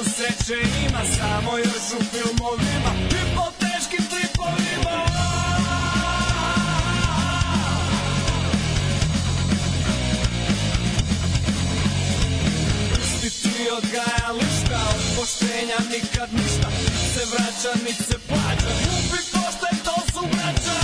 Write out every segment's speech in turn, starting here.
svetu sreće ima, samo još u filmovima i po teškim tripovima. Pusti ti odgajališta, od poštenja nikad ništa, nit se vraća, nit se plaća, ljubi poštaj, to su braća.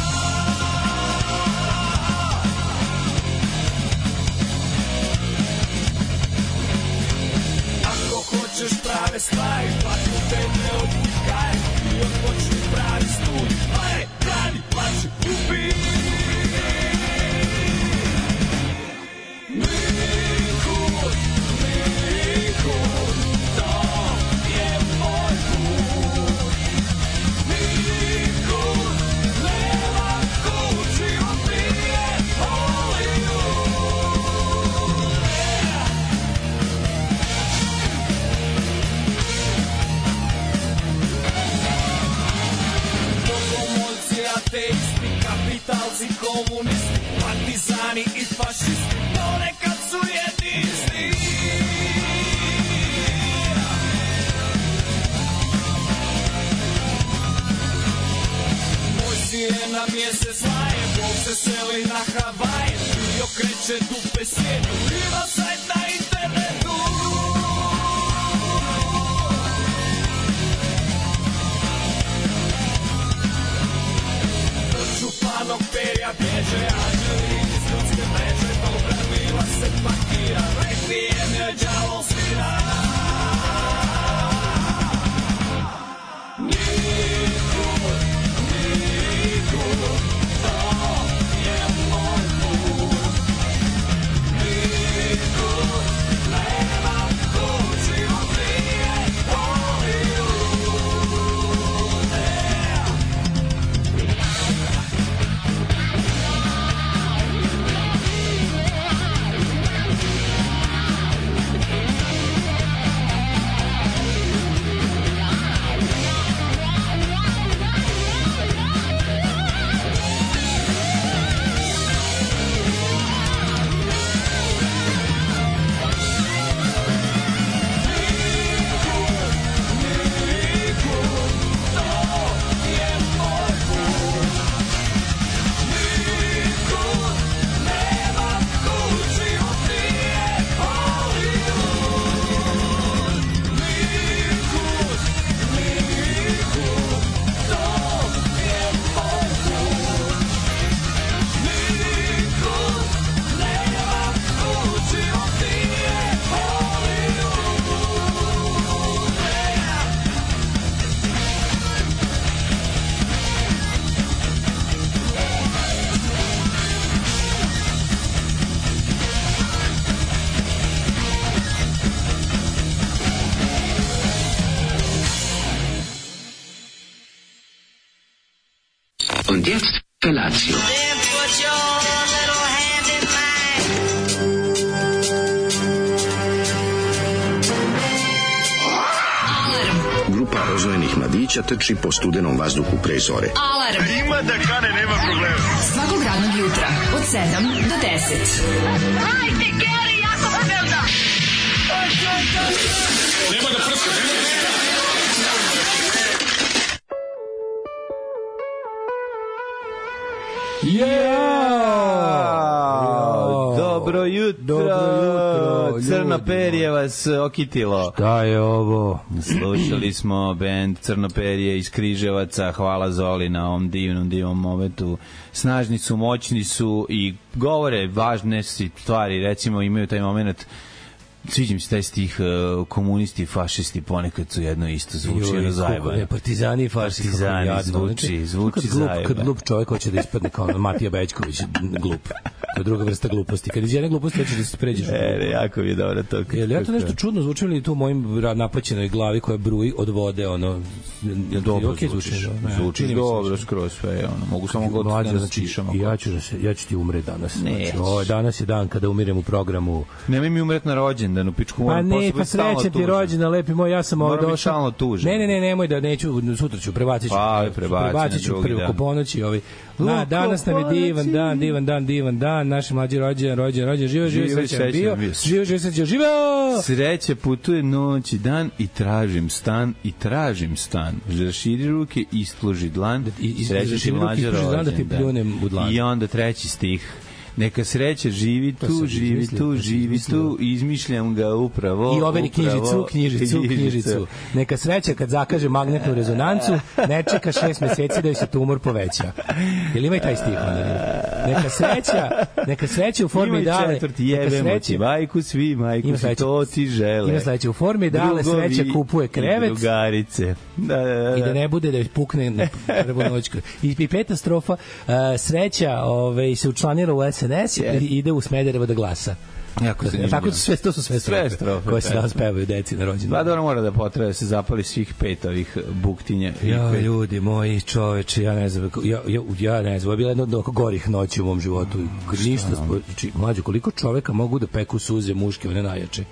Ako hoćeš prave stvari, fakultete odvikaj i odpočni pravi studij. Aj, radi, plaći, ljubi. Nikud, nikud, to je moj put. Nikud, nema kući, opije Hollywood. Bogomolci, ateisti, kapitalci, komunisti, partizani i fašisti, ponekad su jedni isti. Moj sirena mjesec laje, Bog se seli na Havaje, i okreće dupe svijetu, ima sajt na internetu. Od čupanog perja bježe, anđeli iz ljudske mreže, dobra vila se pakira, rekvijem je đavo svira. Nikud, nikud, to je moj put. Nikud, nema kući, opije Hollywood. Und jetzt Felatio. Then put your little hand in mine. Grupa rozvojenih mladića trči po studenom vazduhu pre zore. Alarm. Ima da kane, nema problema. Svakog radnog jutra od 7 do 10. Hajde, Geri, jako se velda. Nema da prska, nema da prska. Dobro jutro, Crno perje vas okitilo. Šta je ovo? Slušali smo bend Crno perje iz Križevaca. Hvala Zoli na ovom divnom momentu. Snažni su, moćni su i govore važne stvari. Recimo imaju taj moment, sviđa mi se taj stih, komunisti, fašisti ponekad su jedno isto, zvuči jedno zajebano. Partizani i fašisti. Partizani, zvuči zajebano. Kad glup čovjek hoće da ispadne kao Matija Bećković, glup. To je druga vrsta gluposti. Kad iz jedne gluposti hoće da se pređeš. Jako mi je dobro to. Jel ja to nešto čudno zvuči li tu u mojim napaćenoj glavi koja bruji od vode, ono... Dobro zvuči dobro skroz sve, ono. Mogu samo goditi da čišamo. Ja ću ti umreti danas. Danas je dan kada umirem u programu. Nemoj mi umreti na rođendan, u pičku moram posle biti stalno tužan. Pa ne, pa srećan ti rođendan, lepi moj, ja sam ovo došao. Moram biti stalno tužan. Ne, nemoj da neću, sutra ću, prebacit ću preko ponoći. Danas nam je divan dan, naši mlađi rođen, živo, srećan bio, živo, srećan, živo! Sreća putuje noć i dan i tražim stan, raširi ruke, isploži dlan, sreća ti mlađa rođendan. I onda treći stih. Neka sreća živi tu, izmišljam ga upravo. I overi knjižicu. Neka sreća kad zakaže magnetnu rezonancu, ne čeka 6 meseci da joj se tumor poveća. Jel ima i taj stih? Neka sreća u formi dale. Ima četvrti, jebemo ti majku, svi majku, svi to ti žele. Ima sledeće, u formi dale sreća kupuje krevet. I drugarice. I da ne bude da joj pukne na prvu noćku. I peta strofa, sreća se učlanira u SNS i ide u Smederevo da glasa. Jako zanimljivo. Tako to su sve strofe koje se danas pevaju deci na rođendan. Pa dobro, mora da potraje da se zapali svih 5 ovih buktinja. Ja, ljudi moji, čoveče, ja ne znam, ovo je bila jedna od gorih noći u mom životu. Ništa, mlađo, koliko čoveka mogu da peku suze muške, one najjače.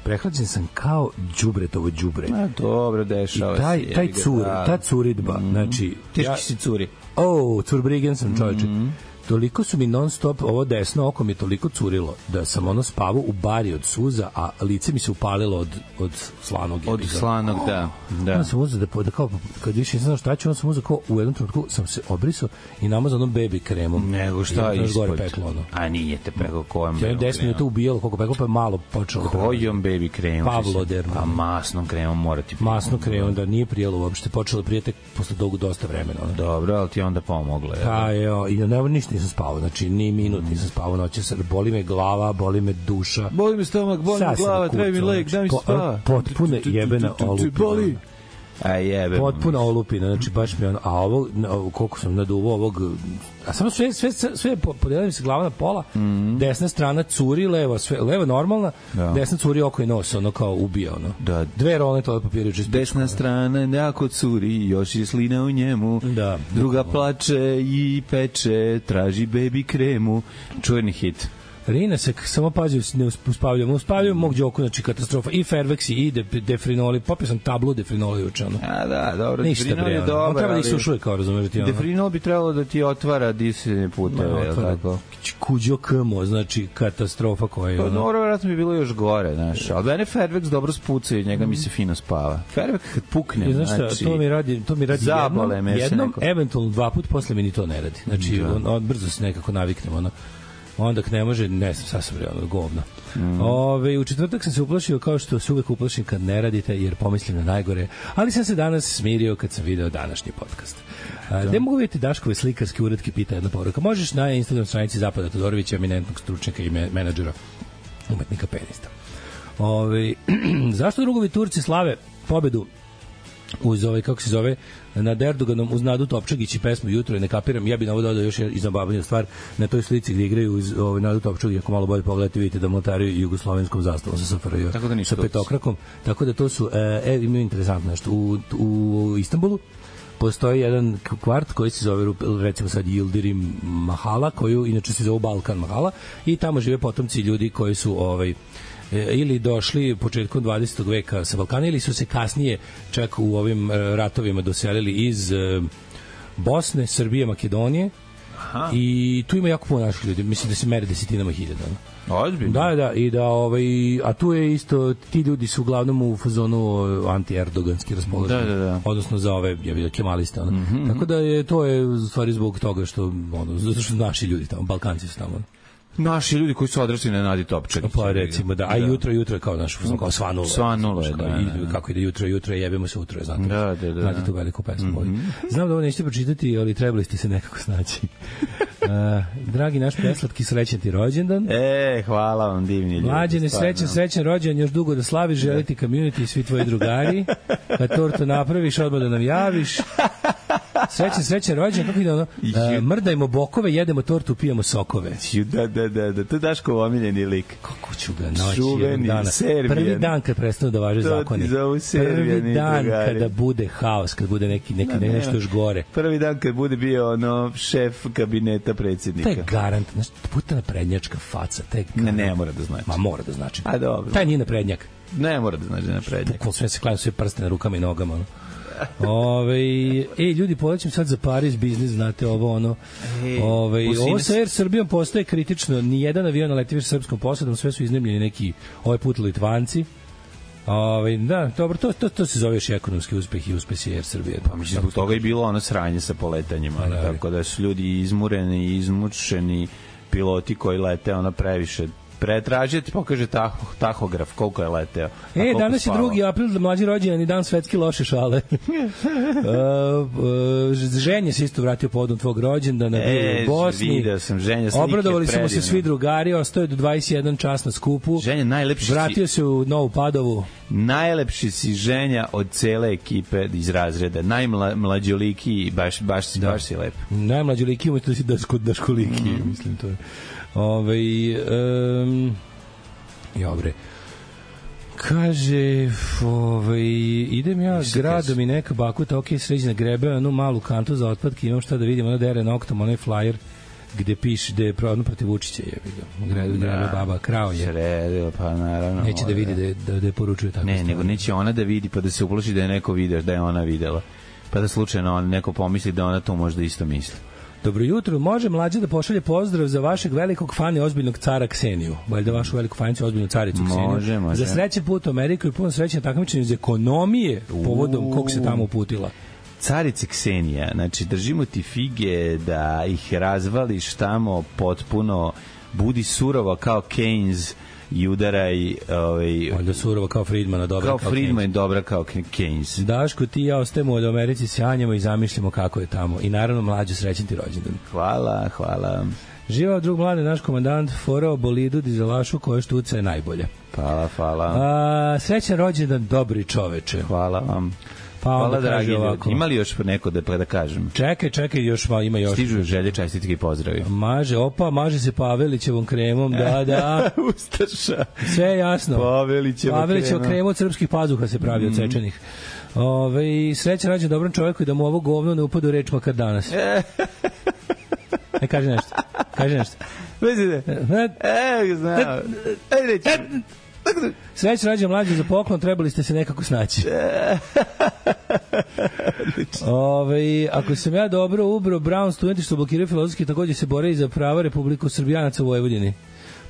Prehlađen sam kao đubretovo đubre. Dobro, dešava se. I ta curidba, znači... Teški si curi. Curbrigen sam, čoveče. Toliko su mi non stop, ovo desno oko mi je toliko curilo da sam spavao u bari od suza, a lice mi se upalilo od slanog. Od slanog, da. Onda sam uzeo da kao, kad više nisam znao šta ću, onda sam uzeo kao u jednom trenutku sam se obrisao i namazao onom baby kremom. Nego šta je ispod? A nije te pekao kojom baby kremom? 10 minuta ubijalo koliko pekao, pa je malo počelo. Kojom baby kremom? Pavlodernom. Pa masnom kremom mora ti... Masnom kremom, da nije prijelo uopšte, počelo prijete posle dosta vremena. Dobro, ali ti onda pomoglo. I ništa nisam spavao, znači ni minut nisam spavao noći, boli me glava, boli me duša, boli me stomak, boli me glava, treba mi lek, daj mi spava. Potpuno jebena olupina. Potpuno olupina, znači baš mi a ovo, koliko sam naduvao ovog, a samo sve podelila mi se glava na pola, desna strana curi, leva normalna, desna curi oko i nos, kao ubija, dve rolne toalet papira. Desna strana jako curi, još je slina u njemu, druga plače i peče, traži baby kremu, čuveni hit. Rina se samo pazi, ne uspavljamo mog Đoku, znači katastrofa, i Ferveksi i defrinoli, popio sam tablu defrinoli juče. Da, dobro, defrinol je dobar, treba da ih sušuje, kao razumeš ti. Defrinol bi trebalo da ti otvara disanje puteve, tako. Kuđo kmo, znači katastrofa koja je. Dobro, vjerojatno bi bilo još gore, znaš, ali mene Ferveks dobro spuca i njega mi se fino spava. Ferveks kad pukne, znači, to mi radi jednom, eventualno 2 puta, posle mi ni to ne radi. Znači, brzo se nekako naviknemo, onda ne može, ne znam, sasvim govno. U četvrtak sam se uplašio kao što se uvek uplašim kad ne radite, jer pomislim na najgore, ali sam se danas smirio kad sam video današnji podcast. Gde mogu vidjeti Daškove slikarske uretke, pita jedna poruka. Možeš na Instagram stranici Zapada Todorovića, eminentnog stručnjaka i menadžera, umetnika penista. Zašto drugovi Turci slave pobedu uz kako se zove, nad Erdoganom uz Nadu Topčagić i pesmu Jutro, ne kapiram, ja bih na ovo dodao još i zabavniju stvar, na toj slici gde igraju uz Nadu Topčagić, ako malo bolje pogledate, vidite da mlatariju jugoslovenskom zastavom sa SFRJ, sa petokrakom, tako da to su, imaju interesantno nešto, u Istanbulu postoji jedan kvart koji se zove, recimo sad, Yildirim Mahala, koju inače se zove Balkan Mahala, i tamo žive potomci ljudi koji su ili došli početkom 20. veka sa Balkana, ili su se kasnije čak u ovim ratovima doselili iz Bosne, Srbije, Makedonije. Aha. I tu ima jako puno naših ljudi, mislim da se mere desetinama hiljada. Ozbiljno? Da, i da, a tu je isto, ti ljudi su uglavnom u fazonu anti-erdoganski raspoloženi, odnosno za ove, ja vidio, kemaliste. Tako da to je u stvari zbog toga što, zato što naši ljudi tamo, Balkanci su tamo. Naši ljudi koji su odrasli na Nadi Topčagić. Pa recimo, da. A jutro je kao naš, kao svanulo. Svanulo je, da. Kako ide jutro, jebemo se utro, znate. Da. Znate tu veliku pesmu. Znam da ovo nećete pročitati, ali trebali ste se nekako snaći. Dragi naš preslatki, srećan ti rođendan. Hvala vam, divni ljudi. Mlađene, srećan rođendan, još dugo da slaviš, želiti community i svi tvoji drugari. Kad tortu napraviš, odmah da nam javiš. Srećan rođendan, kako ide ono? Mrdajmo bokove, jedemo tortu, pijemo sokove. Da, to je Daškov omiljeni lik. Kako ću ga naći jednog dana. Prvi dan kad prestanu da važe zakoni. Prvi dan kada bude haos, kad bude neki nešto još gore. Prvi dan kad bude bio šef kabineta predsjednika. To je garant, puta naprednjačka faca. Ne mora da znači. Ma mora da znači. A dobro. Taj nije naprednjak. Ne mora da znaš da je naprednjak. Bukvalno sve se klaju, sve prste na rukama i nogama. Ljudi, polećem sad za Paris biznis, znate, ovo ono. Ovo sa Air Srbijom postaje kritično. Nijedan avion ne leti više srpskom posadom, sve su iznemljeni neki ovaj put Litvanci. Da, dobro, to se zove još ekonomski uspeh i uspesi Air Srbije. Pa mislim, zbog toga je bilo ono sranje sa poletanjima, tako da su ljudi izmureni i izmučeni, piloti koji lete ono previše. Pretražiti, pokaže tahograf koliko je leteo. Danas je 2. april, da mlađi rođendan i dan svetski loše šale. Ženja se isto vratio povodom tvog rođendana, bio u Bosni. Video sam Ženja, slike obradovali predivne. smo se svi drugari, ostao je do 21 čas na skupu. Ženja, najlepši vratio se u Novu Padovu. Najlepši si Ženja od cele ekipe iz razreda. Najmlađoliki, baš si lep. Najmlađoliki, umjesto da si daškoliki, mislim to je. Dobre. Kaže, idem ja gradom i neka bakuta, sređena grebe, onu malu kantu za otpadke, imam šta da vidim, ona dere noktom, onaj flyer gde piše da je prodno protiv Vučića, grebe baba, krao je. Sredila, pa naravno. Neće da vidi da je poručuje tako. Ne, nego neće ona da vidi, pa da se uploši da je neko video, da je ona videla. Pa da slučajno neko pomisli da ona to možda isto misli. Dobro jutro, može Mlađa da pošalje pozdrav za vašeg velikog fana i ozbiljnog cara Kseniju. Valjda vašu veliku fanicu, ozbiljnu caricu Kseniju. Može. Za srećen put u Ameriku i puno srećen takmičenje iz ekonomije povodom kog se tamo uputila. Carice Ksenija, znači držimo ti fige da ih razvališ tamo potpuno, budi surova kao Keynes i udaraj valjda surova kao Friedmana, dobra kao Friedman i dobra kao Keynes. Daško, ti i ja ostajemo od Americi, sanjamo i zamišljamo kako je tamo. I naravno, Mlađo, srećen ti rođendan. Hvala. Živao drug mlade, naš komandant forao bolidu dizelašu koja štuca je najbolja. Hvala. Srećan rođendan, dobri čoveče. Hvala vam. Hvala, dragi ljudi. Ima li još neko da kažem? Čekaj, ima još. Stižu želje, čestitke i pozdravi. Maže se Pavelićevom kremom, da. Ustaša. Sve je jasno. Pavelićeva krema od srpskih pazuha se pravi od sečenih. Srećan rođendan dobrom čoveku i da mu ovo govno ne upade u reč makar danas. Kaži nešto. Vezite. Znam. Srećan rođendan Mlađe, za poklon trebali ste se nekako snaći. Ako sam ja dobro ubro, Brown studenti što blokiraju filozofski takođe se bore i za prava Republiku Srbijanaca u Vojvodini.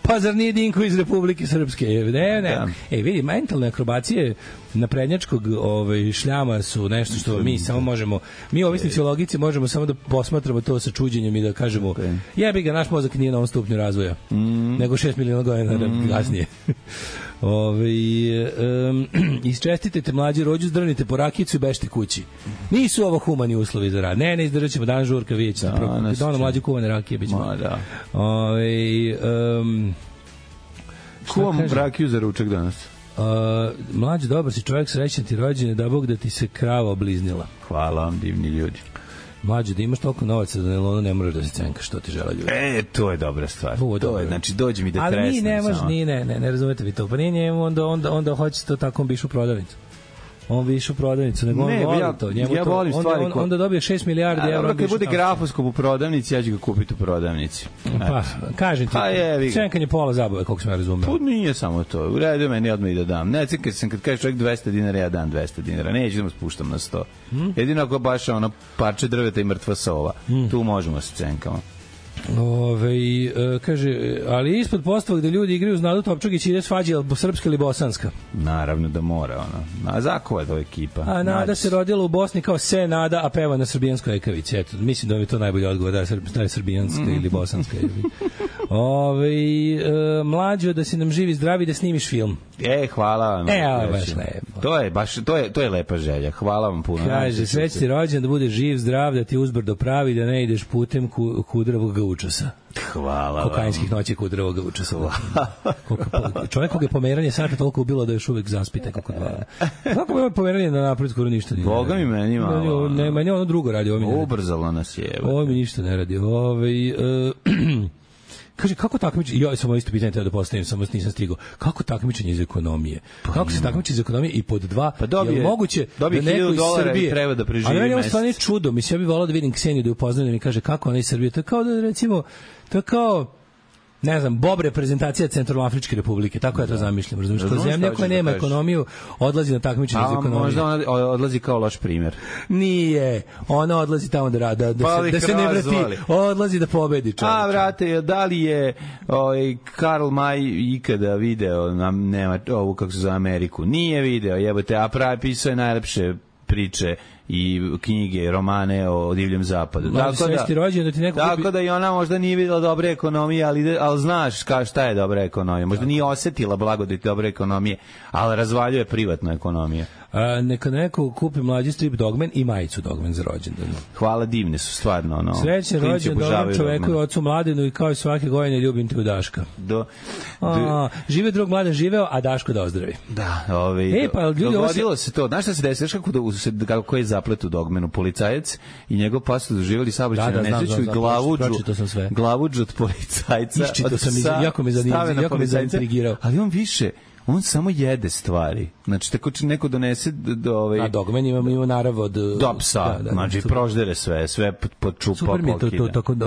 Pa zar nije Dinko iz Republike Srpske? Ne. Vidi, mentalne akrobacije naprednjačkog šljama su nešto što mi samo možemo, mi ovisnici o logici možemo samo da posmatramo to sa čuđenjem i da kažemo, jebi ga, naš mozak nije na ovom stupnju razvoja, nego 6 miliona godina kasnije. Isčestitajte Mlađi rođu, zdrnite po rakicu i bežite kući. Nisu ovo humani uslovi za rad. Ne izdržat ćemo dan žurka, vidjet ćete. Da ono Mlađe kuvane rakije bit ćemo. Kuvam rakiju za ručak danas. Mlađe, dobar si čovjek, srećan ti rođene, da Bog da ti se krava obliznila. Hvala vam, divni ljudi. Mlađe, da imaš toliko novaca da ne moraš da se cenkaš, što ti žele ljudi. To je dobra stvar. To je, znači, dođi mi da tresnem. Ali ne razumete vi to. Pa nije njemu, onda hoće to tako, on bi išao u prodavnicu. On bi išao u prodavnicu, nego on voli to. Ja volim stvari koje... Onda dobije 6 milijardi evra. Kad bude grafoskop u prodavnici, ja ću ga kupiti u prodavnici. Pa, kažem ti, cenkanje pola zabave, koliko sam ja razumeo. Pa nije samo to. U redu meni odmah i da dam. Ne, cenkaj sam kad kažeš čovjek 200 dinara, ja dam 200 dinara. Neću da mu spuštam na 100. Jedino ako baš ono parče drveta i mrtva sova. Tu možemo se cenkamo. Kaže, ali ispod postava gde ljudi igraju uz Nadu Topčagić ide svađa srpska ili bosanska? Naravno da mora, ono. A zakova je to ekipa. A Nada se rodila u Bosni kao se Nada, a peva na srbijanskoj ekavici. Eto, mislim da mi je to najbolji odgovor, da je srbijanska ili bosanska. Mlađo, da si nam živi zdravi da snimiš film. Hvala vam. Baš lepo. To je lepa želja. Hvala vam puno. Kaže, sreći ti rođen, da budeš živ, zdrav, da ti uzbrdo pravi, da ne ideš putem kudravog učasa. Hvala vam. Kokainskih noći kudravog učasa. Čovjek kog je pomeranje sata toliko ubilo da još uvek zaspite kako dva. Kako je pomeranje na napred skoro ništa nije. Boga mi meni malo. Ne, meni ono drugo radi. Ubrzalo nas je. Ovo mi ništa ne radi. Kaže, kako takmičenje, ja sam ovo isto pitanje da postavim, samo nisam stigao, kako takmičenje iz ekonomije? Kako se takmiči iz ekonomije i pod dva, je moguće da neko iz Srbije, treba da preživi mesec? Ali meni ovo stvarno je čudo, mislim, ja bih volao da vidim Kseniju da je upoznam da mi kaže kako ona iz Srbije, to je kao da recimo, to je kao ne znam, Bob reprezentacija Centralnoafričke republike, tako ja to zamišljam, razumiješ, kao zemlja koja nema ekonomiju odlazi na takmičenje za ekonomiju. Možda ona odlazi kao loš primjer. Nije, ona odlazi tamo da se ne vrati, odlazi da pobedi čovječe. A, vrate, da li je Karl May ikada video ovu, kako se zove, Ameriku? Nije video, jebote, a pravi pisao je najlepše priče i knjige, romane o divljem zapadu. Tako da i ona možda nije videla dobre ekonomije, ali znaš šta je dobra ekonomija. Možda nije osetila blagodati dobre ekonomije, ali razvaljuje privatnu ekonomiju. Neka neko kupi mlađi strip Dogman i majicu Dogman za rođendan. Hvala, divne su stvarno. Srećan rođendan čoveku i ocu Mladenu i kao i svake godine ljubim te u Daška. Žive drug Mladen živeo, a Daško da ozdravi. Da, dogodilo se to. Znaš šta se desi? Kako je zaplet u Dogmanu? Policajac i njegov pastor doživjeli saobraćajnu nesreću i glavuđ od policajca. Iščito sam, jako me zaintrigirao. Ali on samo jede stvari. Znači, tako će neko donese a Dogman ima narav od psa, znači proždere sve pod čupa. Super mi je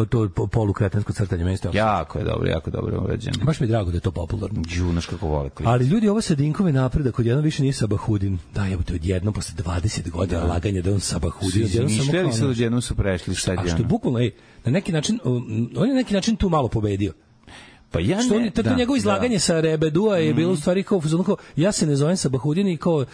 to polukretensko crtanje mesta. Jako je dobro urađeno. Baš mi je drago da je to popularno. Znaš kako vole klip. Ali ljudi, ovo sa Dinkove napredak, odjednom više nije Sabahudin. Da, jebote, odjednom posle 20 godina laganja da on Sabahudin. Mišljali se odjednom su prešli šta je. A što je bukvalno, na neki način, on je na neki način tu malo pobedio. Pa ja ne, to njegovo izlaganje sa Rebedua je bilo u stvari kao ja se ne zovem Sabahudin i kao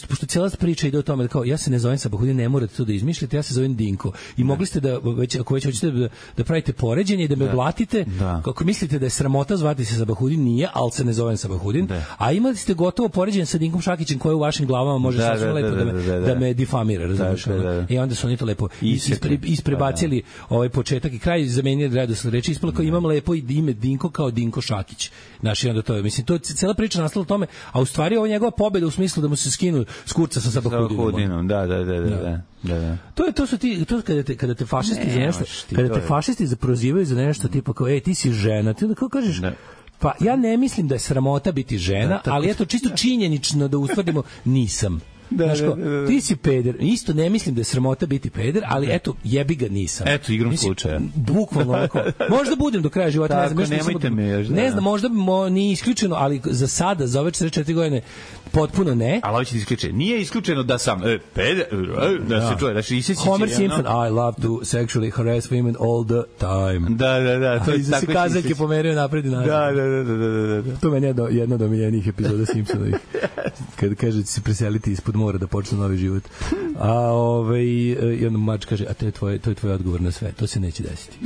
pošto cijela priča ide o tome kao ja se ne zovem Sabahudin, ne morate to da izmišljate, ja se zovem Dinko. I mogli ste da ako već hoćete da pravite poređenje i da me blatite, kako mislite da je sramota zvati se Sabahudin, nije, al se ne zovem Sabahudin. A imali ste gotovo poređenje sa Dinkom Šakićem koji u vašim glavama može sasvim lepo da me difamira, razumiješ? I onda su oni to lepo isprebacili ovaj početak i kraj, zamenili redosled reči, ispalo kao imam lepo ime Dinko kao Dinko Šakić. Znaš, onda to je, mislim, to cela priča nastala o tome, a u stvari ovo je njegova pobeda u smislu da mu se skinu s kurca sa Sabahudinom. Da. To su ti, kada te fašisti za nešto, kada te fašisti prozivaju za nešto, tipa kao, ti si žena, ti onda kao kažeš, pa ja ne mislim da je sramota biti žena, ali eto, čisto činjenično da ustvrdimo, nisam. Ti si peder, isto ne mislim da je sramota biti peder, ali eto, jebi ga nisam. Eto, igrom slučaja. Bukvalno ovako. Možda budem do kraja života, tako, nemojte me još. Ne znam, možda nije isključeno, ali za sada, za ove 44 godine, potpuno ne. Ali ovo će ti isključeno. Nije isključeno da sam peder, da se čuje, da se isjeći. Homer Simpson, I love to sexually harass women all the time. Da. To je tako se kazaljke pomerio napred i nazad. Da. To meni je jedna od omiljenih epizoda Simpsonovih. Kad kaže da će se preseliti ispod mora da počne novi život. I onda mač kaže, a to je tvoj odgovor na sve. To se neće desiti.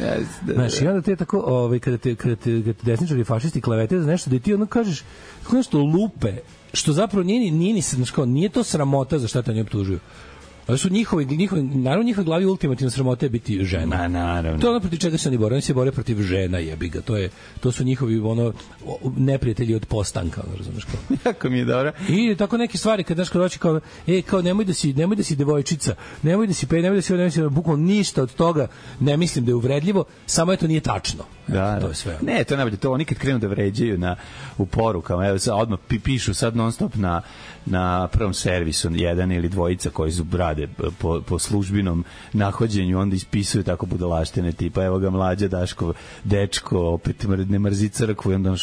Znaš, i onda te tako, kada te desničari i fašisti klevete za nešto, da ti ono kažeš, kako nešto lupe, što zapravo nije to sramota za šta te ne optužuju. Ali su naravno njihove glavi ultimativno sramote biti žena. Naravno. To je ono protiv čega se oni bore. Oni se bore protiv žena, jebi ga. To su njihovi neprijatelji od postanka, razumeš kao. Jako mi je dobro. I tako neke stvari kad doći kao nemoj da si devojčica, nemoj da si bukvalno ništa od toga ne mislim da je uvredljivo, samo eto nije tačno. Da, to je sve. Ne, to je najbolje. To oni kad krenu da vređaju u porukama, evo sad odmah pišu sad non stop na prvom servisu jedan ili dvojica koji rade po službinom nahođenju, onda ispisuju tako budalaštine tipa evo ga mlađa Daško dečko opet ne mrzi crkvu i onda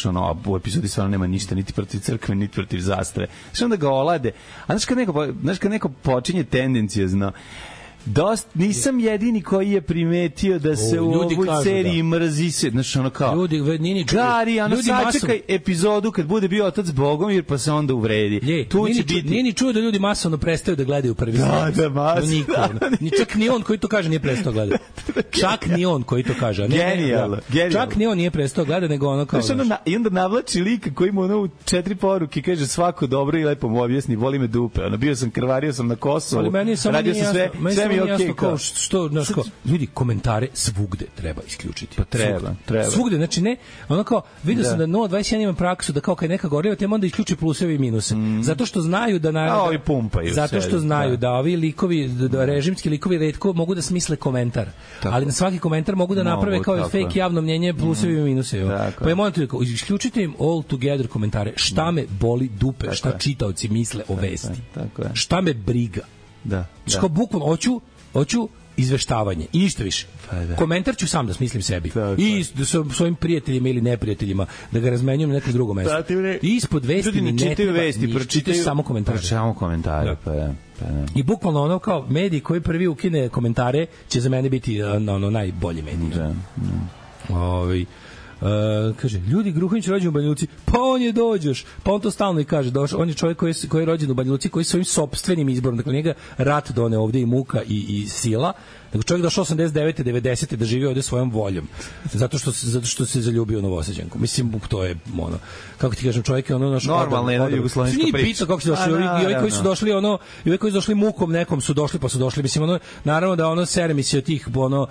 u epizodi stvarno nema ništa niti protiv crkve niti protiv zastave. Znači onda ga olade. A znaš kad neko počinje tendencijozno nisam jedini koji je primetio da se u ovoj seriji mrzi se, znaš ono kao Gari, sačekaj epizodu kad bude bio otac Bogomir pa se onda uvredi. Nije ni čuo da ljudi masovno prestaju da gledaju prvi servis. Da, masovno. Čak ni on koji to kaže nije prestao gledati. Čak ni on koji to kaže. Genijalno. Čak ni on nije prestao gledati, nego ono kao... I onda navlači lika koji mu u 4 poruke kaže svako dobro i lepo mu objasni, voli me dupe. Bio sam krvario sam na Kosovu, radio sam sve jasno kao što ljudi komentare svugde treba isključiti. Pa treba. Svugde, znači ne, ono kao vidio sam da 021 ima praksu da kao kad neka goriva tema onda isključi pluseve i minuse. Zato što znaju da ovi pumpaju. Zato što znaju da ovi likovi, da režimski likovi retko mogu da smisle komentar. Ali na svaki komentar mogu da naprave kao fake javno mnjenje plusevi i minuse. Pa je moram tako isključite im all together komentare. Šta me boli dupe, šta čitaoci misle o vesti. Šta me briga. Da. Što bukvalno hoću izveštavanje i ništa više. Komentar ću sam da smislim sebi. I sa svojim prijateljima ili neprijateljima da ga razmenjujem na nekom drugom mestu. I ispod vesti mi ne treba čitaju samo komentare. Samo komentare, pa da. I bukvalno ono kao mediji koji prvi ukine komentare će za mene biti ono najbolji medij. Kaže, ljudi, Gruhanić rođen u Banja Luci, pa on je dođeš, pa on to stalno i kaže, on je čovjek koji je rođen u Banja Luci, koji je svojim sopstvenim izborom, dakle njega rat done ovde i muka i sila, nego čovjek došao 89. 90. da živi ovde svojom voljom, zato što se zaljubio u Novosađanku. Mislim, to je ono, kako ti kažem, čovjek je ono naš normalna jedna jugoslovenska priča. Nije kako se došli, i ovi koji su došli ono, i ovi koji su došli mukom nekom su došli, pa su došli, mislim ono, naravno da ono sere mi se od tih ono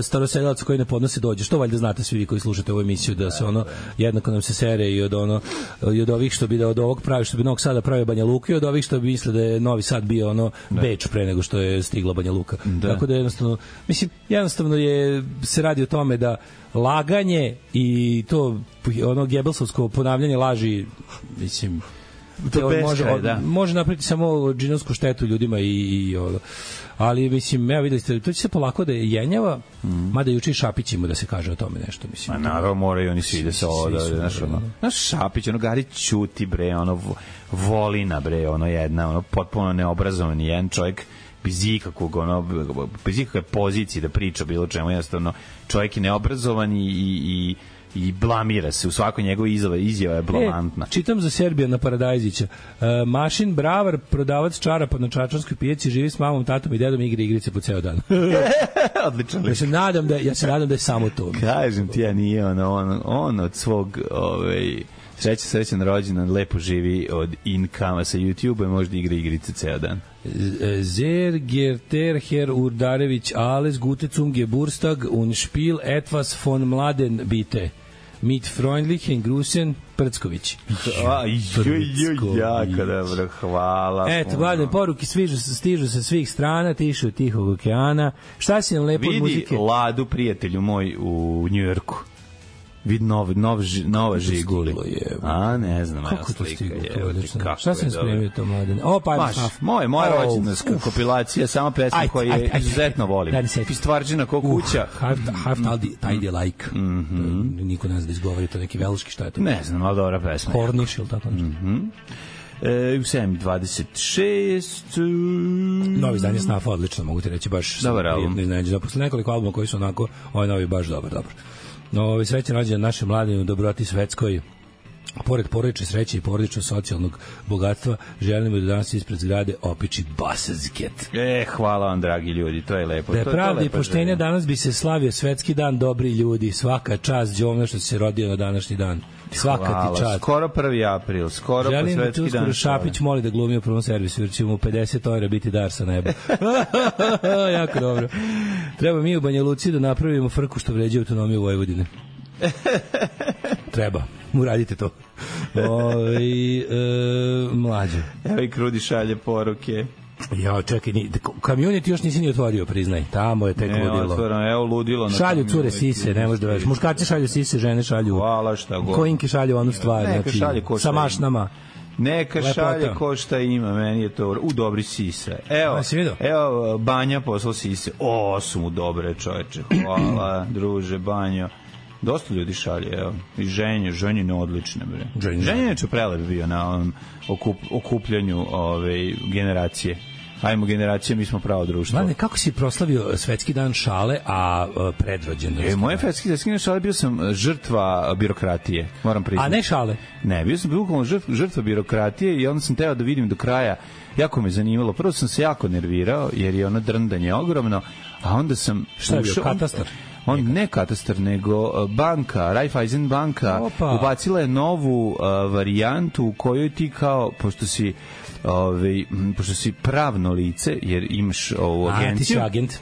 starosedilaca koji ne podnose dođe. Što valjda znate svi vi koji slušate ovu emisiju da se ono jednako nam se sere i od ono i od ovih što bi da od ovog pravi što bi Novog Sada pravio Banja Luka i od ovih što bi misle da je Novi Sad bio ono Beč pre nego što je stigla Banja Luka. Tako da jednostavno se radi o tome da laganje i to ono Gebelsovsko ponavljanje laži, mislim, može napraviti samo džinovsku štetu ljudima i ali mislim, ja videli ste, to će se polako da jenjava, mada juče i Šapić ima da se kaže o tome nešto, mislim. Ma naravno, moraju oni svi da se naš Šapić, ono Gari ćuti, bre, ono Volina, bre, ono jedna, ono potpuno neobrazovan jedan čovjek, bez ikakvog, ono, bez ikakve pozicije da priča bilo čemu, jednostavno čovjek je neobrazovan i blamira se u svakoj njegovoj izjava je blamantna. Čitam za Serbijana Paradajzića. Mašin Bravar, prodavac čarapa na čačanskoj pijaci, živi s mamom, tatom i dedom i igra igrice po ceo dan. Odlično. Ja se nadam da je samo to. Kažem ti, ja nije on od svog srećan rođendan, lepo živi od inkama sa YouTube-a i možda igra igrice ceo dan. Sehr Herr Urdarević, alles gute zum Geburtstag und Spiel etwas von Mladen bitte. Mit freundlichen Grüßen, Prcković. Jako dobro, hvala. Eto, gledaj, poruke stižu sa svih strana, tišu od Tihog okeana. Šta si nam lepo od muzike? Vidi Ladu, prijatelju moj, u Njujorku. Vid nova Žiguli. A, ne znam, kako to stiglo to? Šta sam spremio to, Mladen? O, pa moja rođendanska kompilacija, sama pesma koju je izuzetno volim. Pistvarđina ko kuća. Half tidy like. Niko ne zna da izgovori to, neki velški, šta je to? Ne znam, ali dobra pesma. Porniš ili tako nešto? U 7.26 novi izdanje Snafa, odlično, mogu ti reći, baš dobar album. Posle nekoliko albuma koji su onako, ovaj novi baš dobar. Srećan rođendan našem mladinu, dobroti svetskoj. Pored porodične sreće i porodičnog socijalnog bogatstva, želimo da danas ispred zgrade opiči basazket. Hvala vam, dragi ljudi, to je lepo. Da je pravda i poštenja, danas bi se slavio svetski dan dobri ljudi. Svaka čast Đovna što se rodio na današnji dan. Svaka ti čast. Skoro 1. april, skoro po svetski dan. Želim da ti uskoro Šapić moli da glumi u prvom servisu, jer će mu 50 € biti dar sa neba. Jako dobro. Treba mi u Banja Luci da napravimo frku što vređe autonomiju Vojvodine. Treba. Uradite to. Mlađe. Evo i Krudi šalje poruke. Ja, čekaj, community još nisi ni otvorio, priznaj. Tamo je tek ludilo. Evo ludilo. Šalju cure sise, ne možeš da veš. Muškarci šalju sise, žene šalju. Hvala, šta god. Koinke šalju onu stvar, znači, sa mašnama. Neka šalje ko šta ima, meni je to dobri sise. Evo Banja poslao sise. Su mu dobre, čoveče. Hvala, druže, Banjo. Dosta ljudi šalje, evo. I ženje odlične, bre. Ženje je prelep bio na ovom okupljanju generacije. Ajmo generacije, mi smo pravo društvo. Mladene, kako si proslavio svetski dan šale, a predrođen? Moje svetski dan šale bio sam žrtva birokratije, moram priznati. A ne šale? Ne, bio sam bukvalno žrtva birokratije i onda sam teo da vidim do kraja. Jako me zanimalo. Prvo sam se jako nervirao, jer je ono drndanje ogromno, a onda sam... Šta je bio, katastar? Ne katastar, nego banka, Raiffeisen banka, ubacila je novu varijantu u kojoj ti kao, pošto si pravno lice, jer imaš ovu agenciju. Ti si agent.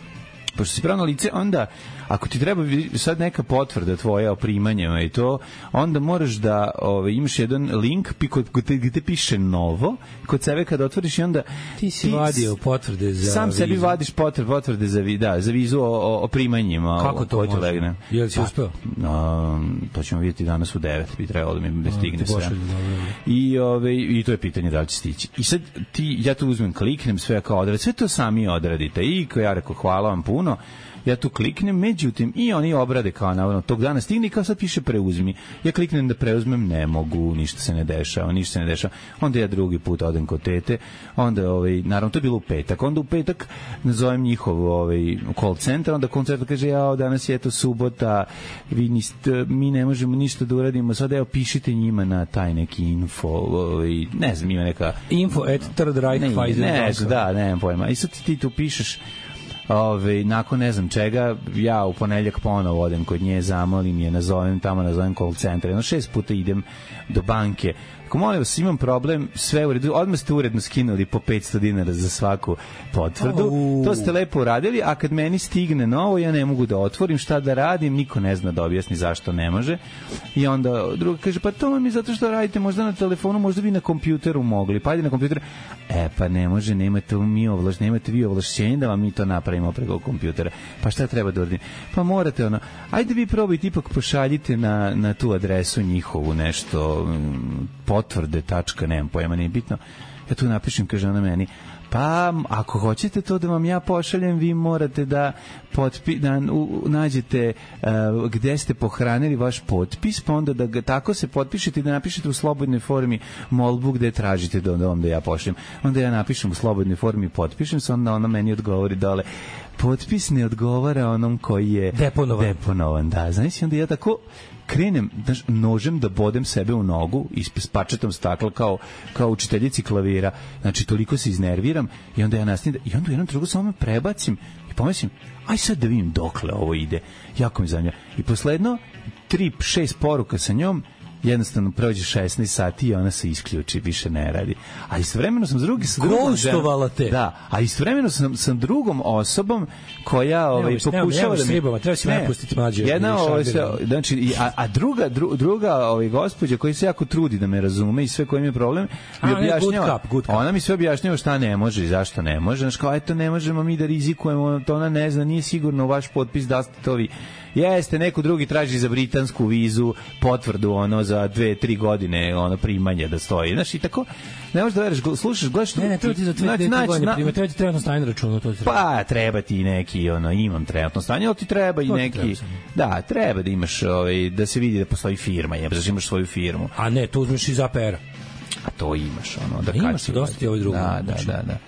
Pošto si pravno lice, onda ako ti treba sad neka potvrda tvoja o primanjima i to, onda moraš da imaš jedan link gde te piše novo, kod sebe kad otvoriš i onda ti si vadio potvrde za sam vizu. Sebi vadiš potvrde za vizu o primanjima. Kako to može? Je li si uspeo? To ćemo vidjeti danas u 9, bi trebalo da mi stigne sve. I to je pitanje da li će stići. I sad ja tu uzmem, kliknem sve kao odradite, sve to sami odradite. I ja rekao hvala vam puno. Ja tu kliknem, međutim, i oni obrade kao navodno tog dana stigne i kao sad piše preuzmi. Ja kliknem da preuzmem, ne mogu, ništa se ne dešava. Onda ja drugi put odem kod tete, onda, naravno, to je bilo u petak. Onda u petak nazovem njihov call center, onda call center kaže, danas je to subota, mi ne možemo ništa da uradimo, sad pišite njima na taj neki info, ne znam, ima neka... info@thirdreichpfizer.com. Da, nemam pojma. I sad ti tu pišeš nakon ne znam čega, ja u ponedeljak ponovo odem kod nje, zamolim je, nazovem call center, 6 puta idem do banke. Ako molim vas, imam problem, sve u redu, odmah ste uredno skinuli po 500 dinara za svaku potvrdu, to ste lepo uradili, a kad meni stigne novo, ja ne mogu da otvorim, šta da radim, niko ne zna da objasni zašto ne može. I onda druga kaže, pa to vam je zato što radite možda na telefonu, možda bi na kompjuteru mogli, pa ajde na kompjuteru. Pa ne može, nemate vi ovlašćenje da vam mi to napravimo preko kompjutera. Pa šta treba da uradim? Pa morate ajde vi probajte, ipak pošaljite na tu adresu njihovu nešto, potvrde, nemam pojma, nije bitno. Ja tu napišem, kaže ona meni, pa ako hoćete to da vam ja pošaljem, vi morate da nađete gde ste pohranili vaš potpis, pa onda da ga tako se potpišete i da napišete u slobodnoj formi molbu gde tražite da ja pošaljem. Onda ja napišem u slobodnoj formi, potpišem se, onda ona meni odgovori dole, potpis ne odgovara onom koji je deponovan. Da, znači, onda ja tako krenem nožem da bodem sebe u nogu s pačetom stakla kao učiteljici klavira. Znači, toliko se iznerviram i onda ja nastavim i onda u jednom drugu samo prebacim i pomislim, aj sad da vidim dokle ovo ide. Jako mi zanima. I posledno 3-6 poruka sa njom, jednostavno prođe 16 sati i ona se isključi, više ne radi. A istovremeno sam Gostovala te. Da, a istovremeno sam sa drugom osobom koja pokušava da mi... Treba si me pustiti mlađe. Znači, a druga gospođa koja se jako trudi da me razume i sve koji imaju problem, mi objašnjava. Ona mi sve objašnjava šta ne može i zašto ne može. Znači, kao, eto, ne možemo mi da rizikujemo, to ona ne zna, nije sigurno vaš potpis da ste to vi. Jeste, neko drugi traži za britansku vizu potvrdu za 2-3 godine primanja da stoji. Znaš, i tako ne možeš da veriš, slušaš, gledaš... Ne, treba ti za 2-3 godine primati, treba ti trenutno stanje na računu. Pa, treba ti neki, imam trenutno stanje, ali ti treba i neki... Da, treba da imaš, da se vidi da postoji firma, da imaš svoju firmu. A ne, to uzmeš iz APR-a. A to imaš, da imaš se dosta ti ovaj drugo. Da.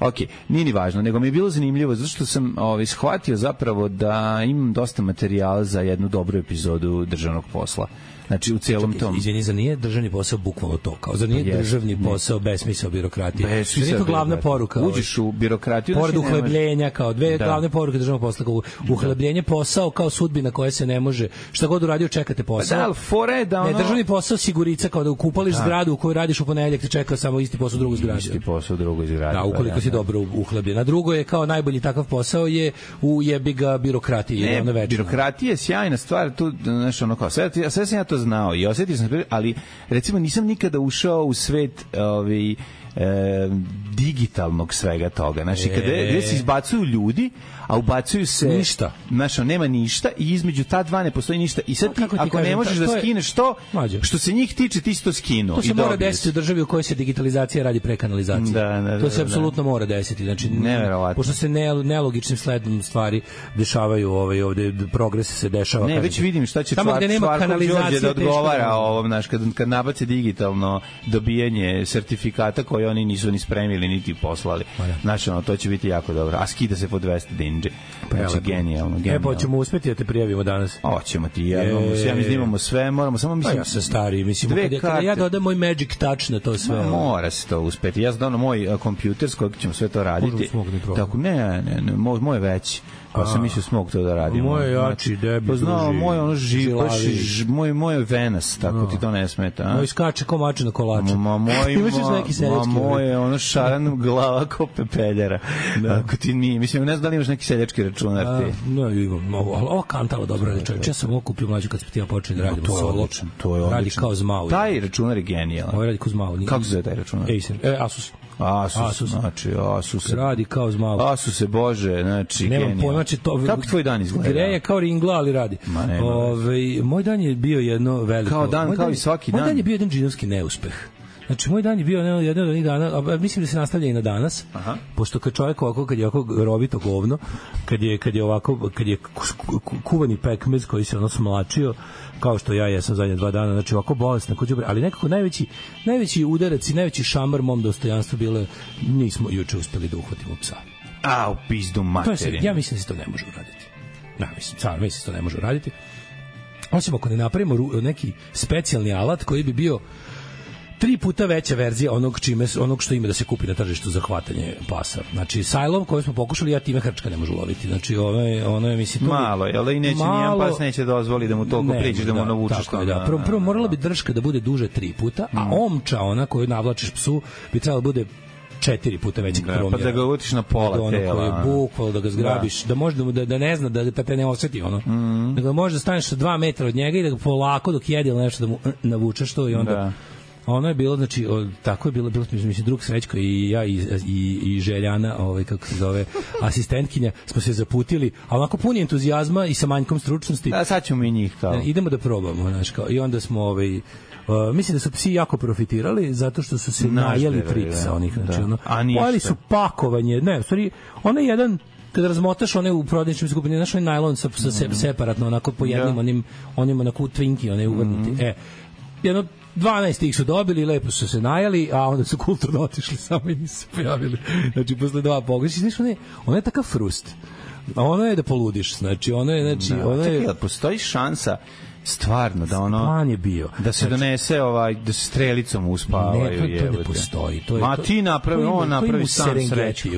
Ok, nije ni važno, nego mi je bilo zanimljivo, zato što sam shvatio zapravo da imam dosta materijala za jednu dobru epizodu državnog posla. Znači, u celom tom... Izvini, za nije državni posao bukvalno to, kao za nije državni posao besmisao birokratije. Za nije to glavna poruka. Uđeš u birokratiju... Pored uhlebljenja, kao dve glavne poruke državnog posla, kao uhlebljenje posao, kao sudbina koja se ne može, šta god uradio, čekate posao. Ne, državni posao sigurica, kao da ukupališ zgradu u kojoj radiš u ponedeljak, te čeka samo isti posao u drugoj zgradi. Isti posao u drugoj zgradi. Da, ukoliko si dobro uhlebljen. A drugo je kao najbolji takav posao je u jebiga birokratiji. Ne, birokratija je sjajna stvar, tu, znaš, kao, sve sam ja to znao i osjetio sam, ali recimo nisam nikada ušao u svet digitalnog svega toga. Znači, gde se izbacuju ljudi, a ubacuju se... Ništa. Znači, nema ništa i između ta dva ne postoji ništa. I sad ti, ako ne možeš da skineš to, što se njih tiče, ti si to skinuo. To se mora desiti u državi u kojoj se digitalizacija radi pre kanalizacije. To se apsolutno mora desiti. Znači, pošto se nelogičnim sledom stvari dešavaju ovde, progres se dešava. Ne, već vidim šta će Čvarkov Đorđe da odgovara ovom, znaš, kad nabace digitalno dobijanje sertifikata koje oni nisu ni spremili, niti poslali. Znači, to će biti jako dobro. A skida se po 200 dinđe. Znači, genijalno. Pa ćemo uspeti da te prijavimo danas. Hoćemo ti, ja mi snimamo sve, moramo samo, mislim... Ja sam stari, mislim, kada ja dodam moj magic touch na to sve. Mora se to uspeti. Ja sam dodam moj kompjuter s kojeg ćemo sve to raditi. Tako, ne, moj veći. Pa sam mislio smog to da radimo. Moj jači, debi, poznao moj ono žilavi. moj venas, tako ti to ne smeta, a? Moj skače ko mače na kolače. Imaš neki seljački? Moj ono šaran glava ko pepeljara. Ako ti nije, mislim, ne znam da li imaš neki seljački računar ti. Ne, imam, ovo kantalo dobro radi čovječ. Ja sam ovo kupio mlađu kad smo ti ja počeli da radimo solo. To je odlično. Radi kao zmao. Taj računar je genijalan. Ovo radi kao zmao. Kako se zove taj računar? Asus. Znači Asus. Radi kao zmao. Asuse, bože, znači nemam pojma, znači to. Kako tvoj dan izgleda? Greje kao ringla, ali radi. Moj dan je bio jedno veliko. Kao dan, kao i svaki dan. Moj dan je bio jedan džinovski neuspeh. Znači, moj dan je bio jedan od onih dana, a mislim da se nastavlja i na danas, pošto kad čovjek ovako, kad je ovako rovito govno, kad je ovako, kad je kuvani pekmez koji se ono smlačio, kao što ja jesam zadnje 2 dana, znači ovako bolesno, ali nekako najveći udarac i najveći šamar mom dostojanstvu bilo, nismo juče uspeli da uhvatimo psa. A, u pizdu materinu. Ja mislim da se to ne može uraditi. Mislim da se to ne može uraditi. Osim ako ne napravimo neki specijalni alat koji bi bio 3 puta veća verzija onog što ima da se kupi na tržištu za hvatanje pasa. Znači, sajlom koji smo pokušali, ja time hrčka ne može loviti. Znači, ono je, mislim... Malo, jel da i neće nijedan pas neće dozvoli da mu toliko priđeš, da mu navučeš to. Prvo morala bi drška da bude duže 3 puta, a omča, ona koju navlačiš psu, bi trebala da bude 4 puta većeg promjera. Pa da ga utiš na pola tela. Koji je bukval, da ga zgrabiš, da može da ne zna, da te ne osjeti, ono. Da ga može da staneš 2 metra od njega i da ga polako dok jede ili nešto da mu navučeš to i onda... Ono je bilo, znači, tako je bilo mislim, drug Srećko i ja i Željana, kako se zove, asistentkinja, smo se zaputili, a onako puni entuzijazma i sa manjkom stručnosti. Da, sad ćemo i njih kao. Idemo da probamo, znaš, kao, i onda smo, mislim da su psi jako profitirali, zato što su se najeli frica onih, znači, ono, pojeli su pakovanje, ne, u stvari, ono je jedan, kada razmotaš one u prodavničnim skupini, znaš, onaj najlon separatno, onako po jednim, onim onako twinki, one uvrnuti, jedno 12 ih su dobili, lepo su se najeli, a onda su kulturno otišli samo i nisu se pojavili. Znači, posle 2 pogreši, znaš, ono je takav frust. A ono je da poludiš, znači, ono je... Čekaj, postoji šansa stvarno da ono plan je bio da se donese da se strelicom uspavaju. To ne postoji. Ti napravi, on napravi sam Srećko.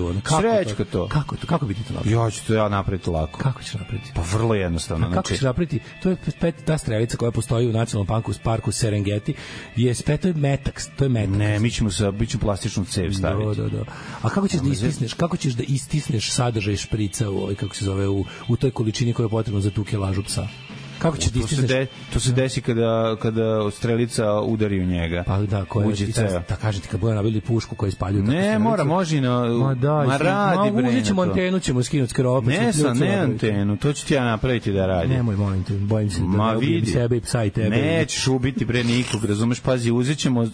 Srećko to. Kako bi ti to napravio? Ja napraviti lako. Kako ćeš napraviti? Pa vrlo jednostavno. Kako ćeš napraviti? To je ta strelica koja postoji u nacionalnom parku Serengeti. To je metak. Ne, mi ćemo plastičnu cev staviti. Da. A kako ćeš da istisneš sadržaj šprica kako se zove u toj količini koja je potrebna za tu kilažu psa? Kako će to se desi kada strelica udari u njega. Pa da, da kažete kad bude nabili pušku koja ispaljuje. Ne, može radi bre. Uzećemo antenu, ćemo skinuti skrop. Ne antenu, to ću ti ja napraviti da radi. Nemoj, molim te, bojim se da ubijem sebe i psa i tebe. Nećeš ubiti bre nikog, razumeš, pazi, uzećemo,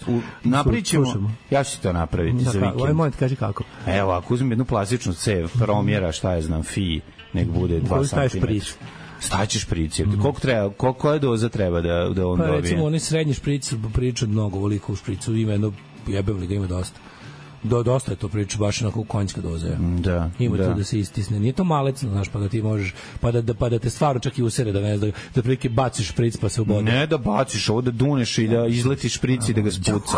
napravićemo. Ja ću to napraviti za vikend. Ovaj moment, kaži kako. Evo, ako uzmem jednu plastičnu cev, promjera, šta je znam, nek bude 2 cm. Staćeš špric. Koja doza treba da on dobije? Pa recimo, oni srednji špric priča mnogo voliko u špricu, ima jedno jebevli ga ima dosta. Dosta je to priča, baš onako konjska doza. Ima to da se istisne. Nije to malecno, znaš, pa da ti možeš, pa da te stvarno čak i usere, da ne znam, da prilike baciš špric pa se ubode. Ne da baciš, ovo da duneš i da izletiš špric i da ga spuca.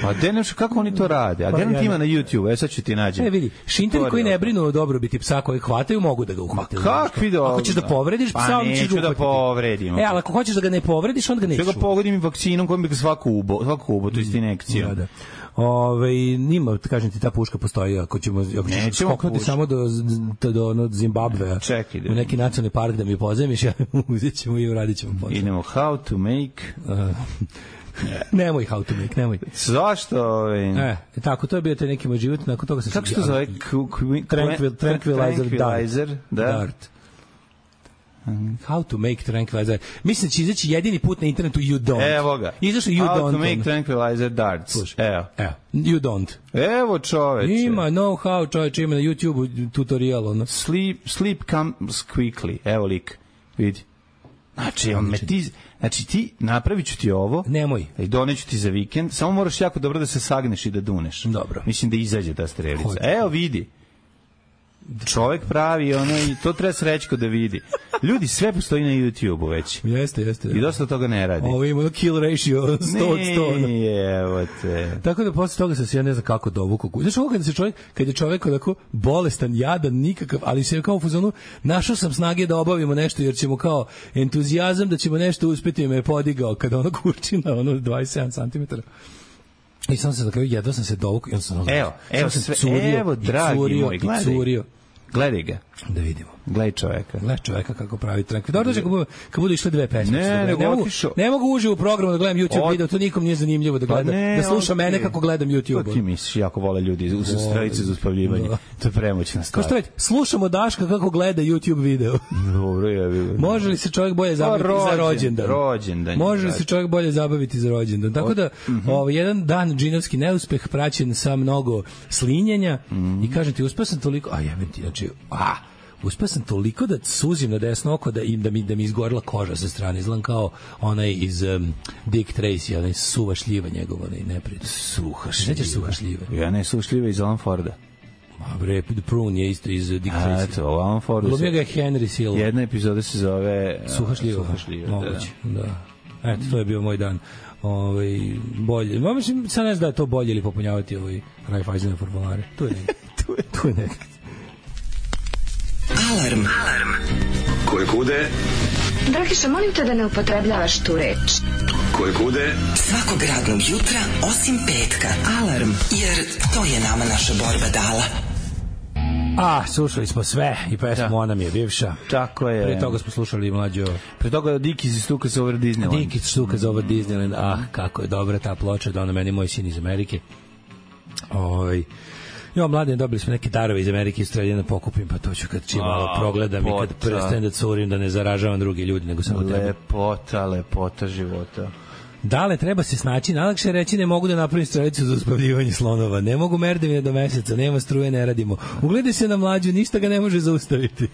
Pa kako oni to rade? A gdje ti ima na YouTube? Sad ću ti nađem. Ne, vidi, šinteri koji ne brinu o dobrobiti psa koji hvataju, mogu da ga uhvate. Kakvi da? Ako ćeš da povrediš psa, on ćeš ga uhvatiti. Da povredim. Ali ako hoćeš da ga ne povrediš, onda ga nećeš. Da ga pogodim i vakcinom kojim bi ga svako ubo, to je injekcija. Nima, kažem ti, ta puška postoji, ako ćemo skoknuti samo do Zimbabvea, u neki nacionalni park da mi pozemiš, uzet ćemo i uradit ćemo posao. Idemo how to make... Nemoj how to make, nemoj. Zašto? Tako, to je bio taj neki moj život, nakon toga sam... Kako se to zove? Tranquilizer Dart. How to make tranquilizer. Mislim da će izaći jedini put na internetu You Don't. Evo ga. Izašao You Don't. How to make tranquilizer darts. Evo. You Don't. Evo čoveče. Ima know-how čoveče, ima na YouTube tutorial. Ono. Sleep comes quickly. Evo lik. Vidi. Znači ti napravit ću ti ovo. Nemoj. I doneću ti za vikend. Samo moraš jako dobro da se sagneš i da duneš. Dobro. Mislim da izađe ta strelica. Evo vidi. čovek pravi ono i to treba srećko da vidi. Ljudi, sve postoji na YouTube-u već. Jeste. I dosta toga ne radi. Ovo ima kill ratio 100 od 100. Ne, evo te. Tako da posle toga sam se ja ne znam kako dovukao. Znaš ovo kad je čovek onako bolestan, jadan, nikakav, ali se kao u fazonu našao sam snage da obavimo nešto jer ćemo kao entuzijazam da ćemo nešto uspeti me podigao kada ono kurčina, ono 27 cm. I sam se na kraju jedva sam se dovukao i on sam Evo, dragi moj, gledaj ga. Da vidimo. Gledaj čoveka kako pravi trenk. Dobro dođe kad budu išle dve pesme. Ne mogu uživo u programu da gledam YouTube video, to nikom nije zanimljivo da gleda. Da sluša mene kako gledam YouTube. To ti misliš, jako vole ljudi uz stranice za uspavljivanje. To je premoćna stvar. Kao što već, slušamo Daška kako gleda YouTube video. Dobro je. Može li se čovjek bolje zabaviti za rođendan? Može li se čovjek bolje zabaviti za rođendan? Tako da, jedan dan džinovski neuspeh praćen sa mnogo slinjenja i kažem ti, uspeo sam toliko, uspeo sam toliko da suzim na desno oko da mi izgorila koža sa strane. Izgledam kao onaj iz Dick Tracy, onaj suva šljiva njegov, onaj neprijatelj. Suha šljiva. Nećeš suha šljive? Ja ne, suha šljiva iz Alan Forda. Bre, The Prune je isto iz Dick Tracy. Eto, Alan Forda. Glumio ga je Henry Silva. Jedna epizoda se zove Suha šljiva. Moguće, da. Eto, to je bio moj dan. Bolje. Mislim, sad ne znam da je to bolje ili popunjavati Raiffeisen formulare. Tu je nekak. Alarm. Koje kude? Dragiša, molim te da ne upotrebljavaš tu reč. Koje kude? Svakog radnog jutra, osim petka. Alarm, jer to je nama naša borba dala. Slušali smo sve i pesmu Ona mi je bivša. Tako je. Pre toga smo slušali mlađo. Pre toga Dickies i Stukas over Disneyland. Dickies Stukas over Disneyland. Kako je dobra ta ploča, da ona meni moj sin iz Amerike. Mladen, dobili smo neke darove iz Amerike, istrelje da pokupim, pa to ću kad čim malo progledam i kad prestanem da curim, da ne zaražavam druge ljudi, nego samo tebe. Lepota života. Dale, treba se snaći, najlakše reći ne mogu da napravim strelicu za uspavljivanje slonova, ne mogu merdevine do meseca, nema struje, ne radimo. Ugledaj se na mlađu, ništa ga ne može zaustaviti.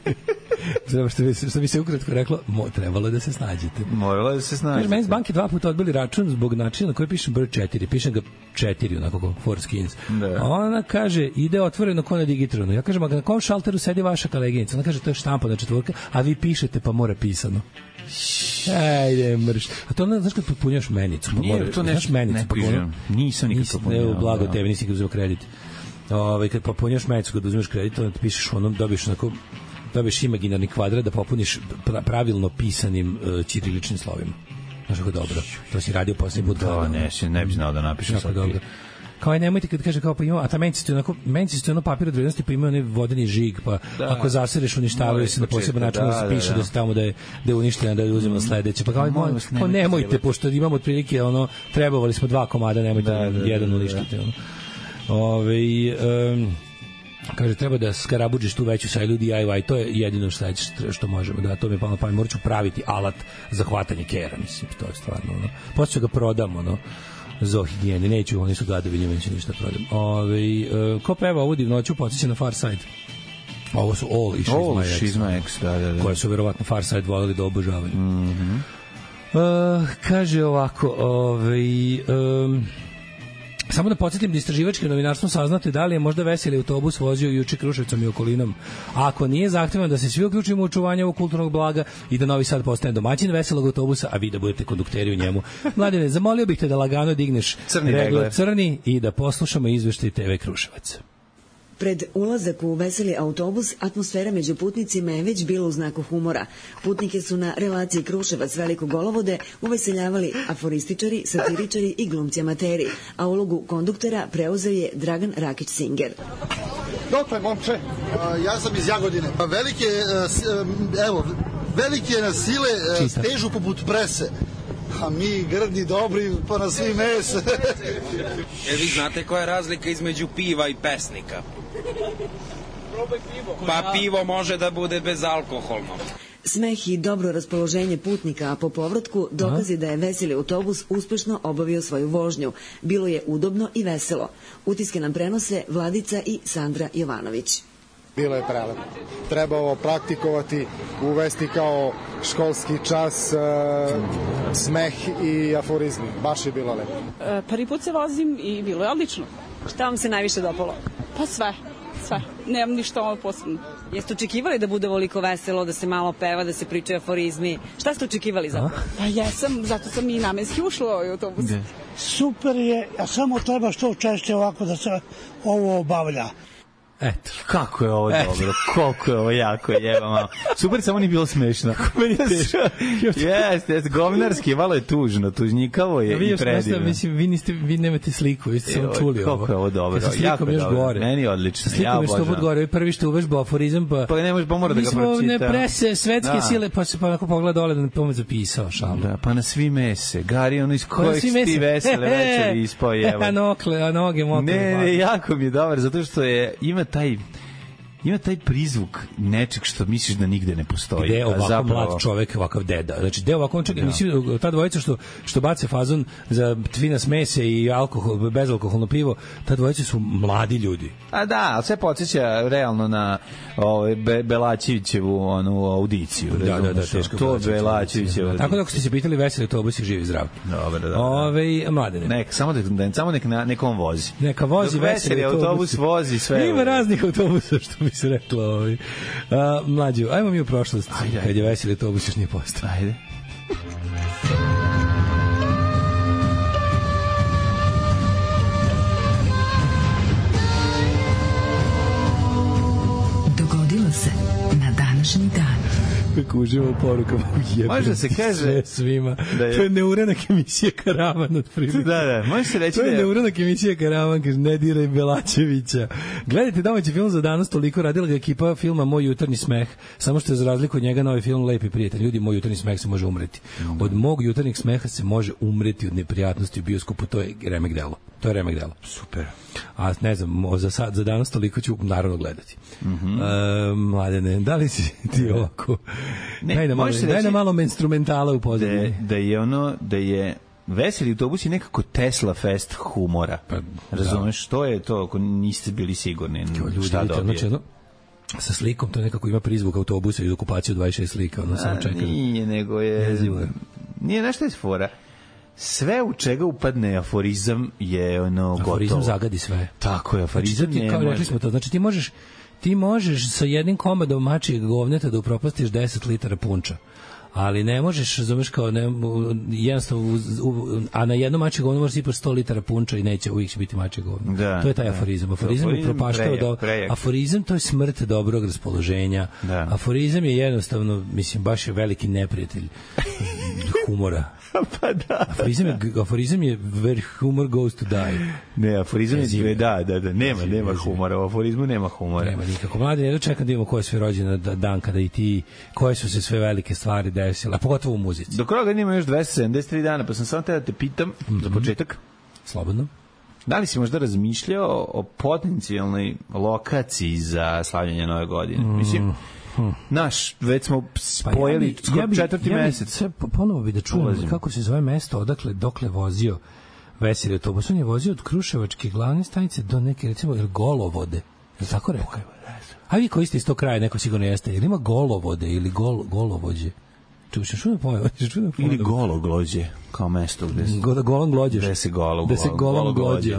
Što bi se ukratko reklo, trebalo je da se snađete. Moralo je da se snađete. Meni s banke 2 puta odbili račun zbog načina na koji pišem broj 4. Pišem ga 4, onako kao Forskins. A ona kaže, ide otvoreno ko na Digitronu. Ja kažem, a na kom šalteru sedi vaša koleginica? Ona kaže, to je štampa na četvorka, a vi pišete pa mora pisano. Ajde, mrš. A to, znaš kad potpunjaš menicu? Znaš menicu? Nisam nikad potpunjao. Ne, blago tebi, nisi nikad uzeo kredit. Kad potpunjaš menicu, kad uzmeš kredit, onda pišeš dobiješ imaginarni kvadrat da popuniš pravilno pisanim ćiriličnim slovima. Znaš kako dobro. To si radio posljednji put. Ne bi znao da napišem sad. Dobro. Kao nemojte kad kaže kao pa ima, a ta menci su ono papir od vrednosti, pa ima onaj vodeni žig, pa ako zasereš uništavaju se na poseban način da se piše da se tamo da je uništena, da je uzimamo sledeće. Pa kao nemojte, pošto imamo otprilike trebovali smo 2 komada, nemojte jedan uništiti. Kaže, treba da skarabuđiš tu veću sajlu DIY, to je jedino što možemo, da to mi je palo na pamet, morat ću praviti alat za hvatanje kera, mislim, to je stvarno, poslije ga prodam, za higijene, neću, oni su gadovi, njima neću ništa prodam. Ko peva ovu divnoću, podsjeća na Far Side. Ovo su All Is My Ex, da. Koje su verovatno Far Side volili da obožavaju. Kaže ovako, samo da podsjetim da istraživačkim novinarstvom saznate da li je možda veseli autobus vozio juče Kruševcom i okolinom. Ako nije, zahtevamo da se svi uključimo u očuvanje ovog kulturnog blaga i da Novi Sad postane domaćin veselog autobusa, a vi da budete kondukteri u njemu. Mladene, zamolio bih te da lagano digneš regler crni i da poslušamo izveštaj TV Kruševac. Pred ulazak u veseli autobus, atmosfera među putnicima je već bila u znaku humora. Putnike su na relaciji Kruševac-Veliko Golovode uveseljavali aforističari, satiričari i glumci amateri, a ulogu konduktora preuzeo je Dragan Rakić-Singer. Dokle, momče? Ja sam iz Jagodine. Velike na sile stežu poput prese. A mi grdi, dobri, pa na svi mes. Vi znate koja je razlika između piva i pesnika? Pa pivo može da bude bezalkoholno. Smeh i dobro raspoloženje putnika, a po povratku dokazi da je veseli autobus uspešno obavio svoju vožnju. Bilo je udobno i veselo. Utiske nam prenose Vladica i Sandra Jovanović. Bilo je prelepo. Trebalo praktikovati, uvesti kao školski čas, smeh i aforizmi. Baš je bilo lepo. Prvi put se vozim i bilo je odlično. Šta vam se najviše dopalo? Pa sve. sve. Nemam ništa ono posebno. Jeste očekivali da bude ovoliko veselo, da se malo peva, da se pričaju aforizmi? Šta ste očekivali zapravo? Pa jesam, zato sam i namenski ušla u ovaj autobus. Super je, a samo treba što češće ovako da se ovo obavlja. Eto. Kako je ovo dobro, koliko je ovo jako jebamo. Super, samo nije bilo smešno. Meni je teško. Jeste, govnarski, malo je tužno, tužnjikavo je i predivno. Mislim, vi nemate sliku, vi ste samo čuli ovo. Kako je ovo dobro, jako je dobro. Meni je odlično, ja obožavam. Slikom je što gore, prvi što uvežba aforizam, pa ne može, pa mora da ga pročita. Mi smo ne prese, svetske sile, pa se pa onako pogleda dole da ne pomoć zapisao šalu. Da, pa na svi mese, Gari, ono iz kojeg ti vesele večeri ispao jeva. A noge mokre. Ne, jako mi je dobar, zato što ima taj prizvuk nečeg što misliš da nigde ne postoji. Gde je ovako mlad čovek, ovakav deda. Znači, gde je ovako, mislim, ta dvojica što bace fazon za fina smese i alkohol, bezalkoholno pivo, ta dvojica su mladi ljudi. A da, ali sve podsjeća realno na Belačevićevu onu audiciju. Da, teško. To Belačevićevo. Tako da ako ste se pitali, veseli autobus i živi zdrav. Dobro. Mladene. Samo nek on vozi. Neka vozi veseli autobus vozi sve. Ima raznih autobusa, što bi se reklo. Mlađu, ajmo mi u prošlost. Kad je veseli autobus još nije postao. Ajde. Dogodilo se na današnji dan. Kako uživa u porukama. Može se kaže sve svima. To je neuranak emisija Karavan od prilike. Da, može se reći to je neuranak emisija Karavan, kaže ne diraj Belačevića. Gledajte domaći film za danas, toliko radila ga ekipa filma Moj jutarnji smeh, samo što je za razliku od njega novi film Lepi prijatelj. Ljudi, Moj jutarnji smeh se može umreti. Od mog jutarnjeg smeha se može umreti od neprijatnosti u bioskopu, to je remek delo. To je remek delo. Super. A ne znam, za danas toliko ću naravno gledati. Mladene, da li si ti ovako? Daj na malo instrumentala u pozadini. Da je veseli autobus je nekako Tesla fest humora. Razumeš, što je to ako niste bili sigurni šta dobije? Sa slikom, to nekako ima prizvuk autobusa i okupaciju 26 slika. Nije, nego je... Nije nešto iz fora. Sve u čega upadne aforizam je gotovo. Aforizam zagadi sve. Tako je, aforizam ne može. Rekli smo to, znači ti možeš sa jednim komadom mačijeg govneta da upropastiš 10 litara punča. Ali ne možeš, razumeš, kao jednostavno, a na jedno mačje govno možeš sipaš 100 litara punča i neće, uvijek će biti mačje govno. To je taj aforizam. Aforizam je propaštao aforizam, to je smrt dobrog raspoloženja. Aforizam je jednostavno, mislim, baš je veliki neprijatelj humora. Pa da. Aforizam je where humor goes to die. Ne, aforizam je da. Nema humora. U aforizmu nema humora. Nema nikako. Mladi, ja dočekam da imamo ko je sve rođena dan kada i ti, koje su se sve velike stvari desile, a pogotovo u muzici. Do kraja ima još 273 dana, pa sam samo te da te pitam za početak. Slobodno. Da li si možda razmišljao o potencijalnoj lokaciji za slavljenje Nove godine? Mislim, već smo spojili četvrti mesec. Ponovo bi da čujem kako se zove mesto, dokle vozio veseli autobus. On je vozio od Kruševačke glavne stanice do neke, recimo, Golovode. Je li tako rekao? A vi koji ste iz tog kraja, neko sigurno jeste. Je li ima Golovode ili Golovođe? Ili Gologlođe, kao mesto gde se... Gologlođe. Gde se Gologlođe.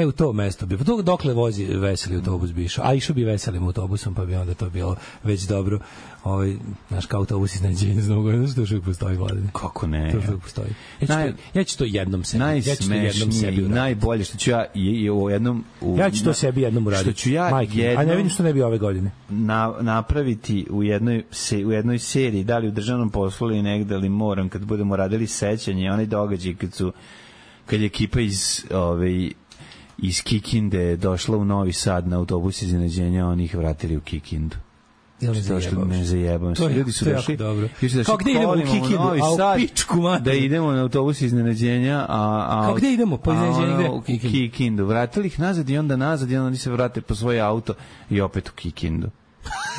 U to mesto bi. Dokle vozi veseli autobus bi išao? A išao bi veselim autobusom, pa bi onda to bilo već dobro. Naš kao autobus iznenađenja za Novu godinu, što još uvijek postoji, Vladine. Kako ne? To još uvijek postoji. Ja ću to jednom sebi. Najsmešnije i najbolje što ću ja u jednom... Ja ću to sebi jednom uraditi. Što ću ja a ne vidim što ne bi ove godine. Napraviti u jednoj seriji, da li u državnom poslu ili negde, ali moram, kad budemo radili sećanje, onaj događaj kad je ekipa iz Kikinde došla u Novi Sad na autobus iznenađenja, oni ih vratili u Kikindu. Ne zajebam se. Ljudi su došli. Kao gde idemo u Kikindu, a u pičku mater. Da idemo na autobus iznenađenja, kao gde idemo po iznenađenju u Kikindu. Vratili ih nazad i onda oni se vrate po svoje auto i opet u Kikindu.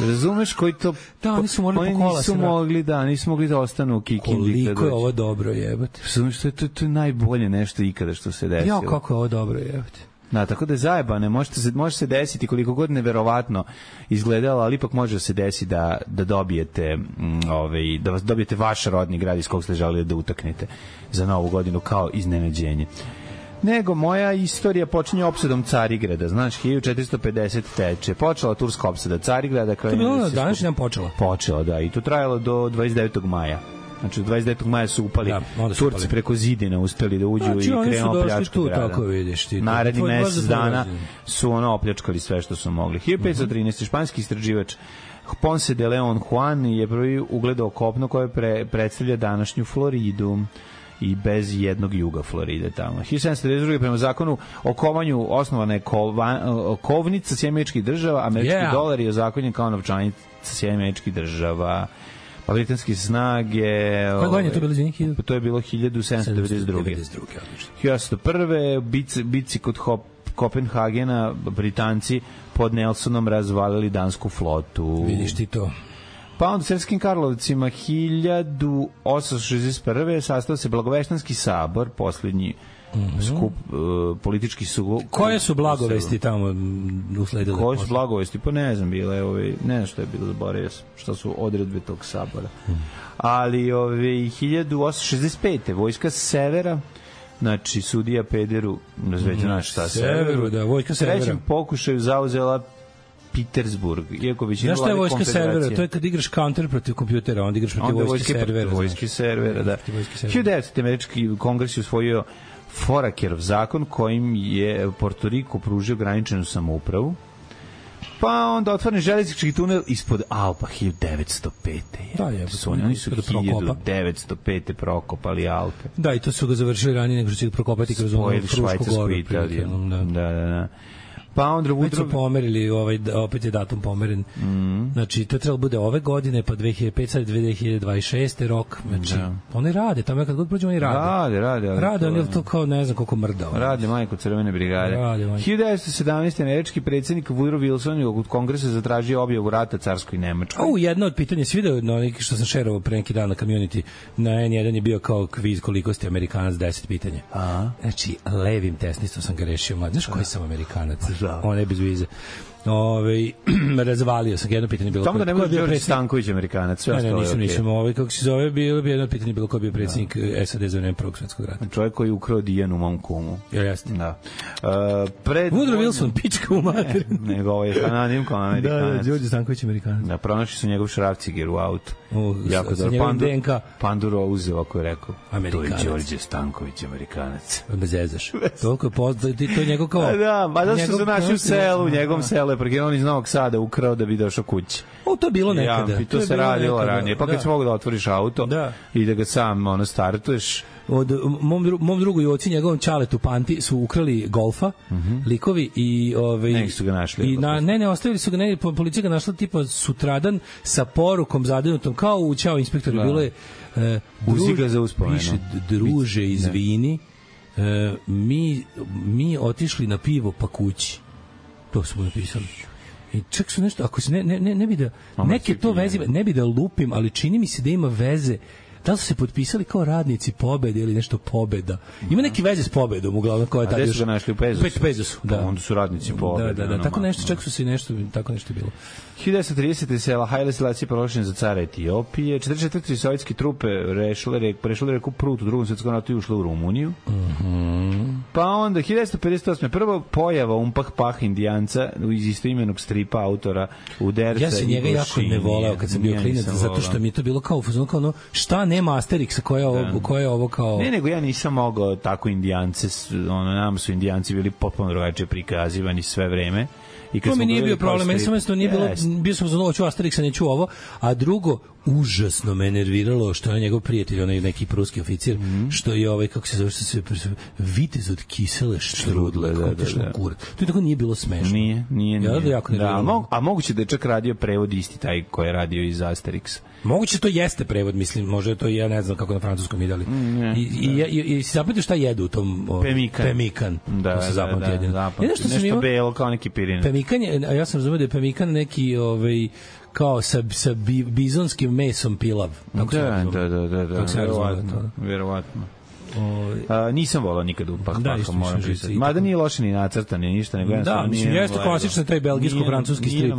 Razumeš koji to... Da, oni su morali po kola. Nisu mogli da ostanu u Kikindi. Koliko je ovo dobro, jebate. To je najbolje nešto ikada što se desilo. Ja, kako je ovo dobro, jebate. Da, tako da je zajebane, može se desiti koliko god neverovatno izgledalo, ali ipak može se desiti da dobijete da dobijete vaš rodni grad iz kog ste želeli da utaknete za Novu godinu kao iznenađenje. nego moja istorija počinje opsadom Carigrada. Znaš, 1450 teče. Počela turska opsada Carigrada. To je bilo na današnji dan počela? Počela, da. I to trajalo do 29. maja. Znači, 29. maja su upali Turci preko zidina, uspeli da uđu i krenuo pljačku grada. Tako vidiš ti. Naredni mesec dana su opljačkali sve što su mogli. 1513. španski istraživač Ponce de Leon Juan je prvi ugledao kopno koje predstavlja današnju Floridu i bez jednog juga Floride tamo. 1792. prema zakonu o kovanju osnovana je kovnica Sjedinjenih Država, američki dolar je ozakonjen kao novčanica Sjedinjenih Država. Pa britanske snage... Koje godine je to bilo za njih? To je bilo 1792. 1801. Bici kod Kopenhagena Britanci pod Nelsonom razvalili dansku flotu. Vidiš ti to. Pa onda u Srpskim Karlovcima 1861. sastao se Blagoveštanski sabor, posljednji skup politički su... Koje su blagovesti tamo usledile? Koje su blagovesti? Pa ne znam, bile ne znam što je bilo, zaboravio sam šta su odredbe tog sabora. Ali 1865. vojska severa, znači sudija Pederu razveđena šta severu, da, vojska severa. Trećem pokušaju zauzela Petersburg, iako većina vlade konfederacije. Znaš šta je vojska servera? To je kad igraš counter protiv kompjutera, onda igraš protiv vojske servera. Vojske servera, da. 1900. američki kongres je usvojio Forakerov zakon kojim je Porto Riko pružio graničnu samoupravu. Pa onda otvoren železnički tunel ispod Alpa 1905. Da, je. Oni su 1905. prokopali Alpe. Da, i to su ga završili ranije nego što će prokopati kroz onu Frušku goru. Da. Pa onda već su pomerili, opet je datum pomeren. Znači, to je trebalo bude ove godine, pa 2005, sad 2026. rok. Znači, oni rade, tamo kad god prođe, oni rade. Rade, oni to kao ne znam koliko mrda. Rade majko Crvene brigade. 1917. američki predsjednik Woodrow Wilson od kongresa zatražio objavu rata carskoj Nemačkoj. Jedno od pitanja, svi video što sam šerovao pre neki dan na community, na N1 je bio kao kviz koliko ste Amerikanac, 10 pitanja. Znači, levim tesnistom sam ga rešio. Znaš koji sam Amerikanac? On je bez vize. Razvalio sam jedno pitanje bilo. Tamo da ne može Đorđe Stanković Amerikanac, sve ostalo. Nisam. Kako se zove, bilo bi jedno pitanje bilo ko bio predsjednik SAD za vreme Prvog svjetskog rata. Čovjek koji ukrao Dijanu mom kumu. Jeste. Da. Woodrow Wilson, pička u materinu. Nego ovaj anonim kao Amerikanac. Da, Đorđe Stanković Amerikanac. Da, pronašli su njegov šrafciger u autu. Jako dobro. Panduro uzeo, ako je rekao. Amerikanac. To je Đorđe Stanković Amerikanac. Bez zezaš. Toliko je poznat, to je njegov kao... Da, pa da su se naši u selu, u njegovom selu je prekinuo iz Novog Sada ukrao da bi došao kući. To je bilo nekada. I to se radilo ranije. Pa kad si mogu da otvoriš auto i da ga sam startuješ. Od mom drugu i oci njegovom Čaletu Panti su ukrali Golfa, likovi i neki su ga našli. Ne, ostavili su ga, policija ga našla tipa sutradan sa porukom zadinutom kao u Ćao inspektoru, bilo je uziga za uspomenu. Piše, druže, izvini, mi otišli na pivo pa kući. To smo napisali. I čak su nešto, ako se ne bi da neke to veze, ne bi da lupim, ali čini mi se da ima veze. Da li su se potpisali kao radnici Pobede ili nešto Pobeda? Ima neki veze s Pobedom, uglavnom koja je tada još... A gde su ga našli u Pezosu? Pezosu, da. Onda su radnici Pobede. Da, tako nešto, čak su se nešto, tako nešto bilo. 1930. sela Haile Selassie proglašen za cara Etiopije. 44. sovjetske trupe prešle reku Prut u Drugom svjetskom ratu i ušle u Rumuniju. Pa onda 1958. prvo pojava Umpah Pah Indijanca iz istoimenog stripa autora Uderca. Ja sam njega jako ne voleo kad sam bio klinac, zato što mi je to bilo kao ono šta nema Asterixa koja je ovo kao... Ne, nego ja nisam mogao tako Indijance, nam su Indijanci bili potpuno drugačije prikazivani sve vreme. To mi nije bio problem, meni samo nije bilo, bio sam za hoću Asterixa, neću ovo, a drugo, užasno me nerviralo što je njegov prijatelj, onaj neki pruski oficir, što je kako se zove, što se vitez od kisele štrudle, da. To je tako nije bilo smešno. Nije. A moguće da je čak radio prevod isti taj koji je radio iz Asterixa. Moguće to jeste prevod, mislim, možda je to, ja ne znam kako na francuskom idali. I si zapamtio šta jedu u tom... Pemikan. Da, se zapamtio jedino. Nešto belo kao neki pirin. Pemikan je, a ja sam razumio da je pemikan neki kao sa bizonskim mesom pilav. Da, verovatno. Nisam volao nikad u Pah Paha, moram priznati. Mada nije loše ni nacrtan, ni ništa, nego da, mislim, jeste klasično taj belgijsko-francuski strip,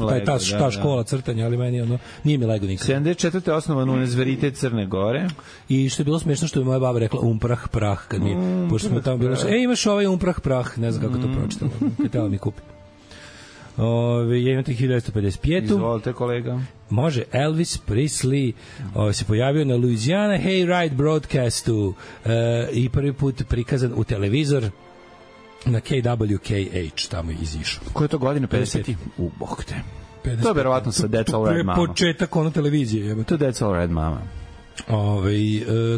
ta škola crtanja, ali meni ono, nije mi lego nikad. 74. osnovan Univerzitet Crne Gore. I što je bilo smešno što je moja baba rekla prah, kad mi, pošto smo tamo bilo, imaš ovaj prah, ne znam kako to pročitamo, kad tela mi kupi. Ja imam 1955. Izvolite, kolega. Može, Elvis Presley se pojavio na Louisiana Hayride broadcastu i prvi put prikazan u televizor na KWKH, tamo je izišao. Koje je to godine? 50. Bog te. To je verovatno sa That's All Right Mama. Početak ono televizije. To je That's All Right Mama.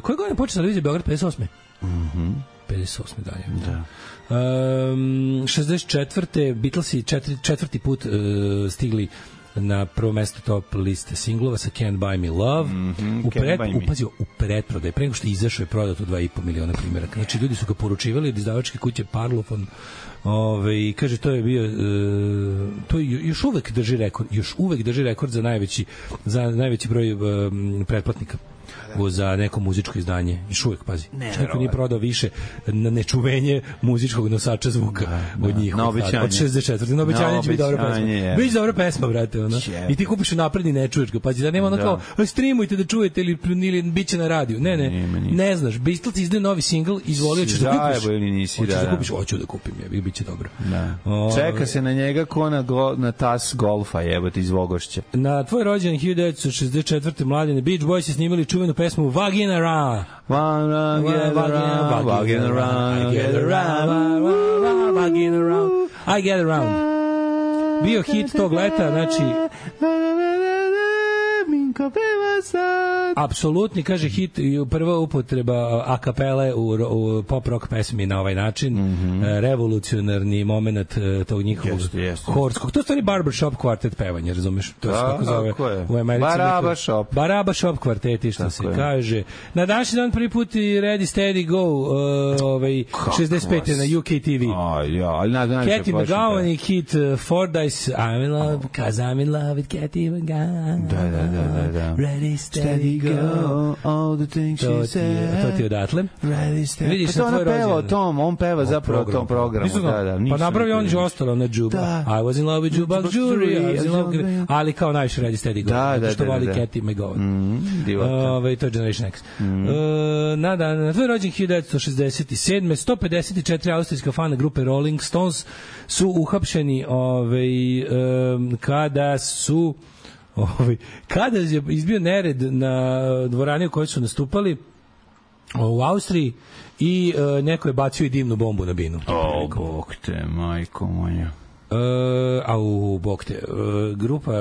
Koje godine počeo televizija Beograd? 58. 58. dalje. Da. 64. Beatlesi četvrti put stigli na prvo mesto top liste singlova sa Can't Buy Me Love. U pretprodaju, pre nego što je izašao je prodato 2,5 miliona primjeraka. Znači, ljudi su ga poručivali od izdavačke kuće Parlophone. Kaže, to je bio to još uvek drži rekord za najveći broj pretplatnika za neko muzičko izdanje. Još uvek, pazi. Neko nije prodao više na nečuvenje muzičkog nosača zvuka od njih. Na obećanje. Od 64. Na obećanje će biti dobra pesma. Biće dobra pesma, brate. I ti kupiš napredni, ne čuješ ga. Pazi, da nema ono kao, streamujte da čujete ili bit će na radiju. Ne znaš. Beatles izdaju novi singl, izvolio ćeš da kupiš. Hoćeš da kupiš, hoću da kupim. Bit će dobro. Čeka se na njega ko na tas golfa, jebote, iz Vogošća. Na tvoj rođendan 1964. Mladene Beach Boys je snimali čuvenu pesmu Vagina Around. I get around. Bio hit tog leta, znači apsolutni, kaže, hit i prva upotreba a kapele u pop rock pesmi na ovaj način. Revolucionarni moment tog njihovog horskog. To je stvari barbershop kvartet pevanje, razumeš? To je kako zove u Americi. Barbershop kvarteti, što se kaže. Na današnji dan prvi put i Ready Steady Go 65. na UK TV. Cathy McGowan i Keith Fordyce, I'm in love because I'm in love with Cathy McGowan. Da. Ready, steady, go, all the things she said. To ti odatle. Ready, steady. Vidiš, na tvoj rođendan. On peva zapravo o tom programu. Pa napravi on je ostalo na Juba. I was in love with Jubak Jury. Ali kao najviše Ready, steady, go. Da. Što voli Cathy McGowan. To je Generation X. Na tvoj rođendan 1967. 154 austrijska fana grupe Rolling Stones su uhapšeni kada je izbio nered na dvorani u kojoj su nastupali u Austriji i neko je bacio i dimnu bombu na binu. Bog te, majko moja. Bog te, grupa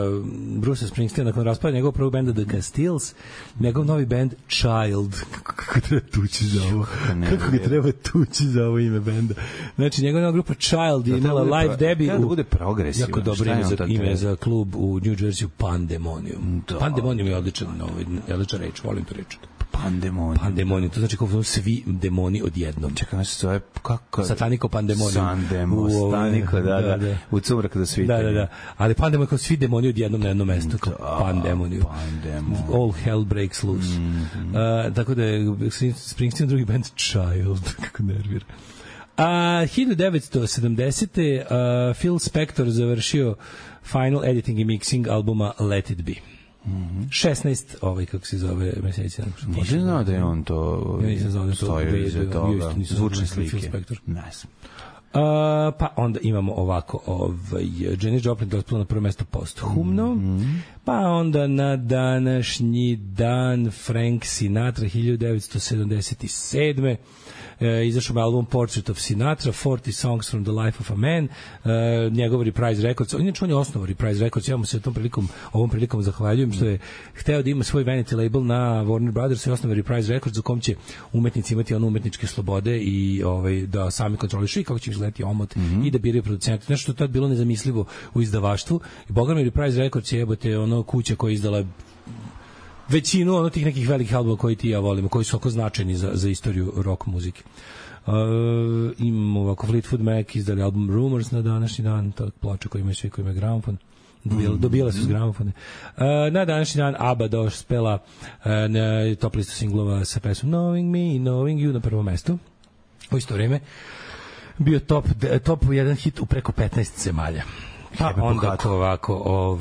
Bruce Springsteen nakon raspada njegovog prvog benda The Castiles, njegov novi band Child. Kako ga treba tući za ovo ime benda. Znači, njegova nova grupa Child je imala live debut da bude progresivno. Jako dobro ime za klub u New Jersey, Pandemonium. Pandemonium je odličan reč, volim tu reč. Pandemonium, to znači kao svi demoni odjednom. Čekaj, se zove kako? Sataniko Pandemonium. Sataniko, da. U cumrak da svi. Da. Ali Pandemonium kao svi demoni odjednom na jednom mestu. Pandemonium. All hell breaks loose. Tako da je Springsteen drugi band Child. Kako nervira. 1970. Phil Spector završio final editing i mixing albuma Let It Be. 16, kako se zove meseci. Nisam znao da je on to stoji iza toga. Zvučne slike. Ne znam. Pa onda imamo ovako Janis Joplin dospela na prvo mesto posthumno, pa onda na današnji dan Frank Sinatra 1977. Izašao je album Portrait of Sinatra, 40 Songs from the Life of a Man, njegov Reprise Records. Inače, on je osnovao Reprise Records, ja mu se ovom prilikom zahvaljujem što je hteo da ima svoj vanity label na Warner Brothers i osnovao Reprise Records u kom će umetnici imati umetničke slobode i da sami kontrolišu i kako će izgledati omot i da biraju producente. Nešto što je tad bilo nezamislivo u izdavaštvu. I boga mi Reprise Records je kuća koja je izdala većinu tih nekih velikih albuma koji ti ja volimo, koji su oko značajni za istoriju rock muzike. Imamo ovako Fleetwood Mac izdali album Rumors na današnji dan, ta ploča koja ima svi, koji ima gramofon. Dobijala su s gramofone. Na današnji dan ABBA dospela na top listu singlova sa pesmom Knowing Me, Knowing You na prvom mestu. U isto vreme bio top 1 hit u preko 15 zemalja. Pa onda ovako,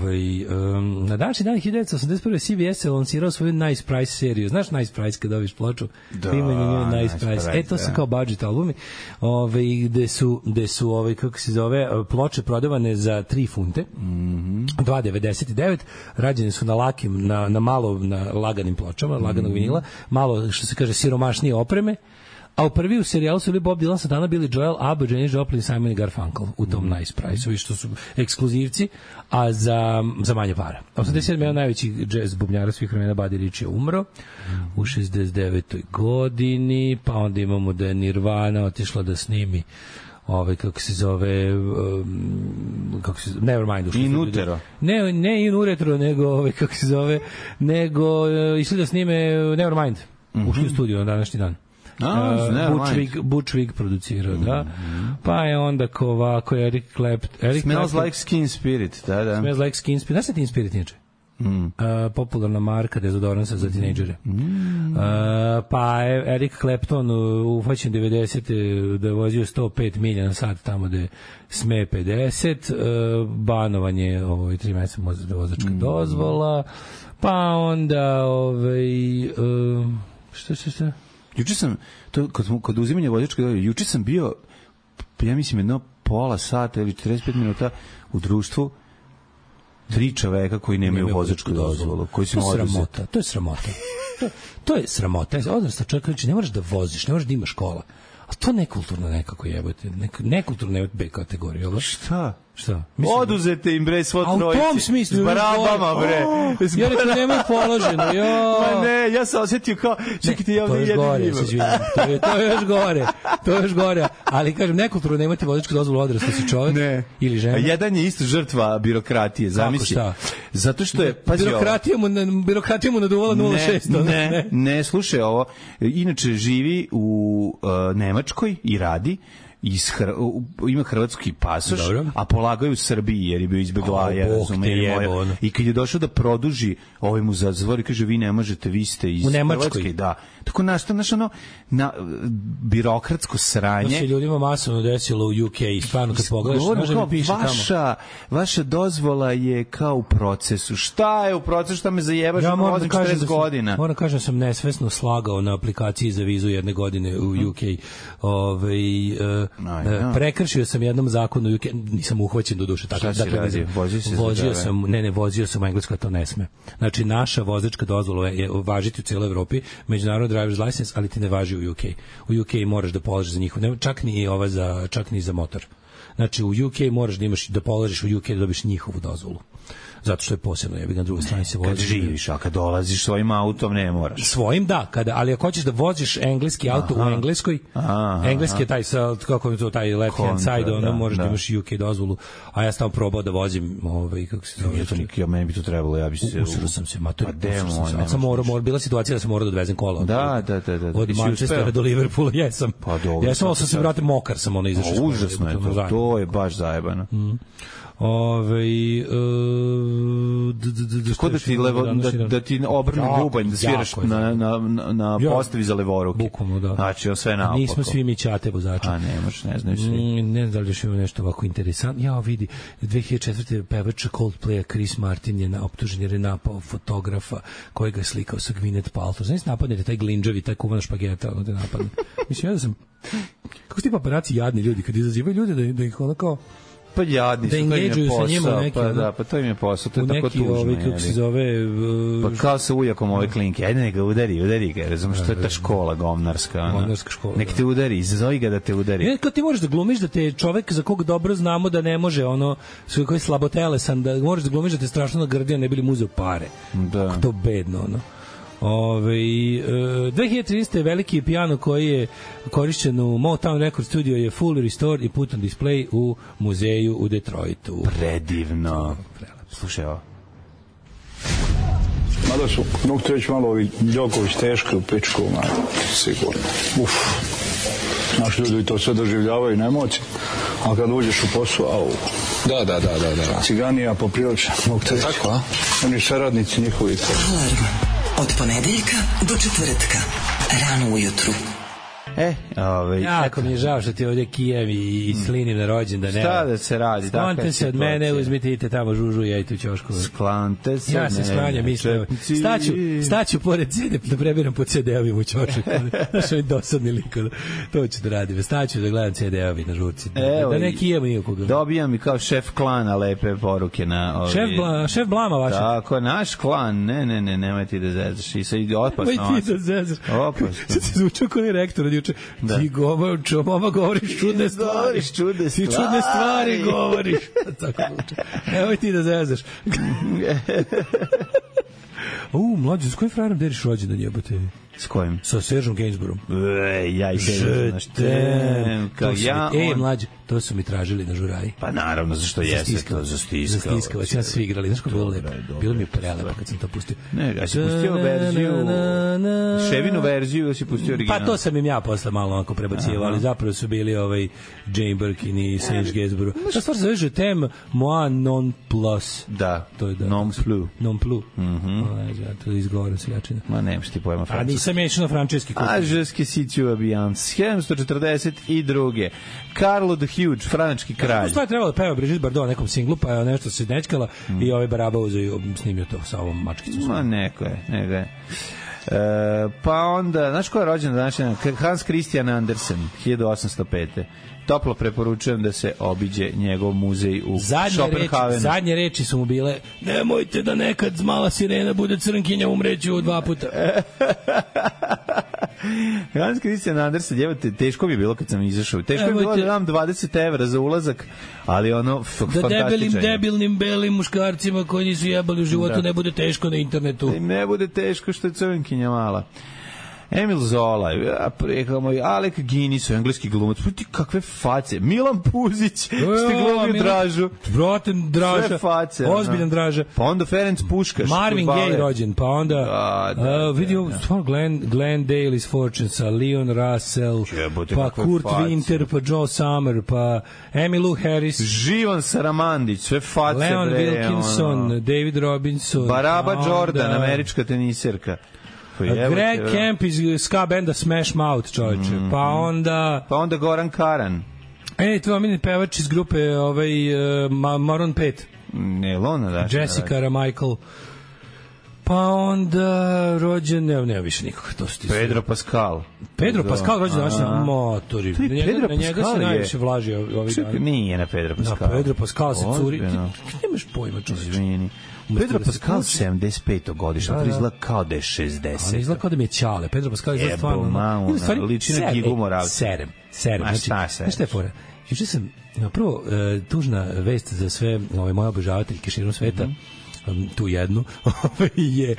na današnji dan 1981. CBS je lansirao svoju Nice Price seriju. Znaš Nice Price kada dobiš ploču? Da, Nice Price. To su kao budget albumi, gde su kako se zove, ploče prodavane za 3 funte, 2,99, rađene su na lakim, na laganim pločama, laganog vinila, malo, što se kaže, siromašnije opreme. A u prvi u serijalu su bili Bob Dylan, Santana, Billy Joel, ABBA, Janis Joplin, Simon i Garfunkel u tom Nice Price-u, što su ekskluzivci, a za manje para. 87. jedan najveći jazz bubnjara svih vremena, Buddy Rich je umro u 69. godini, pa onda imamo da je Nirvana otišla da snimi kako se zove Nevermind ušli. In utero. Ne in uretro, nego kako se zove, nego išli da snime Nevermind. Ušli u studio na današnji dan. Butch Vig producirao, da. Pa je onda ovako Eric Clapton. Smells Like Teen Spirit, da. Smells Like Teen Spirit. Znaš se Teen Spirit inače? Popularna marka dezodoransa za tinejdžere. Pa je Eric Clapton uhvaćen 90. da je vozio 105 milja na sat tamo da sme 50. Banovanje 3 meseca vozačka dozvola. Pa onda šta? Juče sam, kod uzimanja vozačke dozvole, juče sam bio, ja mislim, jedno pola sata ili 45 minuta u društvu 3 čoveka koji nemaju vozačku dozvolu. Koji su sramota. To je sramota. To je sramota. Odrasta čovjek, ne moraš da voziš, ne moraš da imaš škola. A to nekulturno nekako jebote. Nekulturno je B kategorija. Šta? Oduzete im bre svo trojice. A u tom smislu. S barabama bre. Ja rekao nemoj položeno. Ma ne, ja sam osjetio kao čekajte ja ovdje jedan imam. To je još gore. Ali kažem nekulturno nemate vozačku dozvolu odrasli si čovjek ili žena. A jedan je isto žrtva birokratije, zamisli. Zato što je birokratija mu naduvala 0,6. Ne, slušaj ovo. Inače živi u Nemačkoj i radi ima hrvatski pasoš, a polagao je u Srbiji jer je bio izbeglaja, i kad je došao da produži mu zatvor i kaže vi ne možete, vi ste iz Hrvatske, da. Tako našto na birokratsko sranje. To se ljudima masovno desilo u UK i stvarno kad pogledaš, može mi piše tamo. Vaša dozvola je kao u procesu. Šta je u procesu, šta me zajebaš, ja vozim 40 godina. Moram kažem da sam nesvesno slagao na aplikaciji za vizu 1 godine u UK. Prekršio sam jednom zakonu u UK, nisam uhvaćen do duše. Šta si radio? Vozio sam u Englesku, a to ne sme. Znači, naša vozačka dozvola je važiti u cijeloj Evropi, međunarodni driver's license, ali ti ne važi u UK. U UK moraš da položiš za njihov, čak ni za motor. Znači, u UK moraš da položiš u UK da dobiš njihovu dozvolu. Zato što je posebno, na drugoj strani se vozi. Kad živiš, a kad dolaziš svojim autom ne moraš. Svojim da, ali ako hoćeš da voziš engleski auto u Engleskoj, engleski je taj, kako je to, taj left hand side, moraš da imaš UK dozvolu, a ja sam probao da vozim, kako se zove. Meni bi to trebalo, ja bi se... Usro sam se, bila situacija da sam morao da odvezem kola. Da. Od Manchestera do Liverpoola, jesam. Ja sam se vratio mokar, sam izašao. Užasno je to je baš zajebano. Da ti obrnu bubanj, da sviraš na postavi za levoruke. Bukvalno, da. Znači, sve naopako. Nismo svi mi ćate vozača. A ne znaju svi. Ne znam da li još ima nešto ovako interesantno. Ja vidi, 2004. pevača Coldplaya Chris Martin je optužen jer je napao fotografa koji ga je slikao sa Gwyneth Paltrow. Znači, napadnete taj glinđavi, taj kuvana špageta, da napadne. Mislim, ja da sam... Kako su ti paparaci jadni ljudi kad izazivaju ljude da ih ono kao... Pa jadni su, to im je posao, pa to im je posao, to je tako tužno. Kako se zove... Pa kao sa ujakom ove klinke, ajde neka udari ga, razumiješ, što je ta škola gomnarska. Gomnarska škola, nek te udari, izazovi ga da te udari. Kad ti možeš da glumiš da te čovek za kog dobro znamo da ne može, koji je slabotelesan, da možeš da glumiš da te strašno nagrdio, ne bili mu uzeo pare. Da. To bedno, 2013. veliki piano koji je korišćen u Motown Record Studio je fully restored i put on display u muzeju u Detroitu. Predivno. Slušaj ovo. Mada su, mogu te reći malo ovi Đoković teški u pičku, sigurno. Znaš, ljudi to sve doživljavaju na emociji, A kad uđeš u posao, au. Da. Ciganija poprilično, mogu te reći. Tako, a? Oni saradnici njihovi. Alarm od ponedeljka do četvrtka, rano ujutru. Jako mi je žao što ti ovdje kijem i slinim na rođendan. Šta da se radi? Sklonite se od mene, uzmite idite tamo žužu i jajte u ćošku. Sklonite se. Ja se sklanjam, mislim. Staću pored CD, da prebiram po CD-ovim u ćošak. Znaš, ovi dosadni liko. To ću da radim. Staću da gledam CD-ovi na žurci. Da ne kijemo nikoga. Dobijam i kao šef klana lepe poruke na ovi... Šef Blama vaša. Tako, naš klan. Ne, nemoj ti da zezaš. I sad ide opasno. Nemoj ti da zezaš. Opasno. Sad se zvučao kao ni rektor od juče. Ti govoriš čudne stvari. Ti čudne stvari govoriš. Tako zvuče. Nemoj ti da zezaš. Mlađe, s kojim frajerom deriš rođendan jebote? S kojim? Sa Seržom Gainsboroughom. Ja i mlađe, to su mi tražili na žuraji. Pa naravno, zašto jeste to za stiskavac. Ja svi igrali, znaš kako bilo lepo. Bilo mi je prelepo kad sam to pustio. Ne, ja si pustio verziju, Ševinu verziju, ja si pustio original. Pa to sam im ja posle malo onako prebacio, ali zapravo su bili Jane Birkin i Serge Gainsborough. Ta stvar se zove Tem moi non plus. Da, non plus. Non plus. Ja to izgovorim se jačina. Ma nemaš ti pojma francuski. A nisam ješao na frančeski kurs. A žeske siću abijans. 1742. Karlo the Huge, franački kralj. Što je trebalo da peva Brigitte Bardot na nekom singlu, pa je nešto se nečkala i Baraba uzeo i snimio to sa ovom mačkicom. Ma neko je. Pa onda, znaš ko je rođen današnji? Hans Christian Andersen, 1805. Toplo preporučujem da se obiđe njegov muzej u Schopenhavenu. Zadnje reči su mu bile: nemojte da nekad mala sirena bude crnkinja, umreću 2 puta. Hans Christian Andersen, teško mi je bilo kad sam izašao. Teško mi je bilo da dam 20 evra za ulazak, ali fantastičan. Da debilnim belim muškarcima koji nisu jebali u životu ne bude teško na internetu. Ne bude teško što je crnkinja mala. Emil Zola, Alec Guinness, engleski glumac, kakve face, Milan Puzić, ste glumio Dražu, brate, Draža, sve face, ozbiljan Draža, pa onda Ferenc Puškaš, Marvin Gaye rođen, pa onda vidio Glenn Daly's Fortunes, Leon Russell, pa Kurt Winter, pa Joe Summer, pa Emmylou Harris, Živan Saramandić, sve face, Leon Wilkinson, David Robinson, Baraba Jordan, američka teniserka, Greg Kemp iz ska benda Smash Mouth, čovječe. Pa onda Goran Karan. To je omiljeni pevač iz grupe Maroon 5. Ne, Lona, da. Jessica Ramichael. Pa onda rođen, nema više nikoga. Pedro Pascal. Pedro Pascal rođen današnji motori. Na njega se najviše vlaži ovih dana. Nije na Pedro Pascal. Na Pedro Pascal se curi. Ti nemaš pojma, čovječe. Izvini. Pedro Pascal 75. godišnja, to izgleda kao da je 60. Ali izgleda kao da mi je Ćale. Pedro Pascal izgleda stvarno... Liči na Gigu Moravca. Serem. Znaš šta je fora? Juče sam, prvo, tužna vest za sve moje obožavateljke širom sveta, tu jednu, je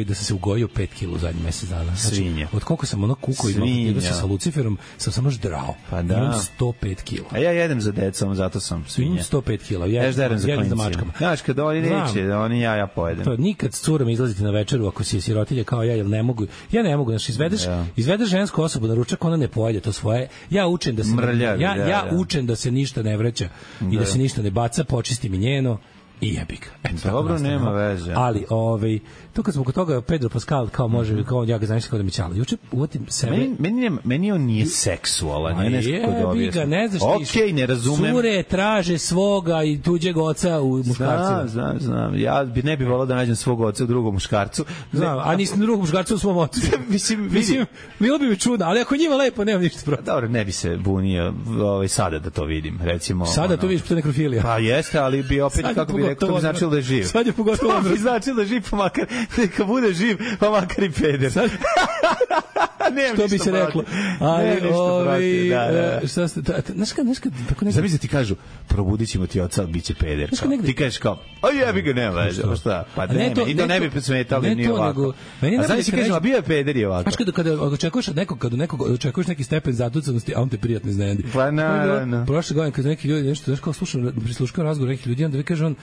da sam se ugojio 5 kg u zadnjih mesec dana. Svinja. Od koliko sam kukao i sa Luciferom, sam još drao. Pa da. Imam 105 kg. A ja jedem za decom, zato sam svinja. Imam 105 kg. Jedem za mačkama. Znaš, kada oni neće, oni ja pojedem. To nikad s curom izlaziti na večeru ako si sirotilja kao ja, jer ne mogu. Ja ne mogu, znači izvedeš žensku osobu na ručak, ona ne pojede to svoje. Ja učim da se učim da se ništa ne vraća i da se ništa ne baca, počisti mi njeno. I jebik. Dobro, nema veze. Ali, to kad smo kod toga, Pedro Pascal, kao može, kao ja ga znam kao da mi Ćala. Juče uvatim sebe... Meni on nije seksualan, nije nešto kod objasno. Ne znaš ti. Okej, ne razumem. Cure traže svoga i tuđeg oca u muškarcima. Znam. Ja ne bih volao da nađem svog oca u drugom muškarcu. Znam, a nisam drugom muškarcu u svom ocu. Mislim, bilo bi mi čudno, ali ako njima lepo, nemam ništa protiv. Dobro, ne bi se bunio sada da to vidim, recimo. Sada to vidiš, to je nekrofilija. Pa jeste, ali bi opet, kako bi rekao, to bi značilo da je živ. Sad je pogotovo to bi značilo da je živ, pa makar, neka bude živ, pa makar i peder. Što bi se reklo. Ali, šta ste, znaš kad, tako nekako... Zamisli ti kažu, probudit ćemo ti oca, bit će peder. Ti kažeš kao, jebi ga, nema veze, šta? Pa i to ne bi smetali, nije ovako. A znaš ti kažem, a bio je peder i ovako. Znaš kada očekuješ od nekog, očekuješ neki stepen zatucanosti, a on te prijatno iznenadi. Pa naravno. Prošle godine, kada neki ljudi nešto, znaš kao prisluškao razgovor nekih ljudi, onda vi kaže on,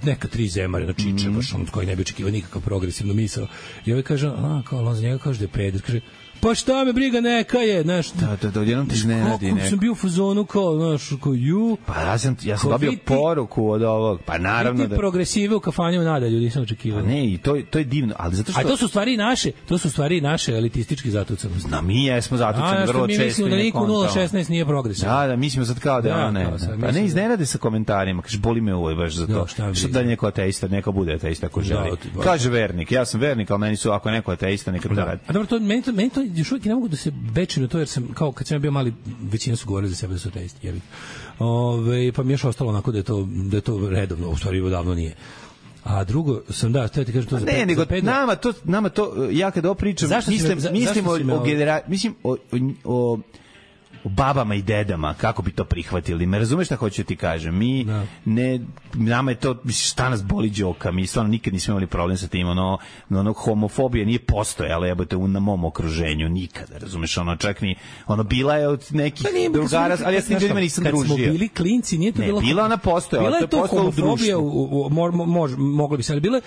neka 3 zemare na čiče, baš on koji ne bi očekivao nikakav progresivno misao. I ovaj kaže, kao on za njega kaže da je peder, kaže, pa šta me briga, neka je, znaš. Da, odjednom ti iznenadi neko. Kako sam bio u fazonu kao, znaš, kao ju. Pa ja sam dobio poruku od ovog, pa naravno da... progresive u kafanju nadalju, nisam očekivao. Ne, i to je divno, ali zato što... A to su stvari naše elitistički zatucanosti. No, mi jesmo zatucani vrlo često. Mi mislimo da niko 016 nije progresivan. Da, mislimo sad kao da ona ne. Pa ne iznenade sa komentarima, kaže, boli me uvoj baš za to. Što da neko ateista, neka bude ateista ako želi. Kaže vernik, ja sam vernik, ali meni su, ako neko ateista, neka to radi. A dobro, meni to još uvijek ne mogu da se bečim na to, jer sam, kao kad sam bio mali, većina su govorili za sebe da su ateisti, jebik. Pa mi je još ostalo onako da je to redovno, u stvari davno nije. A drugo sam htio ti kažem to za ne, nego nama to ja kad ovo pričam mislim o babama i dedama, kako bi to prihvatili. Me razumeš šta hoću ti kažem? Mi nama je to, šta nas boli đoka, mi stvarno nikad nismo imali problem sa tim, homofobija nije postojala, jebote, na mom okruženju, nikada, razumeš, čak ni, bila je od nekih drugara, ali ja s tim ljudima nisam družio. Kad smo bili klinci, nije to bilo... Bila ona postojala, to je postojalo u društvu. Moglo bi se, ali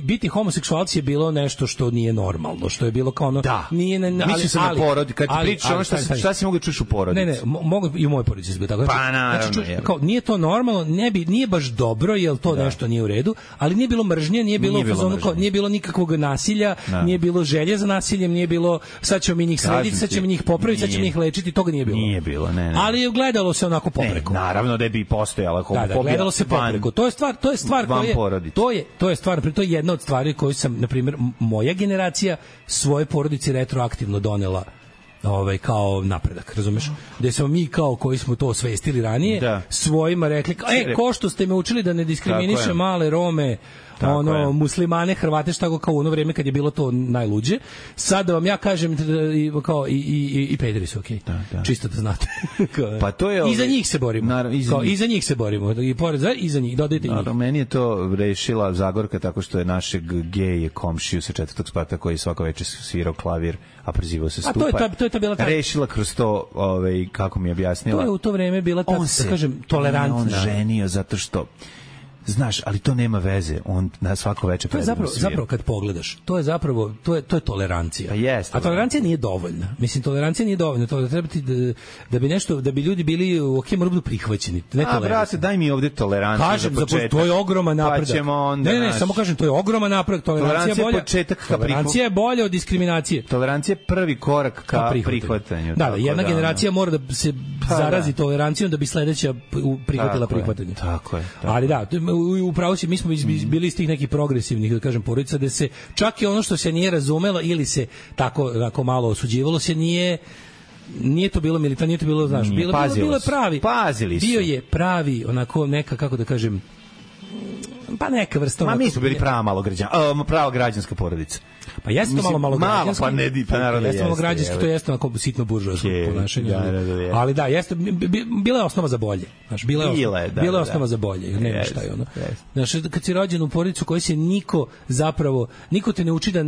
biti homoseksualci je bilo nešto što nije normalno, što je bilo kao ono... Da, mislim se na porodi, kad ti pričaš ono šta si mogu čuš u porodici. Ne, mogu i u mojoj porodici se bilo tako. Pa naravno. Kao, nije to normalno, nije baš dobro, jer to nešto nije u redu, ali nije bilo mržnje, nije bilo nije bilo nikakvog nasilja, nije bilo želje za nasiljem, nije bilo sad ćemo mi njih srediti, sad ćemo njih popraviti, sad ćemo njih lečiti, toga nije bilo. Nije bilo, ne. Ali je gledalo se onako popreko. Naravno da bi postojala homofobija. Da, gledalo se popreko. To je stvar to je jedna od stvari koju sam, na primjer, moja generacija svoje porodici retroaktivno donela kao napredak, razumeš? Gde smo mi kao koji smo to osvestili ranije, svojima rekli, ko što ste me učili da ne diskriminiše male Rome, muslimane, Hrvate, šta kao u ono vreme kad je bilo to najluđe. Sad da vam ja kažem kao i pederi su okej. Čisto da znate. Pa to je i za njih se borimo. I za njih se borimo. I pored i za njih dodajte njih. Meni je to rešila Zagorka tako što je našeg gej komšiju sa 4. sprata koji svako večer svirao klavir, a prezivao se Stupa. To je bila rešila kroz to, kako mi je objasnila. To je u to vreme bila ta, da kažem, tolerantna. On ženio zato što znaš, ali to nema veze. On na svako veče predivno svira. Zapravo kad pogledaš, to je zapravo to je tolerancija. Pa jeste. A tolerancija nije dovoljna. Mislim, tolerancija nije dovoljna. To treba ti da bi ljudi bili moraju biti prihvaćeni. Ne tolerancija. Brate, daj mi ovde toleranciju. Kažem, za početak. To je ogroman napredak. Pa ćemo onda. Ne, samo kažem, to je ogroman napredak. Tolerancija je bolja. Tolerancija je bolja od diskriminacije. Tolerancija je prvi korak ka prihvatanju. Da, jedna generacija mora da se zarazi tolerancijom da bi sledeća prihvatila prihvatanje. Tako je. Ali da, upravo si, mi smo bili iz tih nekih progresivnih, da kažem, porodica, da se čak i ono što se nije razumelo ili se tako malo osuđivalo se nije to bilo militantno, nije to bilo, znaš, bilo je pravi. Pazili su. Bio je pravi, onako neka, kako da kažem, pa neka vrsta. Ma mi smo bili prava građanska porodica. Pa jeste to malo građanski. Pa ne, pa naravno jeste. Malo građanski, to jeste onako sitno buržoasko ponašanje. Ali da, jeste, bila je osnova za bolje. Znaš, bila je osnova za bolje, nema šta je ono. Znaš, kad si rođen u porodicu koji se niko te ne uči da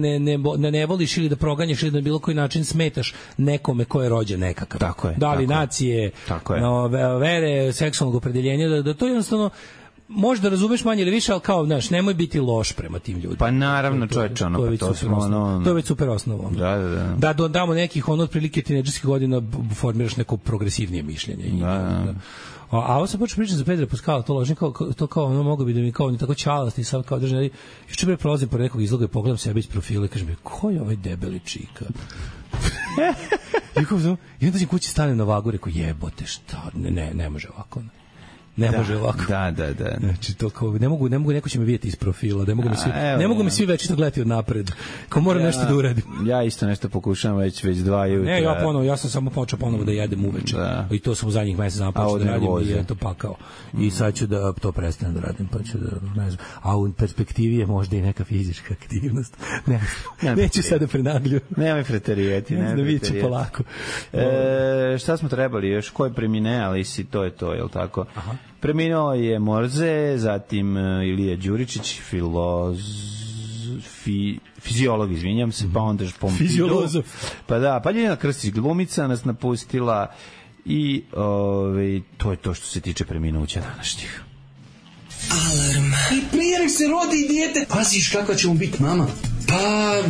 ne voliš ili da proganjaš ili da na bilo koji način smetaš nekome ko je rođen nekakav. Tako je. Da li nacije, vere, seksualnog opredeljenja, da to jednostavno možda razumeš manje ili više, ali kao, znaš, nemoj biti loš prema tim ljudima. Pa naravno, čoveče, to je već super osnova. Da dodamo nekih, otprilike tinejdžerskih godina formiraš neko progresivnije mišljenje. A ovo sam počeo pričati za Pedra Paskala, to kao, mogo bi da mi kao, on je tako čalast i sad kao držan, još pre prolazim pored nekog izloga i pogledam sebe iz profila i kažem mi, ko je ovaj debeli čika? I onda ćem kući stanem na vagu i rekao, jebote, šta, ne može ovako, ne može ovako. Da. Znači, to kao, ne mogu, neko će me vidjeti iz profila, ne mogu me svi večito gledati od napred. Kao moram nešto da uradim. Ja isto nešto pokušavam već 2 jutra. Ne, ja sam samo počeo ponovo da jedem uveče. I to sam u zadnjih mesec dana počeo da radim i je to pakao. I sad ću da to prestanem da radim, pa ću da, ne znam. A u perspektivi je možda i neka fizička aktivnost. Neću sada prenaglju. Nemoj preterijeti. Ne znam, vidit ću polako. Šta smo trebali još? Ko je premine, ali si to je to, je li tako? Aha. Preminuo je Morze, zatim Ilija Đuričić, fiziolog, izvinjam se, pa onda Fiziolozof. Pa da, pa Ljiljana Krstić glumica nas napustila i to je to što se tiče preminuća današnjih. Alarm. I prije se rodi dijete, paziš kakva će mu biti mama. Pa,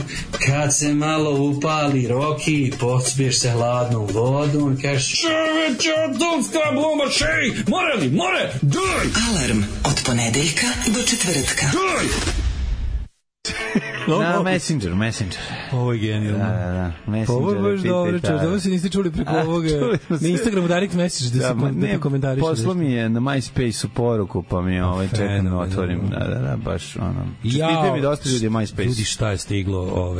kad se malo upali Roki, pospiješ se hladnom vodom i kažeš čoveče, odunska bluma šej, more, daj! Alarm od ponedeljka do četvrtka. Daj! Na Messenger. Ovo je genijalno. Da. Messenger. Ovo je baš dobro, čovječ. Ovo se niste čuli preko ovoga. Na Instagramu direct message da se komentariš. Poslo mi je na MySpace-u poruku, pa mi čekam da otvorim. Da, baš ono. Čestite mi dosta ljudi MySpace. Ljudi, šta je stiglo,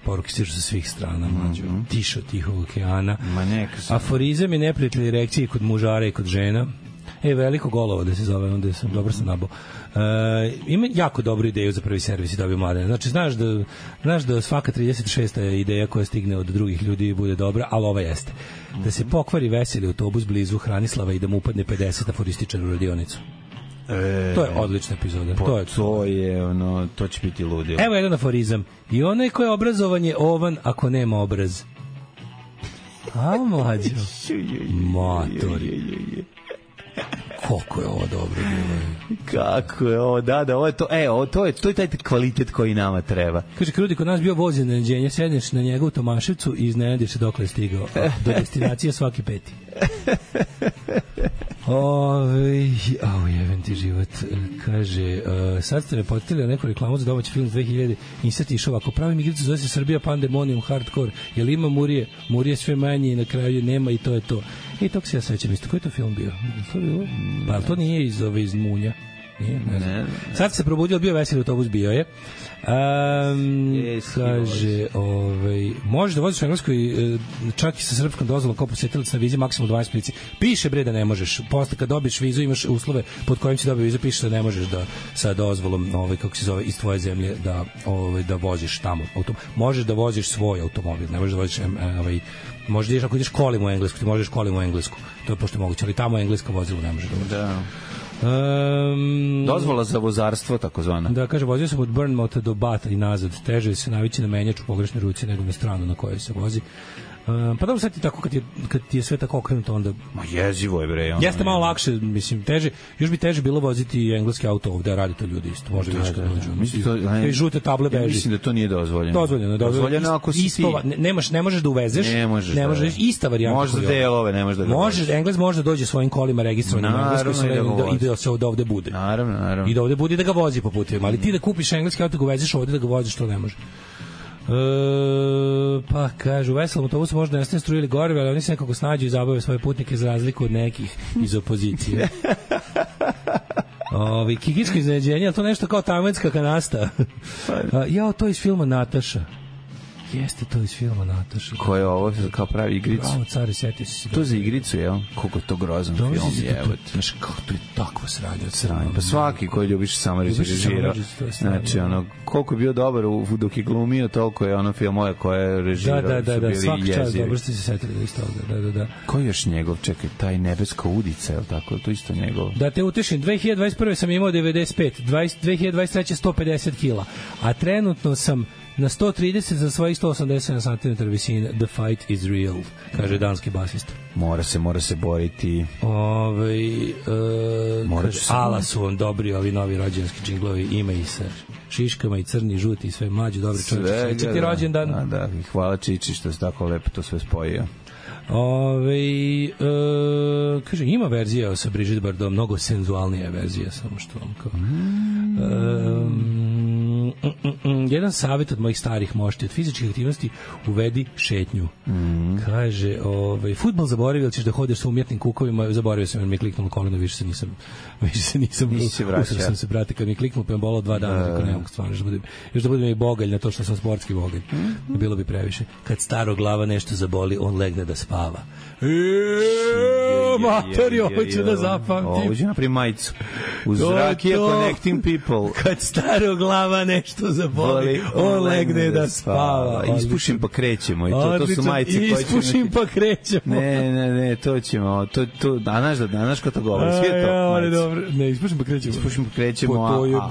poruke stižu sa svih strana, mlađo. Tišo tihog okeana. Aforizam i neprijatelji reakcije kod mužara i kod žena. Veliko golovo da se zove, onda sam dobro sam nabao. Ima jako dobru ideju za prvi servis i dobio mladene. Znači, znaš da svaka 36. ideja koja stigne od drugih ljudi bude dobra, ali ova jeste. Da se pokvari veseli autobus blizu Hranislava i da mu upadne 50 aforističara u radionicu. To je odlična epizoda. To će biti ludio. Evo jedan aforizam. I onaj ko je obrazovan je ovan ako nema obraz. A, mlađo. Matori. Koliko je ovo dobro bilo. Kako je ovo, da, ovo je to. To je taj kvalitet koji nama treba. Kaže, Krudi, kod nas bio voz iznenađenja, sedneš na njega u Tomaševcu i iznenadiš se dokle je stigao. Do destinacije svaki peti. Jevem ti život. Kaže, sad ste me potili na neku reklamu za domaći film 2000 i sad išao ovako, pravim igricu zove se Srbija Pandemonium Hardcore, jel ima Murije sve manje i na kraju nema i to je to. I tog se ja sećam isto. Koji je to film bio? To bilo? Pa to nije iz Munja. Nije, ne znam. Sad se probudio, bio veseli autobus, bio je. Kaže, možeš da voziš u Engleskoj čak i sa srpskom dozvolom kao posjetilac na vizi maksimalno 12 prici. Piše bre da ne možeš. Posle kad dobiješ vizu imaš uslove pod kojim si dobio vizu, piše da ne možeš da sa dozvolom kako se zove iz tvoje zemlje da voziš tamo. Možeš da voziš svoj automobil, ne možeš da voziš možeš da ideš, ako ideš kolima u Englesku, ti možeš kolima u Englesku. To je pošto moguće, ali tamo engleska vozila ne može da voziš. Da. Dozvola za vozarstvo, takozvana. Da, kaže, vozio sam od Bournemouth do Bata i nazad. Teže se navići na menjač u pogrešnoj ruci nego na stranu na kojoj se vozi. Pa dobro, sad ti tako, kad ti je sve tako okrenuto, onda... Ma jezivo je, bre. Jeste malo lakše, mislim, teže, još bi teže bilo voziti engleski auto ovde, radi to ljudi isto, može više kad dođu. Žute table beži. Mislim da to nije dozvoljeno. Dozvoljeno ako si ti... Ne možeš da uvezeš, ne možeš ista varijanta. Možeš da delove, ne možeš da ga voziš. Englez može da dođe svojim kolima registrovanim u Engleskoj i da se ovde bude. Naravno. I da ovde bude da ga vozi po putevima, ali ti da kupiš engleski auto, ga uvezeš ovde da ga voziš, to ne može. Pa kaže, u veselom autobusu možda nestane struje ili goriva, ali oni se nekako snađu i zabave svoje putnike za razliku od nekih iz opozicije. Kikičko iznenađenje, ali to nešto kao tamenska kanasta. To iz filma Nataša. Jeste to iz filma Nataša. Ko je ovo kao pravi igricu? Bravo, care, setio si. To za igricu, jel? Koliko je to grozan film, jebate. Znaš, kako to je takvo sranje. Pa svaki koji ljubiš samo režirao. Znači, koliko je bio dobar dok je glumio, toliko je filmove koje je režirao. Da, svaki čas, dobro ste se setili da isto ovde. Da. Ko je još njegov? Čekaj, taj Nebeska udica, je li tako? To isto njegov. Da te utešim, 2021. sam imao 95, 2023. 150 kila, a trenutno sam na 130 za svojih 187 cm visine. The fight is real, kaže danski basista. Mora se boriti. Ala su on dobri, ovi novi rođendanski džinglovi, ima i sa šiškama i crni, žuti i sve mlađi, dobri čovječi. Sveća ti rođendan. Da, hvala Čiči što se tako lepo to sve spojio. Kaže, ima verzija sa Brigitte Bardot, mnogo senzualnija verzija, samo što vam kao... jedan savjet od mojih starih mošti, od fizičkih aktivnosti uvedi šetnju. Kaže, fudbal zaboravio, ćeš da hodeš sa umjetnim kukovima, zaboravio sam, jer mi je kliknulo koleno, više se nisam usao sam se, brate, kad mi je kliknulo, pa je bolao 2 dana, tako ne mogu stvarno, još da budem i bogalj na to što sam sportski bogalj. Bilo bi previše. Kad staro glava nešto zaboli, on legne da spava. Matori, ovo ću da zapamtim. Ovo ću napravim majicu. Uz Rakija Connecting People. Kad staro glava nešto zaboli, on legne da spava. Ispušim pa krećemo. I to su majice koje ćemo... Ispušim pa krećemo. Ne, to ćemo. A znaš ko to govori? Svijet to majice. Ne, ispušim pa krećemo.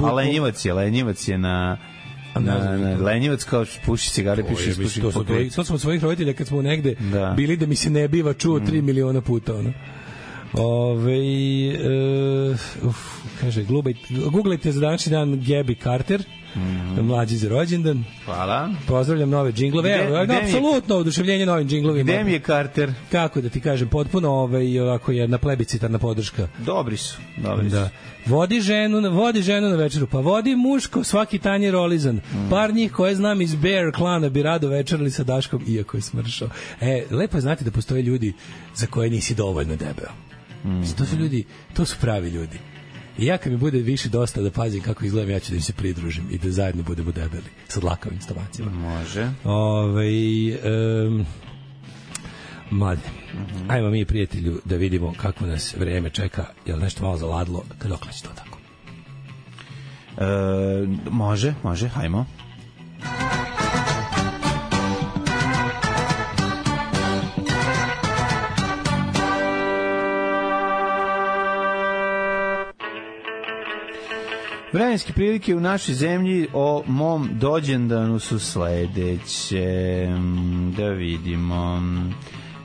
A lenjivac je na... Lenjivac kao puši cigare, piše ispušim pa krećemo. To smo svojih roditelja kad smo negde bili da mi se ne biva čuo 3 miliona puta, ono. Kaže, googlajte za današnji dan Gabby Carter. Mlađi za rođendan. Hvala. Pozdravljam nove džinglove. Apsolutno oduševljenje novim džinglovima. Gde mi je Carter? Kako da ti kažem, potpuno ovako jedna plebiscitarna podrška. Dobri su. Da. Vodi ženu na večeru, pa vodi muško, svaki tanjer olizan. Par njih koje znam iz Bear klana bi rado večerali sa Daškom, iako je smršao. Lepo je znati da postoje ljudi za koje nisi dovoljno debeo. To su ljudi, to su pravi ljudi. I ja kad mi bude više dosta da pazim kako izgledam, ja ću da im se pridružim i da zajedno budemo debeli sa dlakavim stomacijama. Može. Mlade, ajmo mi, prijatelju, da vidimo kako nas vreme čeka. Je li nešto malo zaladlo? Dokle će to tako? Može, hajmo. Vremenske prilike u našoj zemlji o mom dođendanu su sledeće. Da vidimo.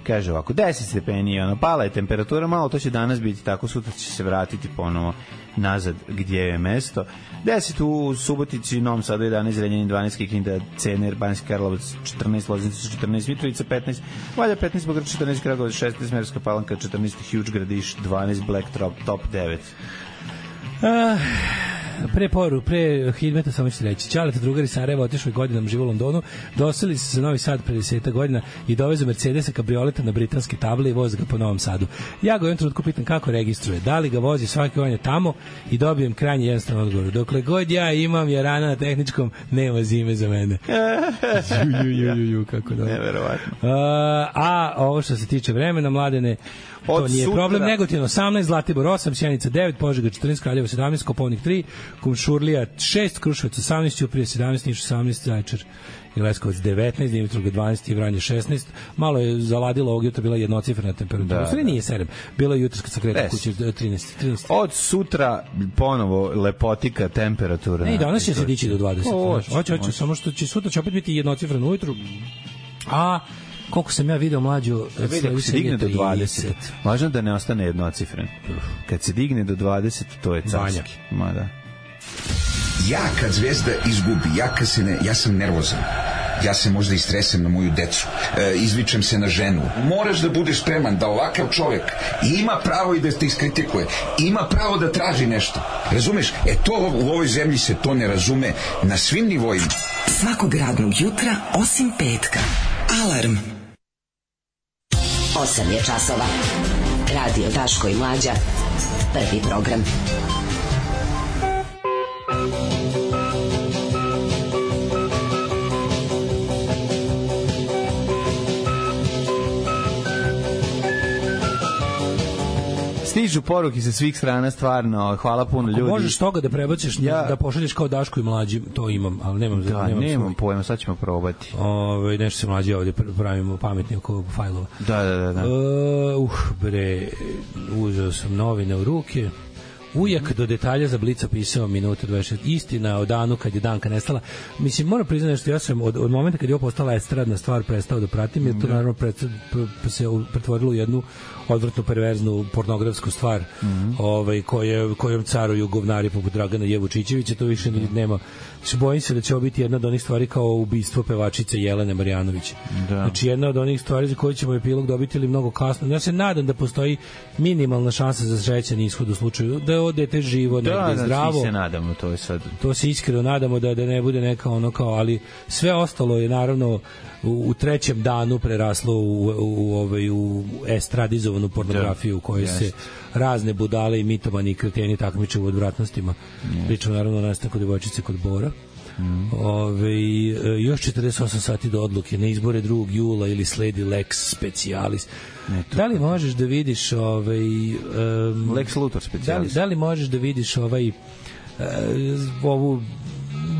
Kaže ovako, 10 stepeni, pala je temperatura malo, to će danas biti tako, sutra će se vratiti ponovo nazad gdje je mesto. 10 u Subotici, Novom Sadu 11, Zrenjanin 12, Kikinda, Cener, Banjski Karlovac 14, Loznica 14, Mitrovica 15, Valja 15, Beograd 14, Kragujevac 16, Smederevska Palanka 14, Huge Gradiš 12, Black Top 9. Pre Hidmeta samo ću reći. Ćaleta drugari Sarajeva otišli godinama živo u Londonu, doseli se za Novi Sad pre 10 godina i dovezu Mercedesa kabrioleta na britanske table i voze ga po Novom Sadu. Ja ga u jednom trenutku pitam kako registruje, da li ga vozi svaki on je tamo i dobijem krajnje jednostavan odgovor. Dokle god ja imam Jarana na tehničkom, nema zime za mene. Kako dobro. Neverovatno. A ovo što se tiče vremena, Mladene, to nije problem. Negotin 18, Zlatibor 8, Sjenica 9, Požega 14, Kraljevo 17, Kopaonik 3, Kumšurlija 6, Kruševac 18, Ćuprija 17, Niš 18, Zaječar i Leskovac 19, Dimitrovgrad 12 i Vranje 16. Malo je zaladilo ovog jutra, bila jednocifrena temperatura. Sve nije 7. Bilo je jutro kad sam kretao kući 13. Od sutra ponovo lepotika temperatura. Ne, i danas će se dići do 20. Hoće, samo što će sutra će opet biti jednocifreno ujutru. A koliko sam ja video mlađu, ako se digne do 20, važno da ne ostane jednocifren. Kad se digne do 20, to je carski. Ma da. Ja kad Zvezda izgubi, ja sam nervozan. Ja se možda istresem na moju decu, izvičem se na ženu. Moraš da budeš spreman da ovakav čovjek ima pravo i da te iskritikuje, ima pravo da traži nešto. Razumeš? To u ovoj zemlji se to ne razume na svim nivoima. Svakog radnog jutra, osim petka. Alarm. 8 je časova. Radio Daško i Mlađa. Prvi program. Stižu poruke sa svih strana, stvarno, hvala puno ljudi. Ako možeš toga da prebaciš, da pošalješ kao Daško i Mlađi, to imam, ali nemam pojma, sad ćemo probati. Nešto se Mlađi ovdje pravimo pametni oko fajlova. Da. Uzeo sam novine u ruke. Ujak do detalja za Blic opisao minuta 26. Istina o danu kad je Danka nestala. Mislim, moram priznati što ja sam od momenta kad je ovo postala estradna stvar prestao da pratim, jer to naravno se pretvorilo u jednu odvrtnu, perverznu, pornografsku stvar kojom caruju govnari poput Dragana Jevučićevića. To više nema. Bojim se da će ovo biti jedna od onih stvari kao ubistvo pevačice Jelene Marjanović. Znači jedna od onih stvari za koje ćemo epilog dobiti ili mnogo kasno. Ja se nadam da postoji minimalna šansa za srećan ishod u slučaju da je ovo dete živo, negde zdravo. Da, se nadamo, to je sad. To se iskreno nadamo da ne bude neka ono kao, ali sve ostalo je naravno u trećem danu preraslo u estradizovanu pornografiju u kojoj se razne budale i mitomani i kreteni takmiče u odvratnostima. Pričamo naravno o nastanku devojčice kod Bora. Još 48 sati do odluke, na izbore 2. jula ili sledi Lex Specialis. Da li možeš da vidiš Lex Luthor Specialis? Da li možeš da vidiš ovu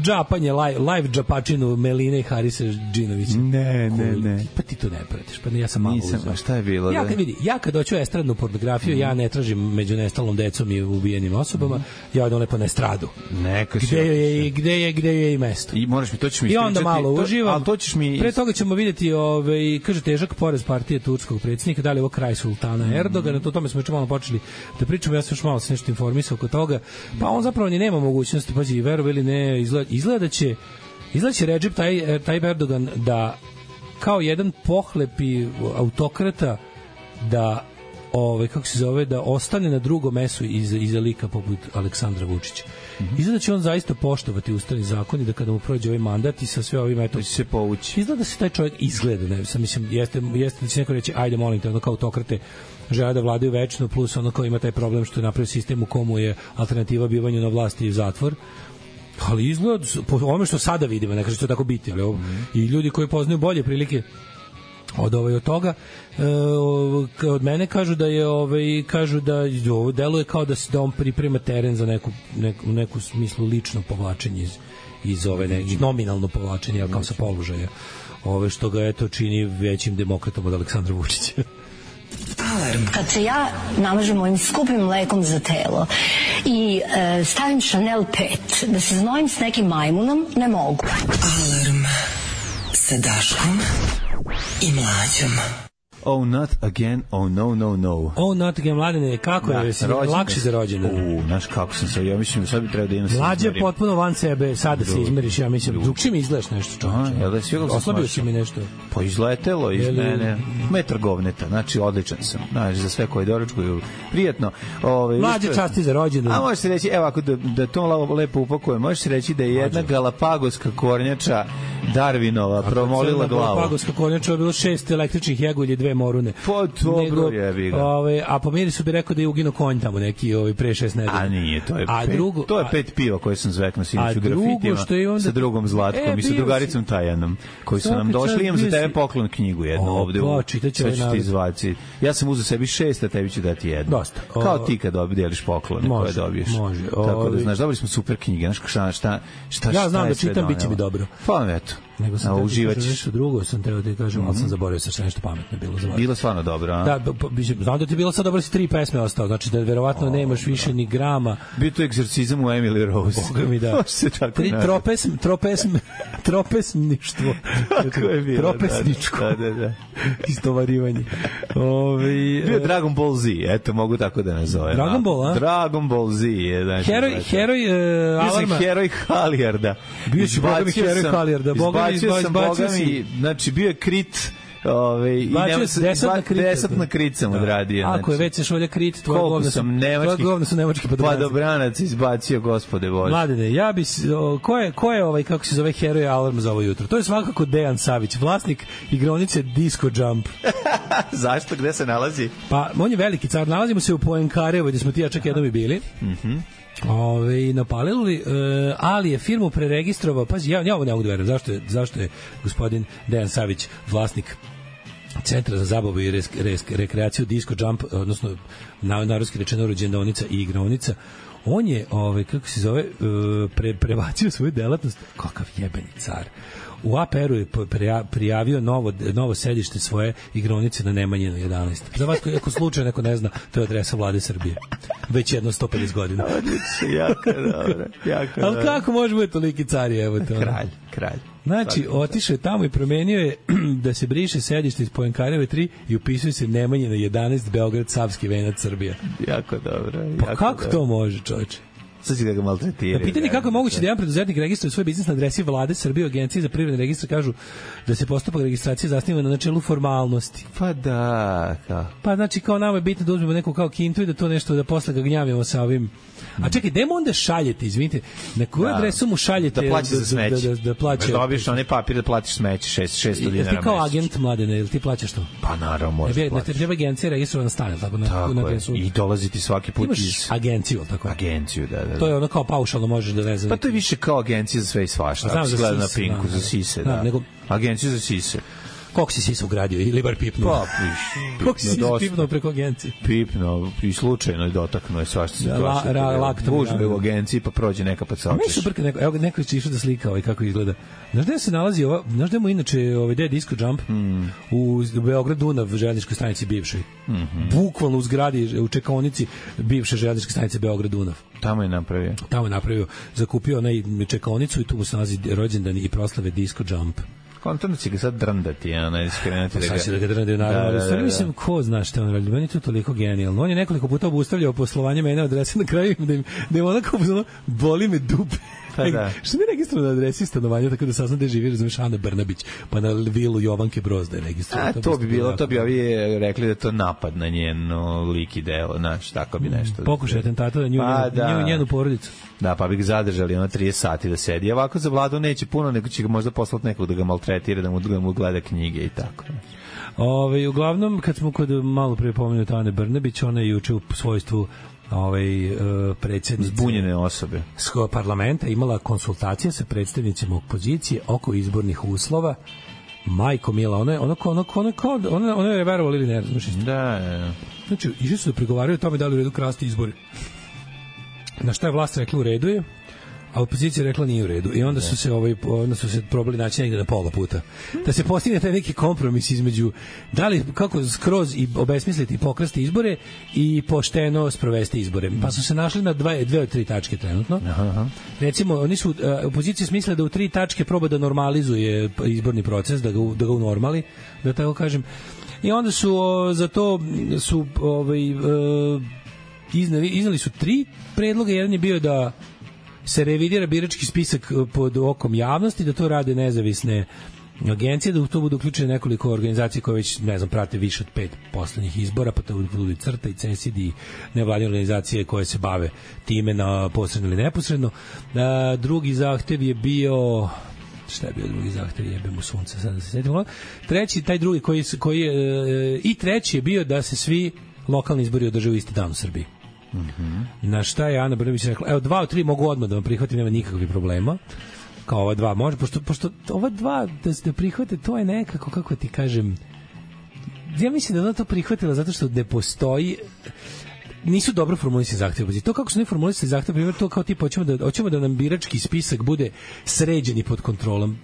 džapanje, live džapačinu Meline i Harisa Džinovića? Ne. Pa ti to ne pratiš. Pa ne, ja sam malo uzeo. Šta je bilo? Ja kad hoću estradnu pornografiju, ja ne tražim među nestalom decom i ubijenim osobama, ja odem lepo na estradu. Gde je i mesto. I moraš mi, to ćeš mi i onda malo uživam. Ali to ćeš mi... Pre toga ćemo vidjeti, kaže, težak porez partije turskog predsjednika, da li je ovo kraj sultana Erdogana, o tome smo već malo počeli da pričamo, ja sam još malo se nešto informisao oko toga, pa on zapravo ni nema mogućnosti, pazi, verovi ili ne, izgleda da će Recep Tayyip Erdogan da kao jedan pohlepi autokrata da kako se zove, da ostane na drugom mesu iza lika poput Aleksandra Vučića. Izgleda da će on zaista poštovati ustavni zakon i da kada mu prođe ovaj mandat i sa sve ovim to će se povući. Izgleda da se taj čovjek izgleda, ne, sam mislim, jeste da će neko reći ajde molim te, ono kao autokrate žele da vladaju večno, plus ono kao ima taj problem što je napravio sistem u komu je alternativa bivanju na vlasti i zatvor. Ali izgled, po ovome što sada vidimo, ne kaže što tako biti, ali i ljudi koji poznaju bolje prilike od toga, od mene kažu da je ovo deluje kao da on priprema teren za neku smislu lično povlačenje iz ove nominalno povlačenje, kao sa položaja, što ga eto čini većim demokratom od Aleksandra Vučića. Alarm. Kad se ja namažem mojim skupim mlekom za telo i stavim Chanel 5 da se znojim s nekim majmunom, ne mogu. Alarm sa Daškom i Mlađom. Oh, not again, oh no, no, no. Oh, not again, Mladene, kako je? Lakše za rođendan. Znaš kako sam se, ja mislim, sad bi trebao da imam se Mlađe je potpuno van sebe, sada se izmeriš, ja mislim, drugčije mi izgledaš nešto, čovječe. Oslabio si mi nešto. Pa izletelo iz mene, metar govneta, znači odličan sam, znači za sve koji doručkuju, prijatno. Mlađe časti za rođendan. A možeš se reći, evo ako da to lepo upakujem, možeš se reći da je jedna galapagoska kornjača Darwinova promolila glavu. Galapagoska kornjača je bilo 6 električnih jegulje, 2 morune. Pa dobro jebi ga. A po mirisu bi rekao da je uginuo konj tamo neki pre 6 nedelja. A nije, to je 5 piva koje sam zveknuo sinoć u grafitima sa drugom Zlatkom i sa drugaricom Tajanom, koji su nam došli. Imam za tebe poklon knjigu jednu ovde. Sve ću ti izvaci. Ja sam uzeo sebi 6, a tebi ću dati jednu. Dosta. Kao ti kad deliš poklone koje dobiješ. Može. Tako da znaš, dobili smo super knjige. Šta ja znam da čitam, bit će mi dobro. Pa eto. Nego sam nešto drugo, sam teo da ti kažem, ali sam zaboravio se nešto pametno bilo za vas. Bilo stvarno dobro, a? Da, znam da ti je bilo sad dobro, si 3 pesme ostao, znači da verovatno nemaš više ni grama. Bio to egzorcizam u Emily Rose. Boga mi da. Tropesništvo. Tako je bilo. Tropesničko. Da. Istovarivanje. Bio Dragon Ball Z, eto, mogu tako da nazovem. Dragon Ball, a? Dragon Ball Z je, znači. Heroj Alarma. Bio sam heroj Halijarda. Bio si Boga mi heroj Halijarda. Izbacio sam Boga mi, znači bio je Krit, desatna Krit sam odradio. Ako je već se šolja Krit, tvoje govno su nemački padobranac izbacio, gospode Bože. Mladene, ja bi, ko je kako se zove heroj Alarm za ovo jutro? To je svakako Dejan Savić, vlasnik igraonice Disco Jump. Zašto? Gde se nalazi? Pa, on je veliki car, nalazimo se u Poenkarevo, gde smo ti ja čak jednom i bili. Napalili, ali je firmu preregistrovao, pazi, ja ovo ne mogu da verujem, zašto je gospodin Dejan Savić vlasnik Centra za zabavu i rekreaciju Disco Jump, odnosno narodski rečeno rođendaonica i igraonica. On je, kako se zove, prebacio svoju delatnost, kakav jebeni car. U APR-u je prijavio novo sedište svoje igronice na Nemanjinu 11. Za vas, ako slučajno neko ne zna, to je adresa Vlade Srbije. Već jedno 150 godina. Jako dobro. Ali kako može biti toliki car, evo to? Kralj. Znači, otišao je tamo i promenio je da se briše sedište iz Poenkareve 3 i upisuje se Nemanjina 11, Beograd, Savski venac, Srbija. Jako dobro. Pa kako to može, čovječe? Sad će da ga maltretiraju. Pitanje kako je moguće da jedan preduzetnik registruje svoj biznis na adresi Vlade Srbije, Agencije za privredne registre kažu da se postupak registracije zasniva na načelu formalnosti. Pa da, Pa znači kao nama je bitno da uzmemo neku kao kintu i da to nešto da posle ga gnjavimo sa ovim. A čekaj, gde mu onda šaljete, izvinite, na koju adresu mu šaljete da plaća za smeće? Da plaća. Dobiješ onaj papir da platiš smeće, 600 dinara mesečno. Ti kao agent, Mladene, ili ti plaćaš to? Pa naravno, možeš plaćati. Ne treba agencija registrovana stane, tako na adresu. I dolaziti svaki put iz agenciju, tako. Agenciju, da. To je ono kao paušalno možeš da ne znam. Pa to je više kao agencija za sve i svašta. Ako se gleda na Pinku, za sise, da. Nego agencija za sise. Koliko si se ugradio ili bar pipnuo? Pa, koliko si se pipnuo preko agencije? Pipnuo i slučajno je dotaknuo je svašta situacija. Gužbe u agenciji pa prođe neka pa saočiš. Meni su brke, evo neko će išao da slika kako izgleda. Znaš gde se nalazi ova, znaš gde mu inače gde je Disco Jump? U Beograd Dunav železničkoj stanici bivšoj. Bukvalno u zgradi, u čekaonici bivše železničke stanice Beograd Dunav. Tamo je napravio. Zakupio onaj čekaonicu i tu mu se nalazi rođendan i proslave Disco Jump. Kontorno će ga sad drndati, skrenuti da ga... Sad će da ga drndati, naravno. Da. Mislim, ko zna šta on radi? Meni je to toliko genijalno. On je nekoliko puta obustavljao poslovanje mene adrese na kraju da im onako boli me dupe. Pa da. Što mi je registrovano na adresi stanovanja, tako da saznam da živi, razumiješ, Ana Brnabić, pa na vilu Jovanke Broz da je registrovano. To bi ovi rekli da to napad na njeno lik i delo, znaš, tako bi nešto. Pokušaj atentata na nju i njenu porodicu. Da, pa bi ga zadržali 30 sati da sedi. Ovako za Vladu neće puno, nego će ga možda poslati nekog da ga maltretira, da mu gleda knjige i tako. Uglavnom, kad smo kod malo prije pomenuti Ane Brnabić, ona je juče u svojstvu predsjednice zbunjene osobe parlamenta imala konsultacije sa predstavnicima opozicije oko izbornih uslova. Majko mila, ona je verovala ili ne, znaš isto. Da. Znači, išli su da pregovaraju o tome da li u redu krasti izbori. Na šta je vlast rekla u redu je, a opozicija rekla nije u redu. I onda su se probali naći negde na pola puta. Da se postigne taj neki kompromis između da li, kako skroz i obesmisliti i pokrasti izbore i pošteno sprovesti izbore. Pa su se našli na dve od tri tačke trenutno. Aha. Recimo, opozicija smisla da u 3 tačke proba da normalizuje izborni proces, da ga unormali, da tako kažem. I onda su za to iznali su 3 predloga. Jedan je bio da se revidira birački spisak pod okom javnosti, da to rade nezavisne agencije, da u to budu uključene nekoliko organizacija koje već, ne znam, prate više od 5 poslednjih izbora, pa to budu CRTA i CESID i nevladine organizacije koje se bave time na posredno ili neposredno. Drugi zahtev je bio... Šta je bio drugi zahtev? Jebem u sunce, sad da se sjetim. Treći, taj drugi i treći je bio da se svi lokalni izbori održe u isti dan u Srbiji. Na šta je Ana Brnabić rekla, evo 2 od 3 mogu odmah da vam prihvatim, nema nikakvih problema, kao ova 2 može, pošto ova 2 da se prihvate, to je nekako, kako ti kažem, ja mislim da ona to prihvatila zato što ne postoji, nisu dobro formulisani zahtevi. To kako su ne formulisani zahtevi, primjer, to kao tipa hoćemo da nam birački spisak bude sređen i pod kontrolom.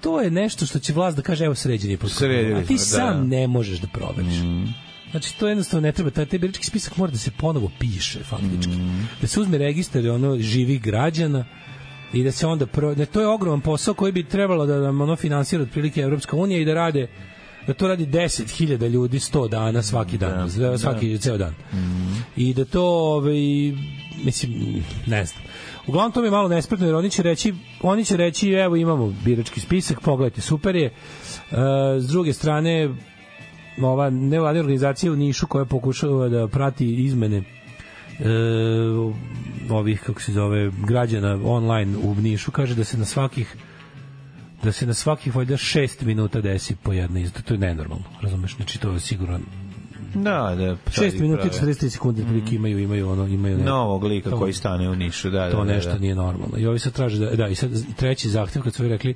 To je nešto što će vlast da kaže, evo sređen je pod kontrolom, a ti sam ne možeš da proveriš. Znači, to jednostavno ne treba, taj birački spisak mora da se ponovo piše, faktički. Da se uzme registar živih građana i da se onda... To je ogroman posao koji bi trebalo da nam finansira otprilike Evropska unija i da to radi 10.000 ljudi 100 dana svaki dan, ceo dan. I da to, mislim, ne znam. Uglavnom, to mi je malo nespretno, jer oni će reći, evo imamo birački spisak, pogledajte, super je. S druge strane, ova nevladina organizacija u Nišu koja pokušava da prati izmene ovih, kako se zove, građana online u Nišu, kaže da se na svakih valjda 6 minuta desi po jedna izda. To je nenormalno, razumeš? Znači, to je sigurno... Da. 6 minuta i 43 sekunde prilike imaju novog lika koji stane u Nišu, da. To nešto nije normalno. I ovi sad traže i sad treći zahtev, kad su rekli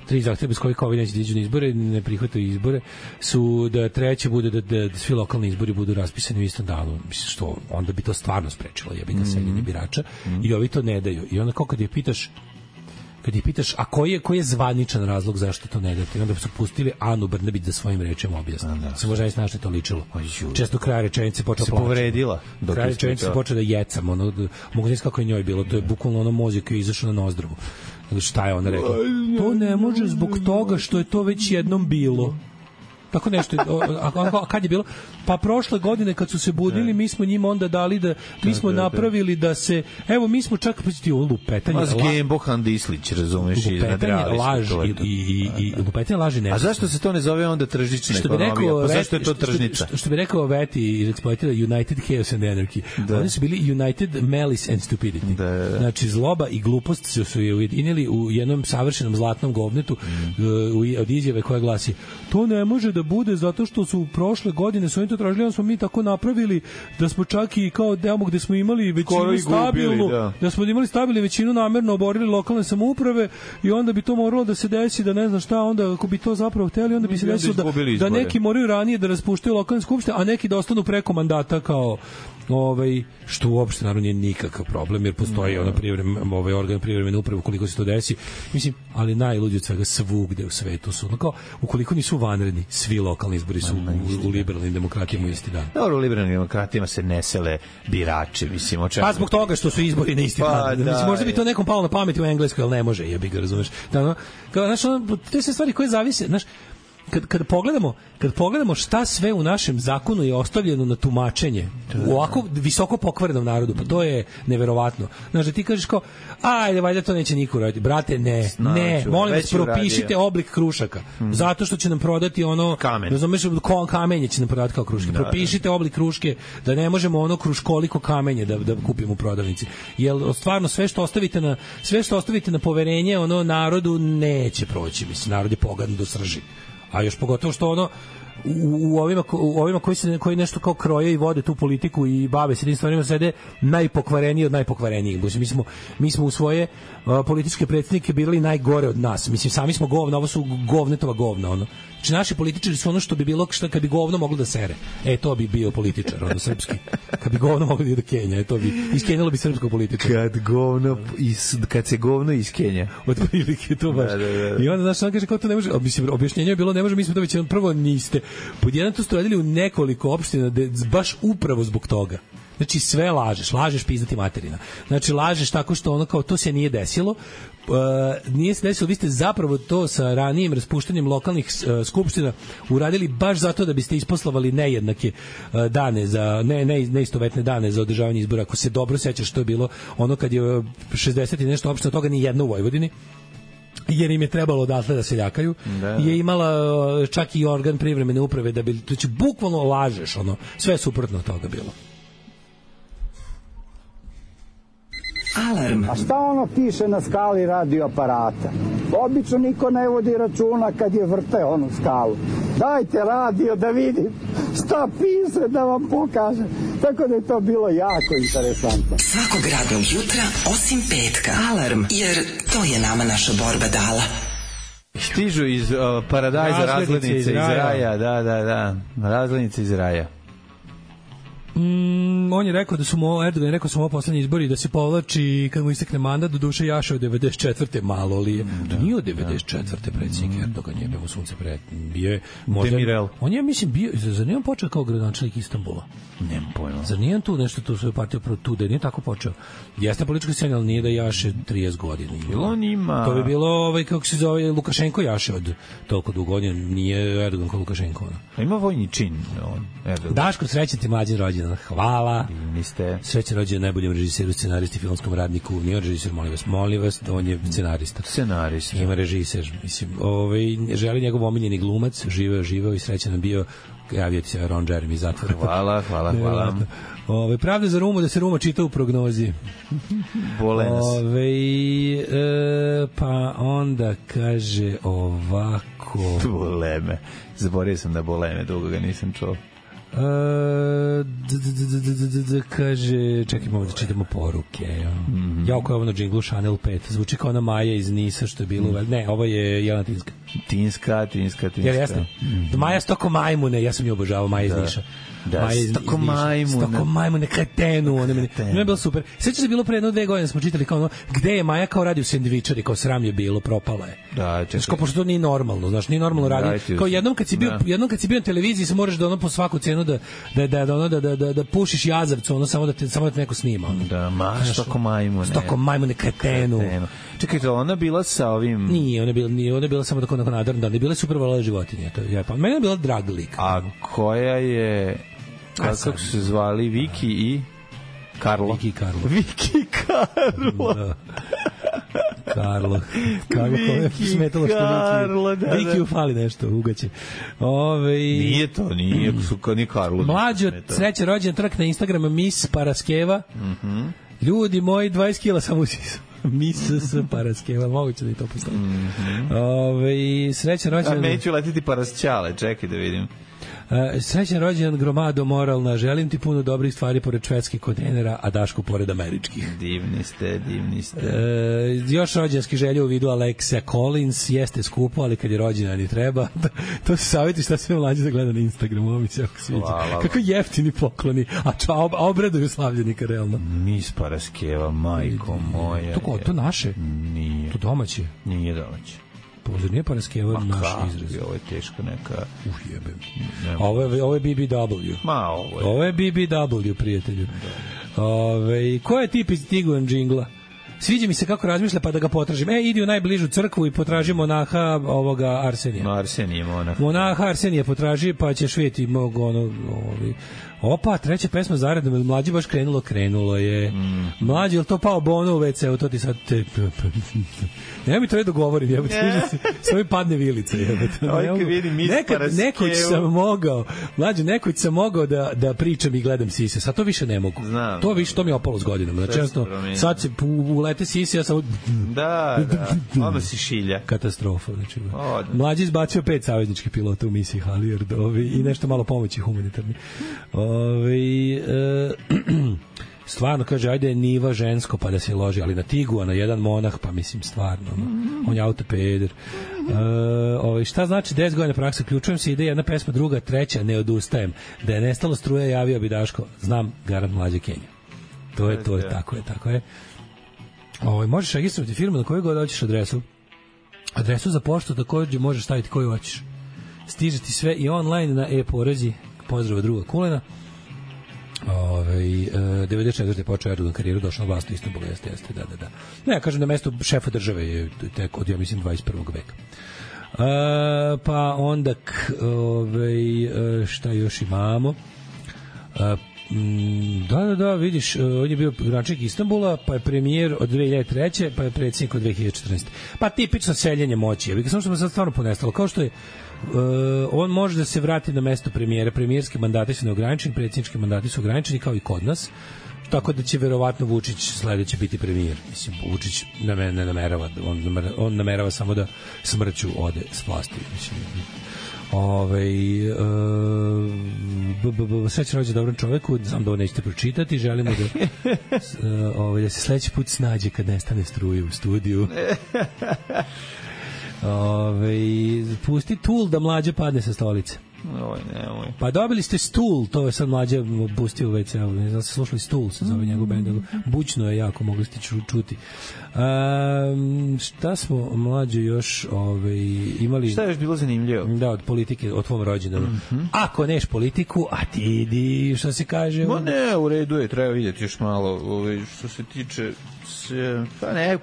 3 zahteva bez kojih ovi neće da iđu na izbore, ne prihvataju izbore, su da treće bude da svi lokalni izbori budu raspisani u istom danu. Mislim, što onda bi to stvarno sprečilo jebika seljenje birača, i ovi to ne daju. I onda kad ih pitaš, a koji je zvaničan razlog zašto to ne date? I onda su pustili Anu Brnabić da svojim rečima objasni. Se možda ne što to ličilo. Često kraj rečenice počela plaći. Se povredila. Kraj rečenice počela da jecam. Mogu znati kako je njoj bilo. To je bukvalno mozak koji je izašao na nozdrvu. Šta je ona rekla? To ne može zbog toga što je to već jednom bilo. Tako nešto. A kad je bilo? Pa prošle godine kad su se budili, mi smo njima onda dali mi smo napravili da se, evo mi smo čak lupetanje. Bohan Dislić, razumeš, lupetanje laži ne. A zašto se to ne zove onda tržišna ekonomija? Pa zašto je to tržnica? Što bi rekao Veti i eksploatira United Chaos and Anarchy. Oni su bili United Malice and Stupidity. Znači zloba i glupost su je ujedinili u jednom savršenom zlatnom govnetu od izjave koja glasi: to ne može da bude zato što su prošle godine su oni to tražili, smo mi tako napravili da smo čak i kao demo gde smo imali većinu stabilnu, da smo imali stabilnu većinu namerno oborili lokalne samouprave i onda bi to moralo da se desi, da ne znam šta, onda ako bi to zapravo hteli, onda bi se desilo da neki moraju ranije da raspuštaju lokalne skupštine, a neki da ostanu preko mandata kao što uopšte naravno nije nikakav problem, jer postoji organ privremene uprave ukoliko se to desi. Mislim, ali najluđe od svega svugde u svetu su, kao, ukoliko nisu vanredni, svi lokalni izbori su u liberalnim demokratijama isti dan. Dobro, u liberalnim demokratijama se ne sele birači, mislim, o čemu... Pa zbog toga što su izbori na isti dan. Mislim, možda bi to nekom palo na pamet u Engleskoj, ali ne može, jebi ga, razumeš. Te se stvari koje zavise, znaš, kad pogledamo šta sve u našem zakonu je ostavljeno na tumačenje u ovako visoko pokvarenom narodu, pa to je neverovatno. Znaš, da ti kažeš kao, ajde, valjda to neće niko raditi. Brate, ne, molim vas, propišite oblik krušaka, zato što će nam prodati ono, razumeš, kamenje će nam prodati kao kruške. Propišite oblik kruške, da ne možemo ono kruškoliko kamenje da kupimo u prodavnici. Jer stvarno sve što ostavite na poverenje ono narodu neće proći, mislim, narod je pogadan do srži. A još pogotovo što ono u ovima koji nešto kao kroje i vode tu politiku i bave se tim stvarima sede najpokvareniji od najpokvarenijih. Mi smo u svoje političke predstavnike birali najgore od nas. Mislim, sami smo govna, ovo su govnetova govna. Ono. Znači, naši političari su ono što bi bilo kad bi govno moglo da sere. To bi bio političar, ono, srpski. Kad bi govno moglo da ide do Kenja, to bi iskenjalo bi srpskog političara. Kad se govno iskenja. Od prilike, to baš. Da. I onda, znaš, on kaže, kao to ne može, mislim, objašnjenje je bilo, ne može, mi smo to već prvo niste. Pod jedan to ste radili u nekoliko opština, baš upravo zbog toga. Znači, sve lažeš pizdati materina. Znači, lažeš tako što ono kao to se nije desilo, nije se desilo, vi ste zapravo to sa ranijim raspuštanjem lokalnih skupština uradili baš zato da biste isposlavali nejednake dane za neistovetne dane za održavanje izbora. Ako se dobro sećaš, što je bilo ono kad je 60 i nešto opština, toga ni jedna u Vojvodini, jer im je trebalo odatle da se ljakaju, je imala čak i organ privremene uprave da bi, znači bukvalno lažeš, ono, sve suprotno od toga bilo. Alarm. A šta ono piše na skali radioaparata? Obično niko ne vodi računa kad je vrte onu skalu. Dajte radio da vidim šta piše, da vam pokažem. Tako da je to bilo jako interesantno. Svakog radnog jutra, osim petka. Alarm, jer to je nama naša borba dala. Stižu iz paradajza razglednice iz raja. Da. Razglednice iz raja. On je rekao Erdogan je rekao su ovo poslednji izbori da se povlači kad mu istekne mandat, do duše jaše od 94. malo li je. Nije od 94. predsjednik Erdogan je bio sunce bio je Demirel. On je, mislim, bio, zar nije on počeo kao gradonačelnik Istanbula? Nemam pojma. Zar nije on tu nešto tu svoju partiju tu, da nije tako počeo? Jeste politička scena, ali nije da jaše 30 godina. On ima... To bi bilo, kako se zove, Lukašenko jaše od toliko dugo godina, nije Erdogan kao Lukašenko. Ima vojni čin, Erdogan. Daško, srećan ti mlađen rođendan. Hvala. Niste. Srećan rođendan najboljem režiseru, scenaristi, filmskom radniku. Nije režiser, molim vas, on je scenarista. Scenarista. Ima režiser, mislim. Želi njegov omiljeni glumac, živeo i srećan nam bio. Javio ti se Ron Jeremy iz zatvora. Hvala. Pravda za Rumu, da se Ruma čita u prognozi. Bole nas. Pa onda kaže ovako. Bole me. Zaboravio sam da bole me, dugo ga nisam čuo. Kaže, čekajmo da čitamo poruke. Jako je ovo na džinglu Chanel 5. Zvuči kao ona Maja iz Nisa što je bilo. Ne, ovo je Jelena Tinska. Tinska. Jer jasno? Maja stoko majmune, ja sam ju obožavao, Maja iz Niša. Da, stoko majmune, kretenu, ona meni je bilo super. Sveća se bilo pre 1-2 godine smo čitali kao ono, gde je Maja kao radio sendvičari, kao sram je bilo, propala je. Da, čekaj. Kao pošto to nije normalno, znaš, nije normalno radi. Kao jednom kad si bio na televiziji, se moraš da ono po svaku cenu da pušiš jazavcu, ono samo da te neko snima. Ono. Da, stoko majmune, kretenu. Čekaj, to ona bila sa ovim... Nije, ona je bila samo tako nadrnda, ali bila super volela životinje. Meni je bila drag lik. A koja je... Kako su se zvali? Viki i Karlo. Viki i Karlo. Da. Karlo. Viki smetalo što Viki ufali nešto, ugaće. Nije to, nije ni Karlo. Mlađo, sreća rođen trk na Instagramu Miss Paraskeva. Ljudi moji, 20 kila sam usisu. Miss Paraskeva, moguće da i to postoji. Srećan rođendan... Neću letiti Parasćale, čekaj da vidim. Srećan rođendan gromado moralna, želim ti puno dobrih stvari pored švedskih kontejnera, a Daško pored američkih. Divni ste. Još rođendanski želje u vidu Alexa Collins, jeste skupo, ali kad je rođendan i treba. To su savjeti šta sve mlađe da gleda na Instagramu, ovo mi se jako sviđa. Kako jeftini pokloni, a obraduju slavljenika realno. Miss Paraskeva, majko moja. To naše? Nije. To domaće? Nije domaće. Pozor, nije Paraskeva naš izraz. Ovo je teško neka... Jebem. Ovo je BBW. Ovo je BBW, prijatelju. Ko je tip iz Tiguan džingla? Sviđa mi se kako razmišlja, pa da ga potražim. Idi u najbližu crkvu i potraži monaha ovoga Arsenija. Arsenije monah. Monaha Arsenije potraži, pa ćeš vidjeti Opa, treća pesma zaredom, mlađi baš krenulo je. Mlađi, je li to pao Bono u WC-u, to ti sad... Nema mi to dogovorim, jebate, s ovim padne vilica, jebate. Nekoć sam mogao da pričam i gledam sise, sad to više ne mogu. To mi je opalo s godinama. Znači, sad se ulete sise, ja sam... Da, ono si šilja. Katastrofa, znači. Mlađi izbacio 5 savezničkih pilota u misiji Halijard i nešto malo pomoći humanitarni. Stvarno, kaže, ajde niva žensko pa da se loži, ali na Tiguana jedan monah, pa mislim stvarno, on je autopeder. Šta znači 10 godina praksa? Ključujem se, ide jedna pesma, druga, treća, ne odustajem. Da je nestalo struje, javio bi Daško, znam, garant mlađe Kenja. To je, tako je. Možeš registrovati firmu na koju god hoćeš adresu. Adresu za poštu takođe možeš staviti koju hoćeš. Stiže ti sve i online na e-porezi. Pozdrava druga Kulena. 94. je počeo Erdogan karijeru, došao na vlast u Istanbulu, jeste, da. Ne, ja kažem da mesto šefa države je tek od, ja mislim, 21. veka. Pa onda, šta još imamo? Da, vidiš, on je bio gradonačelnik Istanbula, pa je premijer od 2003. pa je predsjednik od 2014. Pa tipično seljenje moći, samo što me sad stvarno ponestalo, kao što je on može da se vrati na mesto premijera. Premijerski mandati su neograničeni, predsjednički mandati su ograničeni kao i kod nas, tako da će verovatno Vučić sledeće biti premijer. Mislim, Vučić ne namerava, on namerava samo da smrću ode s vlasti. Mislim, srećan rođendan dobrom čoveku, znam da ovo nećete pročitati, želimo da se sledeći put snađe kad nestane struje u studiju. Pusti Tool da mlađe padne sa stolice. Pa dobili ste Stool, to je sad mlađe pustio u WC-u, ne znam, se slušali Stool, se zove njegov bend, bućno je jako, mogli ste čuti. Šta smo mlađe još imali? Šta je još bilo zanimljivo? Da, od politike, od tvom rođendanu. Ako neš politiku, a ti idi, što se kaže? Ne, u redu je, treba vidjeti još malo, što se tiče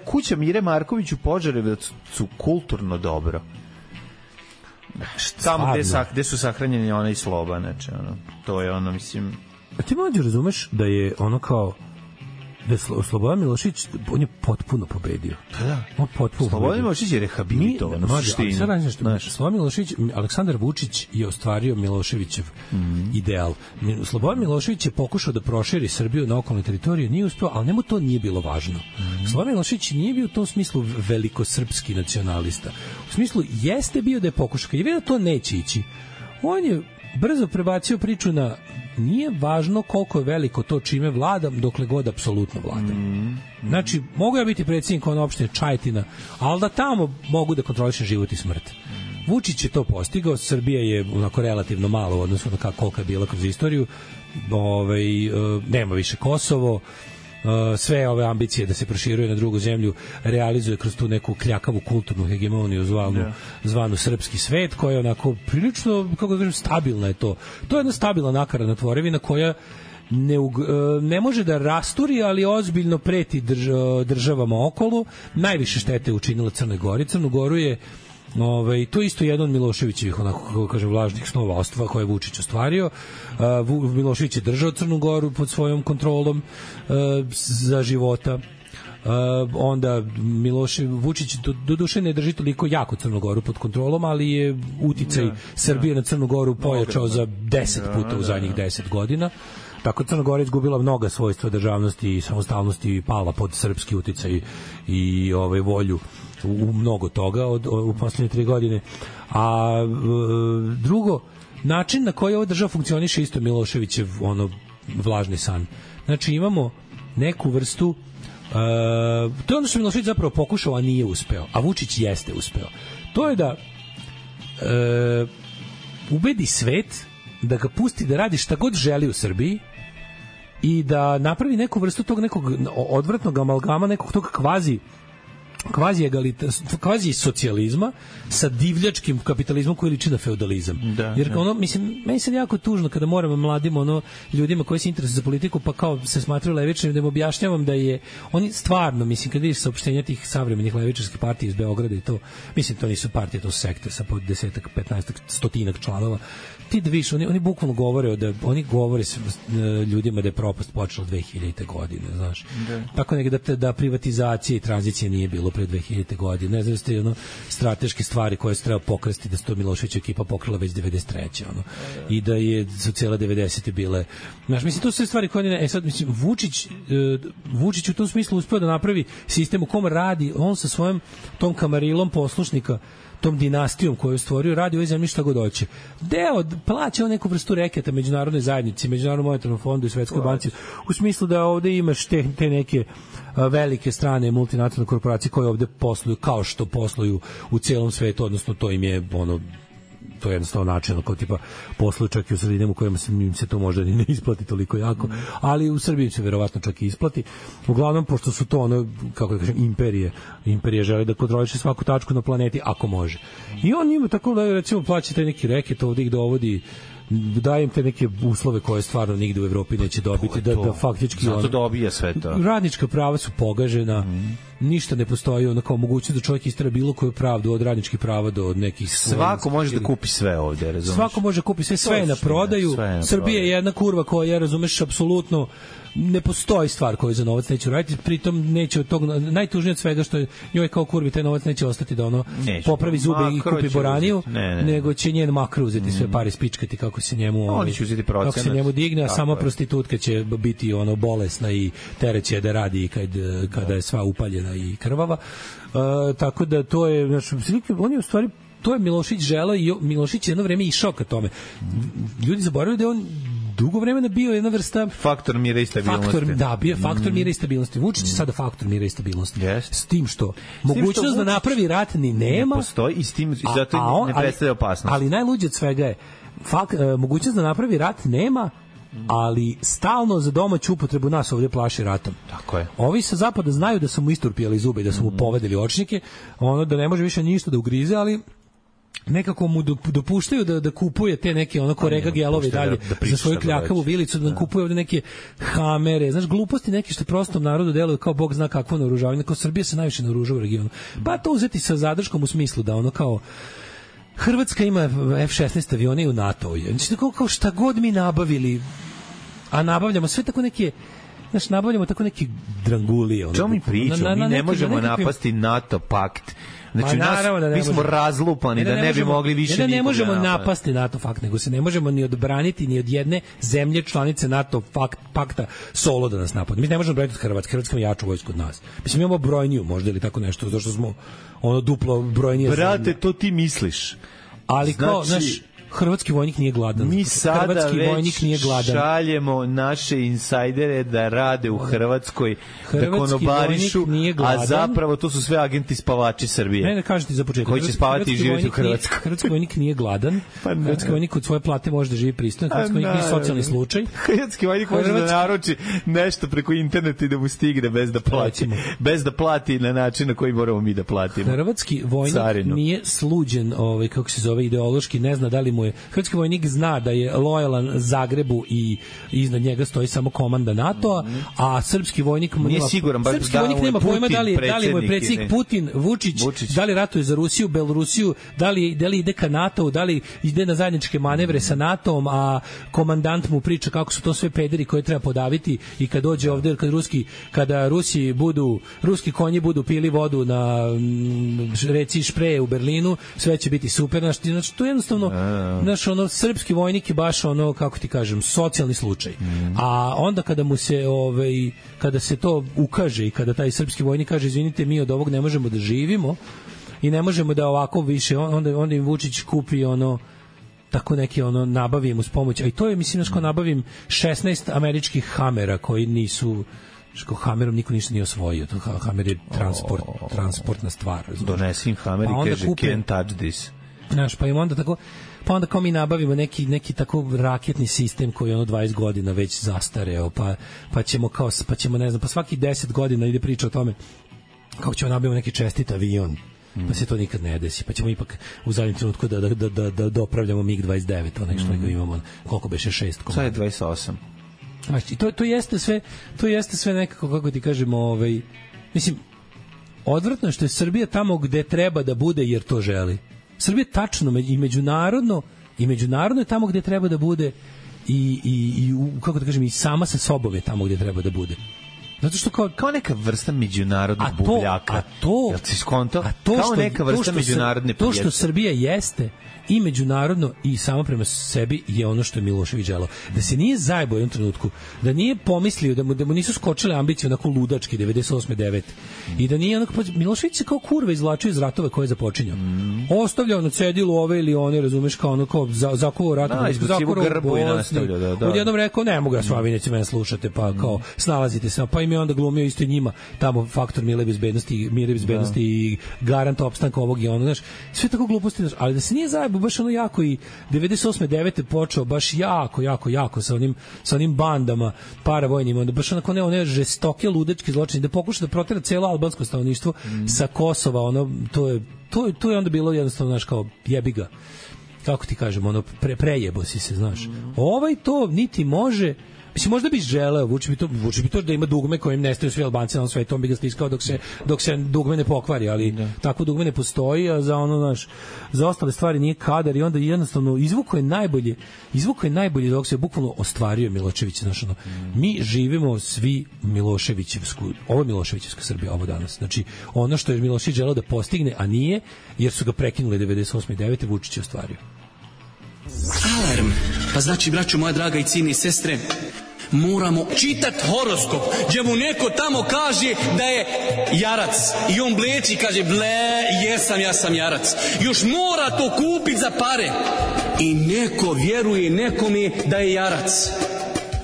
kuća Mire Marković u Požarevcu kulturno dobro. Tamo gde su sahranjeni ona i Sloba, znači, to je mislim... A ti mlađe razumeš da je ono kao da je Slobodan Milošević, on je potpuno pobedio. Da. On potpuno Slobodan Milošević je rehabilitovan u suštini. Slobodan Milošević, Aleksandar Vučić je ostvario Miloševićev ideal. Slobodan Milošević je pokušao da proširi Srbiju na okolne teritorije, nije uspeo, ali njemu to nije bilo važno. Slobodan Milošević nije bio u tom smislu velikosrpski nacionalista. U smislu, jeste bio da je pokušao, kad je vidio da to neće ići, on je brzo prebacio priču na nije važno koliko je veliko to čime vladam, dokle god apsolutno vladam. Znači, mogu ja biti predsjednik opštine Čajetina, ali da tamo mogu da kontrolišem život i smrt. Vučić je to postigao, Srbija je onako relativno malo u odnosu na koliko je bila kroz istoriju, nema više Kosovo, sve ove ambicije da se proširuje na drugu zemlju realizuje kroz tu neku kljakavu kulturnu hegemoniju zvanu srpski svet, koja je onako prilično, kako da kažem, stabilna je to. To je jedna stabilna nakaradna tvorevina koja ne može da rasturi, ali ozbiljno preti državama okolo. Najviše štete je učinila Crnoj Gori. Crnu Goru je to je isto jedan od Miloševićevih, onako kako kažem, vlažnih snova koje je Vučić ostvario. Milošević je držao Crnu Goru pod svojom kontrolom za života. Onda Vučić doduše ne drži toliko jako Crnu Goru pod kontrolom, ali je uticaj Srbije na Crnu Goru pojačao za 10 puta u zadnjih 10 godina. Tako Crna Gora izgubila mnoga svojstva državnosti i samostalnosti i pala pod srpski uticaj i volju u mnogo toga u poslednje 3 godine. A drugo, način na koji ova država funkcioniše isto Miloševićev vlažni san. Znači imamo neku vrstu to je ono što Milošević zapravo pokušao, a nije uspeo, a Vučić jeste uspeo. To je da ubedi svet da ga pusti da radi šta god želi u Srbiji i da napravi neku vrstu tog nekog odvratnog amalgama, nekog tog kvazi socijalizma sa divljačkim kapitalizmom koji liči na feudalizam. Jer mislim, meni sad jako tužno kada moram mladim ljudima koji se interesuju za politiku pa kao se smatraju levičarima da im objašnjavam da je oni stvarno, mislim, kada vidiš saopštenja tih savremenih levičarskih partija iz Beograda i to, mislim, to nisu partije, to su sekte sa po 10-ak, 15-ak, 100-ak članova. Ti da vidiš, oni bukvalno govore oni govore ljudima da je propast počela 2000. godine, znaš. Tako da privatizacije i tranzicije nije bilo pre 2000. godine. Ne znam, ste strateške stvari koje se treba pokresti, da se to Miloševićeva ekipa pokrila već 93. I da je za cijela 90. bile. Znaš, mislim, to su sve stvari koje sad, mislim, Vučić u tom smislu uspeo da napravi sistem u kom radi, on sa svojom tom kamarilom poslušnika, tom dinastijom koju je stvorio, radi ovoj zemlji šta god hoće. Plaća neku vrstu reketa međunarodnoj zajednici, Međunarodnom monetarnom fondu i Svetskoj banci, u smislu da ovde imaš te neke velike strane multinacionalne korporacije koje ovde posluju kao što posluju u celom svetu, odnosno to im je to je jednostavno način kao tipa posluju čak i u sredinama u kojima im se to možda ni ne isplati toliko jako, ali u Srbiji se verovatno čak i isplati. Uglavnom, pošto su to kako da kažem, imperije žele da kontroliše svaku tačku na planeti ako može. I on ima tako da recimo plaća taj neki reket ovde ih dovodi, dajem te neke uslove koje stvarno nigde u Evropi neće dobiti, da faktički zato dobija sve to. Radnička prava su pogažena, ništa ne postoji, kao mogućnost da čovjek istera bilo koju pravdu od radničkih prava do nekih svako može da kupi sve ovde, razumeš? Svako može da kupi sve je na prodaju. Srbija je jedna kurva koja, razumeš, apsolutno ne postoji stvar koju za novac neće raditi, pritom neće od tog, najtužnije od svega što je njoj kao kurvi taj novac neće ostati da popravi zube i kupi boraniju, nego će njen makro uzeti sve pare, spičkati kako se njemu kako se njemu digne, a sama prostitutka će biti bolesna i tereće da radi kada je sva upaljena i krvava. Tako da to je, znači, on je u stvari, to je Milošević želeo i Milošević jedno vreme išao ka tome. Ljudi zaboravljaju da je on dugo vremena bio jedna vrsta faktor mira i stabilnosti. Bio faktor mira i stabilnosti. Vučić je sada faktor mira i stabilnosti. S tim što mogućnost da napravi rat ni nema. Ne postoji i s tim zato ne predstavlja opasnost. Ali najluđe od svega je mogućnost da napravi rat nema, ali stalno za domaću upotrebu nas ovdje plaši ratom. Tako je. Ovi sa zapada znaju da su mu isturpijali zube i da su mu povedali očnike, da ne može više ništa da ugrize, ali nekako mu dopuštaju da kupuje te neke korega gelove dalje za svoju kljakavu vilicu, da kupuje ovde neke hamere, znaš, gluposti neke što prostom narodu deluju kao bog zna kakvo naoružavanje, kao Srbija se najviše naoružava u regionu. Pa to uzeti sa zadrškom u smislu da kao Hrvatska ima F-16 avione i u NATO-u. Znači, kao šta god mi nabavili, a nabavljamo sve tako neke, znaš, nabavljamo tako neke drangulije. Čemu mi pričamo? Mi ne možemo napasti NATO pakt. Znači, mi smo razlupani da ne bi mogli više nikog. Ne možemo napasti NATO pakt, nego se ne možemo ni odbraniti ni od jedne zemlje članice NATO pakta solo da nas napadne. Mi ne možemo braniti od Hrvatske. Hrvatska ima jaču vojsku od nas. Mislim, imamo brojniju možda ili tako nešto, zato što smo duplo brojnije. Brate, to ti misliš. Ali kao, znaš, hrvatski vojnik nije gladan. Mi sada već šaljemo naše insajdere da rade u Hrvatskoj, da konobarišu, a zapravo to su sve agenti spavači Srbije. Ne kažete za početak. Koji će spavati i živjeti u Hrvatskoj. Hrvatski vojnik nije gladan. Hrvatski vojnik od svoje plate može da živi pristojno. Hrvatski vojnik nije socijalni slučaj. Hrvatski vojnik može da naruči nešto preko interneta i da mu stigne bez da plati. Bez da plati na način na koji moramo mi da platimo. Hrvatski vojnik nije sluđen, kako se zove, ideološki, ne zna da li mu je. Hrvatski vojnik zna da je lojalan Zagrebu i iznad njega stoji samo komanda NATO-a, a srpski vojnik srpski vojnik nema pojma da li mu je predsjednik Putin, Vučić, da li ratuje za Rusiju, Belorusiju, da li ide ka NATO-u, da li ide na zajedničke manevre sa NATO-om, a komandant mu priča kako su to sve pederi koje treba podaviti i kad dođe ovde, kada ruski konji budu pili vodu na reci Špreje u Berlinu, sve će biti super. Znači, to je jednostavno Znaš, ono, srpski vojnik je baš ono, kako ti kažem, socijalni slučaj. A onda kada mu se, kada se to ukaže i kada taj srpski vojnik kaže, izvinite, mi od ovog ne možemo da živimo i ne možemo da ovako više, onda im Vučić kupi ono, tako neki ono, nabavim uz pomoć, a i to je, mislim, ko nabavim 16 američkih Hamera koji nisu, što Hamerom niko ništa nije osvojio, to Hamer je transportna stvar. Donesi im Hamer i kaže, can't touch this. Znaš, pa im onda tako, pa onda kao mi nabavimo neki tako raketni sistem koji je ono 20 godina već zastareo, pa ćemo ne znam, pa svaki 10 godina ide priča o tome kako ćemo nabavimo neki čestit avion, pa se to nikad ne desi, pa ćemo ipak u zadnjem trenutku da dopravljamo MiG-29, onaj što ga imamo, koliko beše 6 komada. Sad je 28. Znači, to jeste sve nekako, kako ti kažemo, mislim, odvratno je što je Srbija tamo gde treba da bude jer to želi. Srbija tačno i međunarodno je tamo gde treba da bude i kako da kažem, i sama sa sobom je tamo gde treba da bude. Zato što kao neka vrsta međunarodnog bubljaka. Jel si skonto? Kao neka vrsta međunarodne prijetnje. To što Srbija jeste i međunarodno i samo prema sebi je ono što je Milošević želeo. Da se nije zajebao u jednom trenutku, da nije pomislio, da mu nisu skočile ambicije onako ludački 98. 9. I da nije onako, Milošević se kao kurva izvlačio iz ratova koje je započinjao. Ostavljao na cedilu ove ili one, razumeš, kao ono kao zakovao rat. Izbacivo grbu i nastavljao. Odjednom rekao, ne mogu ja s vama, neće mene slušate, pa kao snalazite se, pa im je onda glumio isto i njima tamo faktor mire bezbednosti i garant opstanka ovog i ono, znaš, sve tako gluposti, ali da se nije zajebao baš ono jako i 98. 9. počeo baš jako sa onim bandama paravojnim, onda baš onako one žestoke ludačke zločine, da pokuša da protera celo albansko stanovništvo sa Kosova, ono, to je onda bilo jednostavno, znaš, kao jebi ga, kako ti kažem, ono, prejebo si se, znaš. To niti može. Mislim, možda bi želeo, Vučić bi to da ima dugme kojim nestaju svi Albanci na svetu, on bi ga stiskao dok se dugme ne pokvari, ali tako dugme ne postoji, a za ostale stvari nije kadar i onda jednostavno izvuko je najbolje dok se bukvalno ostvario Milošević, znači mi živimo svi ovo je Miloševićevska Srbija ovo danas. Znači, ono što je Milošević želeo da postigne, a nije, jer su ga prekinuli 98. 9. Vučić je ostvario. Alarm. Pa znači, braćo moja draga i cijene sestre, moramo čitat horoskop, gdje mu neko tamo kaže da je jarac i on bleči i kaže, ja sam jarac. Još mora to kupit za pare. I neko vjeruje nekome da je jarac.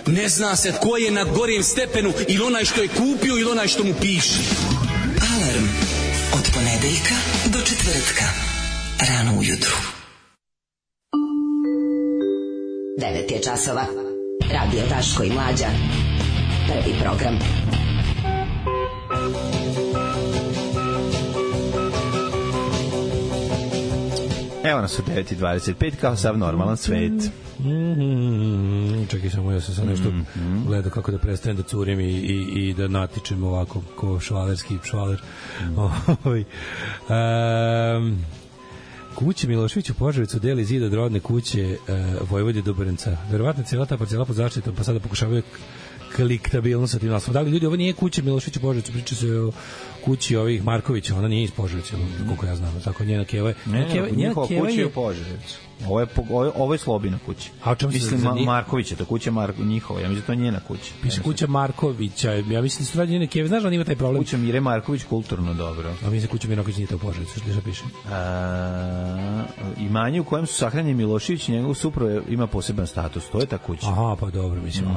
Ne zna se tko je na gorijem stepenu, ili onaj što je kupio ili onaj što mu piše. Alarm od ponedeljka do četvrtka, rano ujutru. 9 je časova. Radio Daško i Mlađa. Prvi program. Evo nas u 9:25 kao sav normalan svet. Čekaj samo, ja sam sad nešto gledao kako da prestanem da curim i da natičem ovako ko švalerski švaler. Kuće Milošević u Požarevcu deli zid od rodne kuće Vojvode Dobrenca. Verovatno cijela ta parcela pod zaštitom, pa sada pokušavaju kliktabilno sa tim naslovom. Da li ljudi, ovo nije kuća Milošević u Požarevcu, priča se o kući ovih Markovića, ona nije iz Požarevca, koliko ja znam, tako njena keva je. Njihova kuća je u Požarevcu. Ovo je Slobina kuća. A o čemu se mislim, Markovića, to kuća njihova, ja mislim da to je njena kuća. Piše kuća Markovića, ja mislim da su radi njene keve, znaš da on ima taj problem? Kuća Mire Marković, kulturno dobro. A mislim da kuća Marković nije to u Požarevcu, što piše? Imanje u kojem su sahranjeni Milošević i njegov suprug ima poseban status, to je ta kuća. Aha, pa dobro, mislim,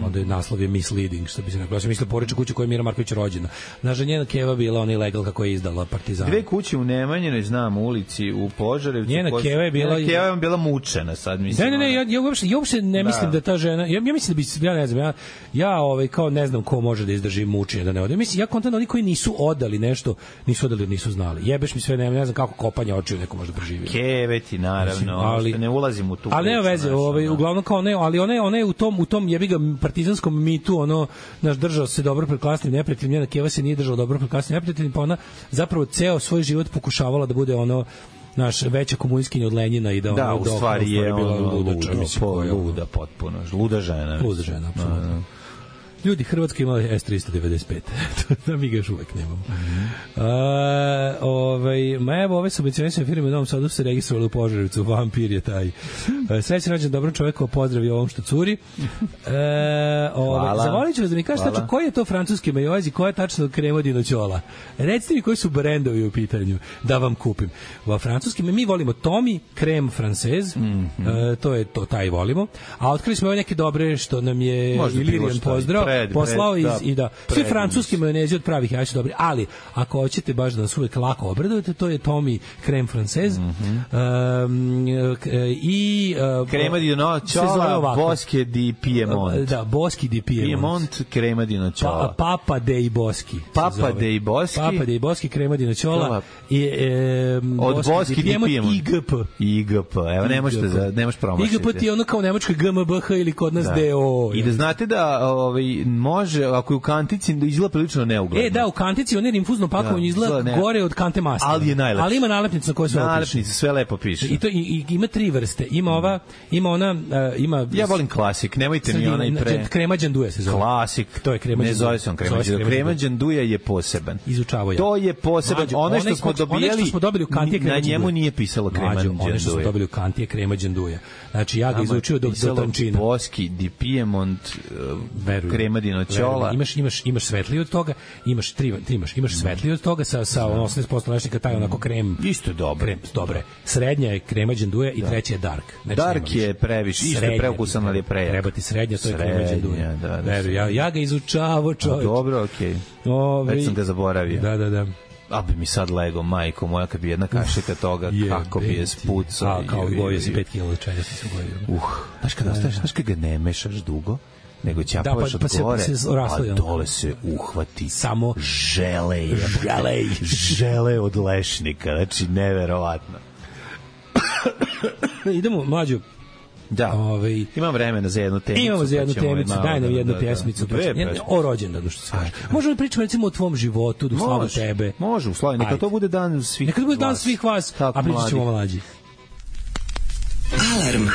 onda je naslov je misleading, što bi se rekao. Ja sam mislio poreča kuća koja je Mira Marković rođena. Znaš da njena keva bila onaj legal kako je izdala Partizan. Dve kuće u Nemanjinoj, znam, ulici u Požarevcu. Njena keva je bila bila mučena sad, mislim. Ne, ja uopšte ne mislim da ta žena, ja mislim da bi, ja ne znam, ja kao ne znam ko može da izdrži mučenje da ne ode. Mislim, ja kontam oni koji nisu odali nešto, nisu znali. Jebeš mi sve, ne znam kako kopanje očiju neko može preživio. Keveti, naravno, ali ne ulazim u tu. Ali nema veze, uglavnom kao ne, ali ona je u tom jebiga partizanskom mitu, ono, naš držao se dobro pred klasnim neprijateljem, njena keva se nije držala dobro pred klasnim neprijateljem, pa ona zapravo ceo svoj život pokušavala da bude ono naš veća komunistkinja od Lenjina i da u stvari je bila luda potpuno, luda žena, apsolutno. Ljudi, Hrvatska imala S-395. Da mi ga još uvek nemamo. Ma evo, ove subvencionisane firme u Novom Sadu se registrovali u Požarevcu. Vampir je taj. Srećan rođendan dobrom čoveku, pozdravi ovom što curi. Zavolit ću vas da mi kažete tačno koji je to francuski majoaz i koja je tačno krema dinoćola. Recite mi koji su brendovi u pitanju da vam kupim. U francuskim mi volimo Tommy, krem francez, to je to, taj volimo. A otkrili smo ove neke dobre što nam je Ilirijan pozdrav, poslao i da svi francuski majonezi od pravih jaja su dobri, ali ako hoćete baš da nas uvek lako obradujete, to je Tommy krem francez i krema di nocciola Boschi di Piemont. Da, Boschi di Piemont krema di nocciola. Papa dei Boschi. Papa dei Boschi krema di nocciola i od Boschi di Piemont IGP. Evo nemaš promašiti. IGP ti je ono kao nemačka GmbH ili kod nas DO. I da znate da može, ako je u kantici, da izgleda prilično neugledno. Da, u kantici on je infuzno pakovanje izgleda gore od kante masta. Ali je najlepše. Ali ima nalepnicu na kojoj sve opiše. Nalepnice, sve lepo piše. I ima 3 vrste. Ima ona... Ja volim klasik, nemojte mi onaj pre... Krema đanduje se zove. Klasik. To je krema đanduje. Ne zove se on krema đanduje. Krema đanduje je poseban. Izučavao ja. To je poseban. Ono što smo dobili u kanti je krema đanduje. Na njemu nije pisalo krema đanduje. Ono što smo dobili u kanti je krema đanduje. Znači ja ga izučio do tančina. Boschi di Piemont krema di nocciola. Imaš svetliji od toga, imaš svetliji od toga sa 80% lešnika, taj onako krem. Isto dobro. Dobre. Srednja je krema đanduje i treća je dark. Dark je previše, isto je preukusan, ali je prejak. Treba ti srednja, to je krema đanduje. Ja ga izučavao, čovječ. Dobro, okej. Već sam ga zaboravio. Da. A bi mi sad lego, majko moja, kad bi jedna kašika toga, kako bi je spucao. Kao gojio si 5 kg čega si se gojio. Znaš kad ga ne mešaš dugo, nego ćapaš od gore, a dole se uhvati samo žele od lešnika, znači neverovatno. Idemo, mlađo. Da, imam vremena za jednu temicu. Imamo za jednu temicu, daj nam jednu pjesmicu. O rođendanu što se kaže. Možemo pričati recimo o tvom životu, u slavu tebe. Može, u slavu, neka to bude dan svih vas. Neka to bude dan svih vas, a pričat ćemo o mlađi. Alarm.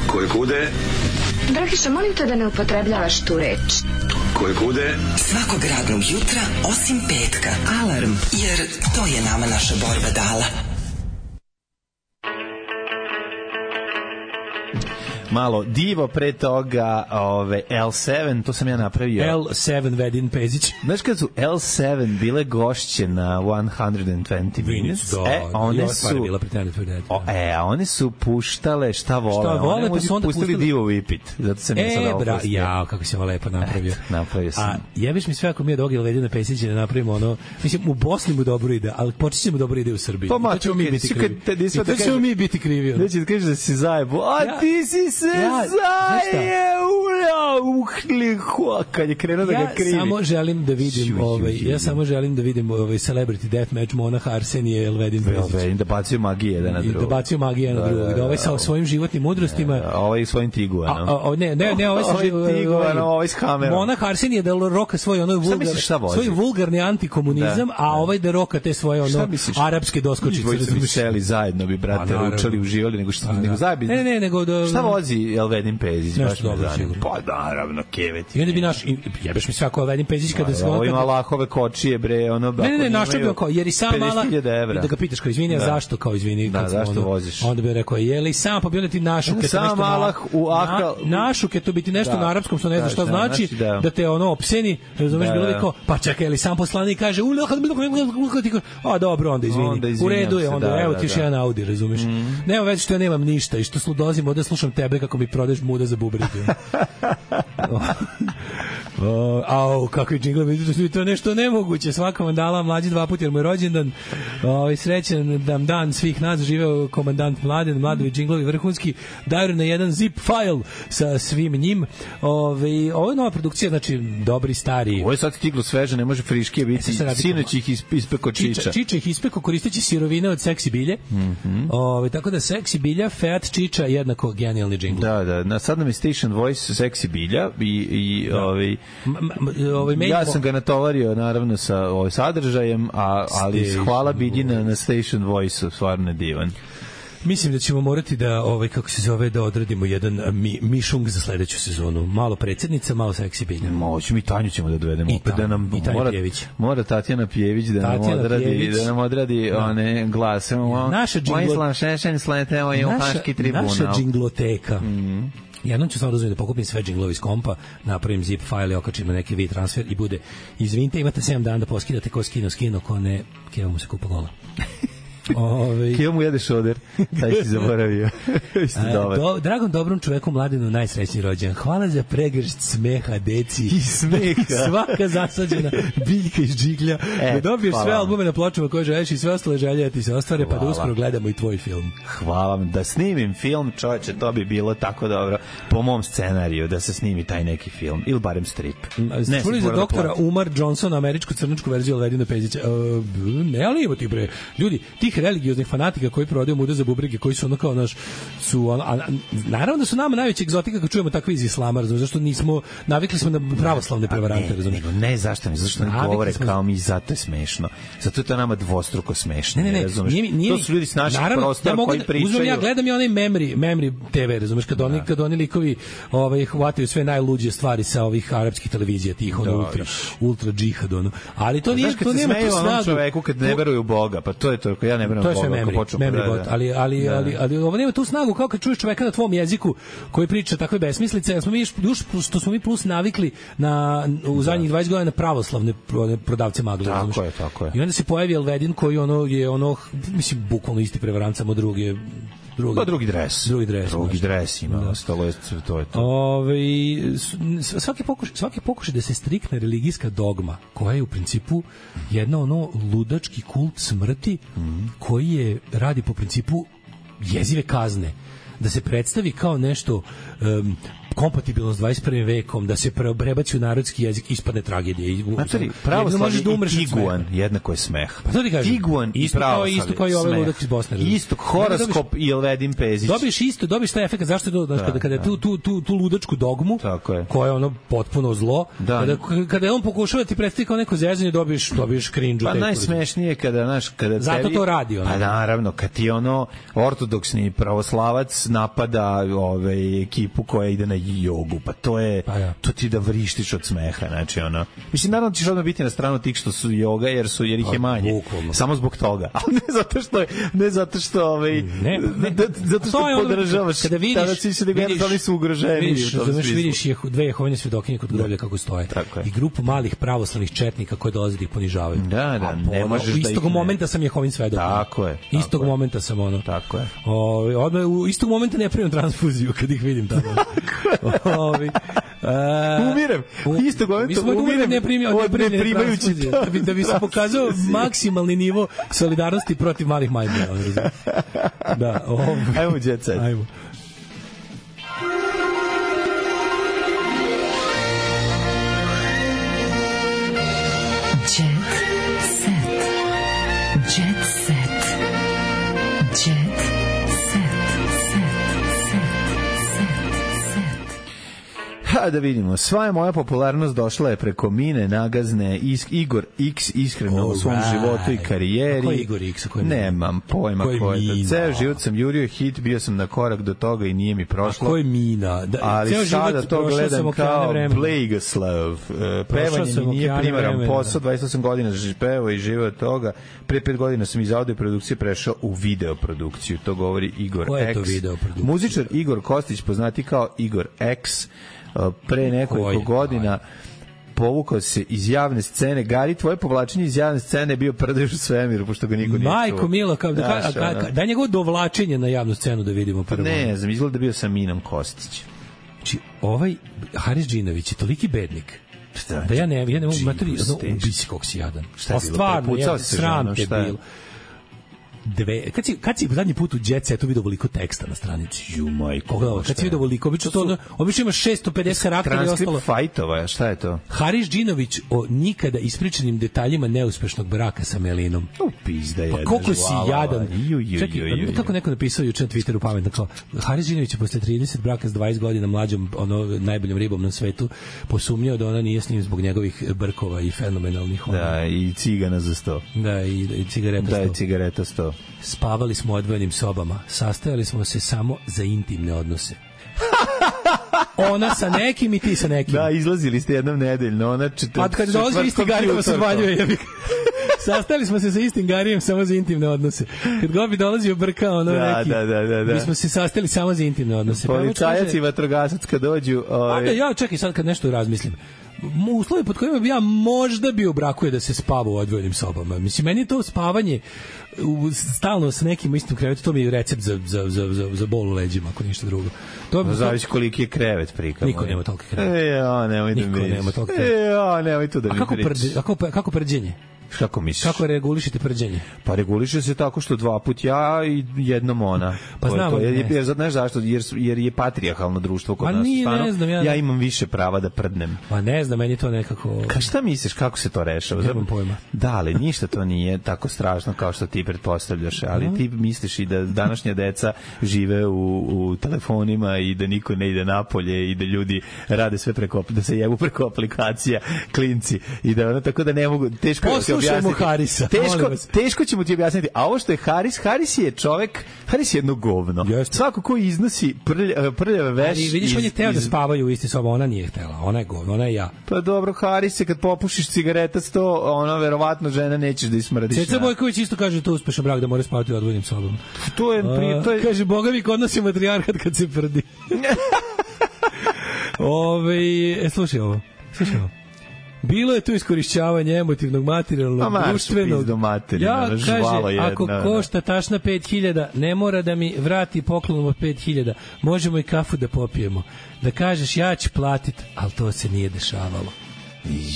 Koje kude? Dragiša, molim te da ne upotrebljavaš tu reč. Koje kude? Svakog radnog jutra, osim petka. Alarm, jer to je nama naša borba dala. Malo divo pre toga L7, to sam ja napravio. L7 Vedin Pezić. Znaš kad su L7 bile gošće na 120 Minutes? One su puštale šta vole. Pa su onda pustili Divo Vipit. Zato sam ja sada opustio. Jao, kako si ovo lepo napravio. Napravio sam. A jebiš mi sve ako mi je dogil Vedina Pezića da napravimo ono, mislim, u Bosni mu dobro ide, ali počet ćemo dobro ide u Srbiji. Pa ćemo mi biti krivi. Neće da kažeš da si zajebo. A ti si kad je krenuo da ga krivi. Ja samo želim da vidim Celebrity Deathmatch Monah Arsenije Elvedin Pezić. Da bacio magije jedan na drugog. Da bacio magije jedan na drugog. Da ovaj sa svojim životnim mudrostima. Ovaj svojim tiguanom. Ne, ovaj sa tiguanom, ovaj s kamerom. Monah Arsenije da roka svoj vulgarni antikomunizam, a ovaj da roka te svoje arapske doskočice. Dvojica bi seli zajedno, bi brate ručali, uživali, nego zajedno. Ne, nego šta vozi Elvedin Pezić? Baš me zanima. Pa naravno, kevet. I onda bi jebeš mi svako Elvedin Pezić kada se ovo ima lahove kočije, bre, ono... Ne, našao bi kao, jer i sam mala... 50.000 evra. Da ga pitaš kao, izvini, zašto kao, izvini? Da, zašto voziš? Onda bi rekao, jeli sam, pa bi onda ti našuke... Sam malah u akal... Našuke, to biti nešto na arapskom, što ne zna šta znači, da te ono opseni, razumeš, bilo bi kao, pa čekaj, jeli sam poslanik kaže, a dobro, onda izvini. U redu je, onda evo ti još jedan Audi, razumeš? Nema već što ja nemam ništa i što dolazim ovde slušam tebe kako mi prodeš muda za bubrege. Kako je džingla, vidite, to je nešto nemoguće. Svaka vam dala mlađi 2 puta jer mu je rođendan. Srećan dan svih nas, živeo komandant Mladen, Mladovi džinglovi vrhunski, daju na jedan zip file sa svim njim. Ovo je nova produkcija, znači dobri stari. Ovo je sad stiglo sveže, ne može friškije biti. Sinoć ih ispeko Čiča. Čiča ih ispeko koristeći sirovine od seksi bilje. Tako da seksi bilja, Fiat Čiča jednako genijalni džingl. Da. Sad nam je Station Voice seksi bilja i ja sam ga natovario naravno sa sadržajem, ali hvala Biljina na Station Voice-u, stvarno divan. Mislim da ćemo morati da, kako se zove, da odradimo jedan mišung za sledeću sezonu. Malo predsjednica, malo seksi bilja. Moći, mi Tanju ćemo da dovedemo. I Tanja Pjević. Mora Tatjana Pjević da nam odradi one glase. Naša džingloteka. Jednom ću stvarno dozvoljeti da pokupim sve džinglove iz kompa, napravim zip file, okačim na neki transfer i bude, izvinite, imate 7 dana da poskidate ko skino, ko ne, Keva mu se kupa gola. Keva mu jede šoder, taj si zaboravio. Dragom dobrom čoveku Mladenu najsrećniji rođendan. Hvala za pregršt smeha, deci. I smeha. Svaka zasađena biljka iz džiglja. Da dobiješ sve albume na pločama koje želiš i sve ostale želje da ti se ostvare, pa da uskoro gledamo i tvoj film. Hvala vam. Da snimim film, čoveče, to bi bilo tako dobro po mom scenariju, da se snimi taj neki film. Ili barem strip. Čuli za doktora Umar Johnson, američku crnačku verziju Alvedina Pezića. Ne, ali ima ti bre. Ljudi, tih religioznih fanatika koji prodaju muda za bubrege, koji su ono kao naš naravno da su nama najveća egzotika kad čujemo takve iz islama, razumiješ, zašto nismo navikli smo na pravoslavne prevarante, razumiješ. Ne, zašto ne govore kao mi, zato je smešno. Zato je to nama dvostruko smešno. Ne, to su ljudi s naših prostora koji pričaju. Ja gledam i onaj Memri TV, razumiješ, kad oni likovi hvataju sve najluđe stvari sa ovih arapskih televizija, tih ultra džihad, ali to nije, to nema tu snagu. Čoveku kad ne veruju u Boga, pa to je to, ja ne verujem u Boga. Memory bot, ali ovo nema tu snagu kao kad čuješ čoveka na tvom jeziku koji priča takve besmislice, što smo mi plus navikli u zadnjih 20 godina na pravoslavne prodavce magle. Tako je. I onda se pojavi Elvedin koji je mislim, bukvalno isti prevarant, samo drugi dres ima, ostalo je to. Svaki pokušaj da se striktna religijska dogma, koja je u principu jedna ludački kult smrti, koji radi po principu jezive kazne, da se predstavi kao nešto kompatibilno s 21. vekom, da se prebaci u narodski jezik, ispadne tragedije. Znači, pravoslavni i tiguan jednako je smeh. Pa to ti kažem. Tiguan i pravoslavni isto kao i ovaj ludak iz Bosne. Isto, horoskop i Elvedin Pezić. Dobiš taj efekt, zašto je to, kada je tu ludačku dogmu, koja je potpuno zlo, kada je on pokušava ti predstaviti kao neko zezanje, dobiš cringe. Pa najsmešnije kada zato to radi. Pa naravno, kad ti ortodoksni pravoslavac napada ekipu koja ide na jogu, pa to je to ti da vrištiš od smeha, znači mislim, naravno ćeš odmah biti na stranu tih što su joga, jer ih je manje, samo zbog toga, ali ne zato što podržavaš, tada si se da oni su ugroženi. Vidiš dve Jehovine svedokinje kod groblja kako stoje i grupu malih pravoslavnih četnika koji dolaze da ih ponižavaju. Da, ne možeš da ih... Istog momenta sam Jehovin svedok. Tako je. Istog momenta sam Tako je. Odmah u istog momenta ne primam transfuziju kad ih vidim tamo. Umirem. Isto umirem. Ne primajući da bi se pokazao maksimalni nivo solidarnosti protiv malih majmuna. Da, ajmo jet set. Ajmo. Da vidimo, sva je moja popularnost došla je preko Mine Nagazne, Igor X iskreno u svom životu i karijeri. Ko je Igor X? Nemam pojma ko je to. Ceo život sam jurio hit, bio sam na korak do toga i nije mi prošlo. A ko je Mina? Ali sada to gledam kao Blagoslav. Pevanje mi nije primaran posao, 28 godina pevao i živeo od toga. Pre 5 godina sam iz audio produkcije prešao u videoprodukciju. To govori Igor X. Ko je to videoprodukcija? Muzičar Igor Kostić, poznati kao Igor X, pre nekoliko godina povukao se iz javne scene. Gari, tvoje povlačenje iz javne scene je bio prdeš u svemiru, pošto ga niko nije čuo. Majko milo, daj njegovo dovlačenje na javnu scenu da vidimo prvo. Ne znam, izgleda da bio sa Minom Kostić. Znači, ovaj Haris Džinović je toliki bednik da ja ne mogu materi, ubisi kog si jadan. Šta je bilo? Prepucao se sram te bilo. Kad si zadnji put u Jet Setu vidio veliko teksta na stranici? Kad si vidio veliko, obično ima 650 karaktera i ostalo. Transkript fajtova, šta je to? Haris Džinović o nikada ispričanim detaljima neuspešnog braka sa Melinom. Pizda jedna. Pa koliko si jadan. Čekaj, kako neko napisao juče na Twitteru pametno, kao Haris Džinović je posle 30 braka s 20 godina mlađom, najboljom ribom na svetu, posumnjao da ona nije s njim zbog njegovih brkova i fenomenalnih. Da, i cigana za 100. Da, i cigareta 100. Da, i cigareta 100. Spavali smo u odvojenim sobama. Sastajali smo se samo za intimne odnose. Ona sa nekim i ti sa nekim. Da, izlazili ste jednom nedeljno. Ona pa kad dolazi isti Garijem se odvaljuje. Sastali smo se sa istim Garijem samo za intimne odnose. Kad Gobi dolazio brka, ono neki. Da. Mi smo se sastali samo za intimne odnose. Policajac i vatrogasac kad dođu... Ja čekaj sad kad nešto razmislim. Uslovi pod kojima bi ja možda bio u braku je da se spava u odvojenim sobama. Mislim, meni je to spavanje stalno sa nekim istim krevetom, to mi je recept za bol u leđima, ako ništa drugo. Zavisi koliki je krevet prikamo. Niko nema toliki krevet. Nemoj da mi Niko nema toliki krevet. Nemoj to da mi pričaš. Kako prđenje? Kako misliš? Kako regulišite prđenje? Pa reguliše se tako što 2 puta ja i jednom ona. Pa znamo. Jer znaš zašto? Jer je patrijarhalno društvo kod nas. Ne znam, ja imam više prava da prdnem. Pa ne znam, meni to nekako... Šta misliš, kako se to rešava? Nemam pojma. Da, ali ništa to nije tako strašno kao što ti pretpostavljaš. Ali ti misliš i da današnja deca žive u telefonima i da niko ne ide napolje i da ljudi rade sve da se jebu preko aplikacija, klinci. I da ono tako da ne mogu... Teško Poslušajmo Harisa. Teško ćemo ti objasniti. A ovo što je Haris je čovek, Haris je jedno govno. Svako ko iznosi prljave veš... Ali vidiš, on je hteo da spavaju u isti soba, ona nije htela. Ona je govno, ona je ja. Pa dobro, Haris je kad popušiš cigareta 100, verovatno žena nećeš da ismrdiš. Ceca Bojković isto kaže to uspešan brak da mora spavati u odvojenim sobama. To je... Kaže, Boga mi kod nas je matrijarhat kad se prdi. Slušaj ovo. Bilo je tu iskorišćavanje emotivnog, materijalnog, društvenog. Ja kaže, ako košta tašna 5.000, ne mora da mi vrati poklonom od 5.000. Možemo i kafu da popijemo. Da kažeš, ja ću platit, ali to se nije dešavalo.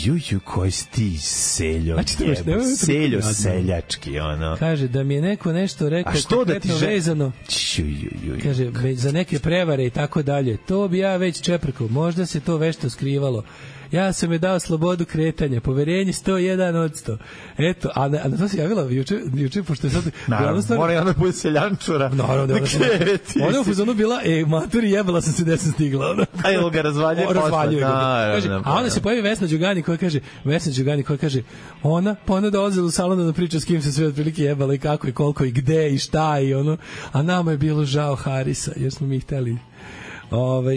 Juju, koji si ti seljo, seljo seljački, ono. Kaže, da mi je neko nešto rekao konkretno vezano, kaže, za neke prevare i tako dalje, to bi ja već čeprkao, možda se to vešto skrivalo. Ja sam je dao slobodu kretanja, poverenje 101%. Eto, a na to se javila juče, pošto je sad... Naravno, mora je ona bude seljančura. Naravno, da ona u fazonu bila, maturi, jebala sam se gde sam stigla. A je li ga razvaljuje posle? A onda se pojavi Vesna Đugani koja kaže, ona dolazila u salon da priča s kim se sve otprilike jebala i kako i koliko i gde i šta i ono, a nama je bilo žao Harisa, jer smo mi hteli...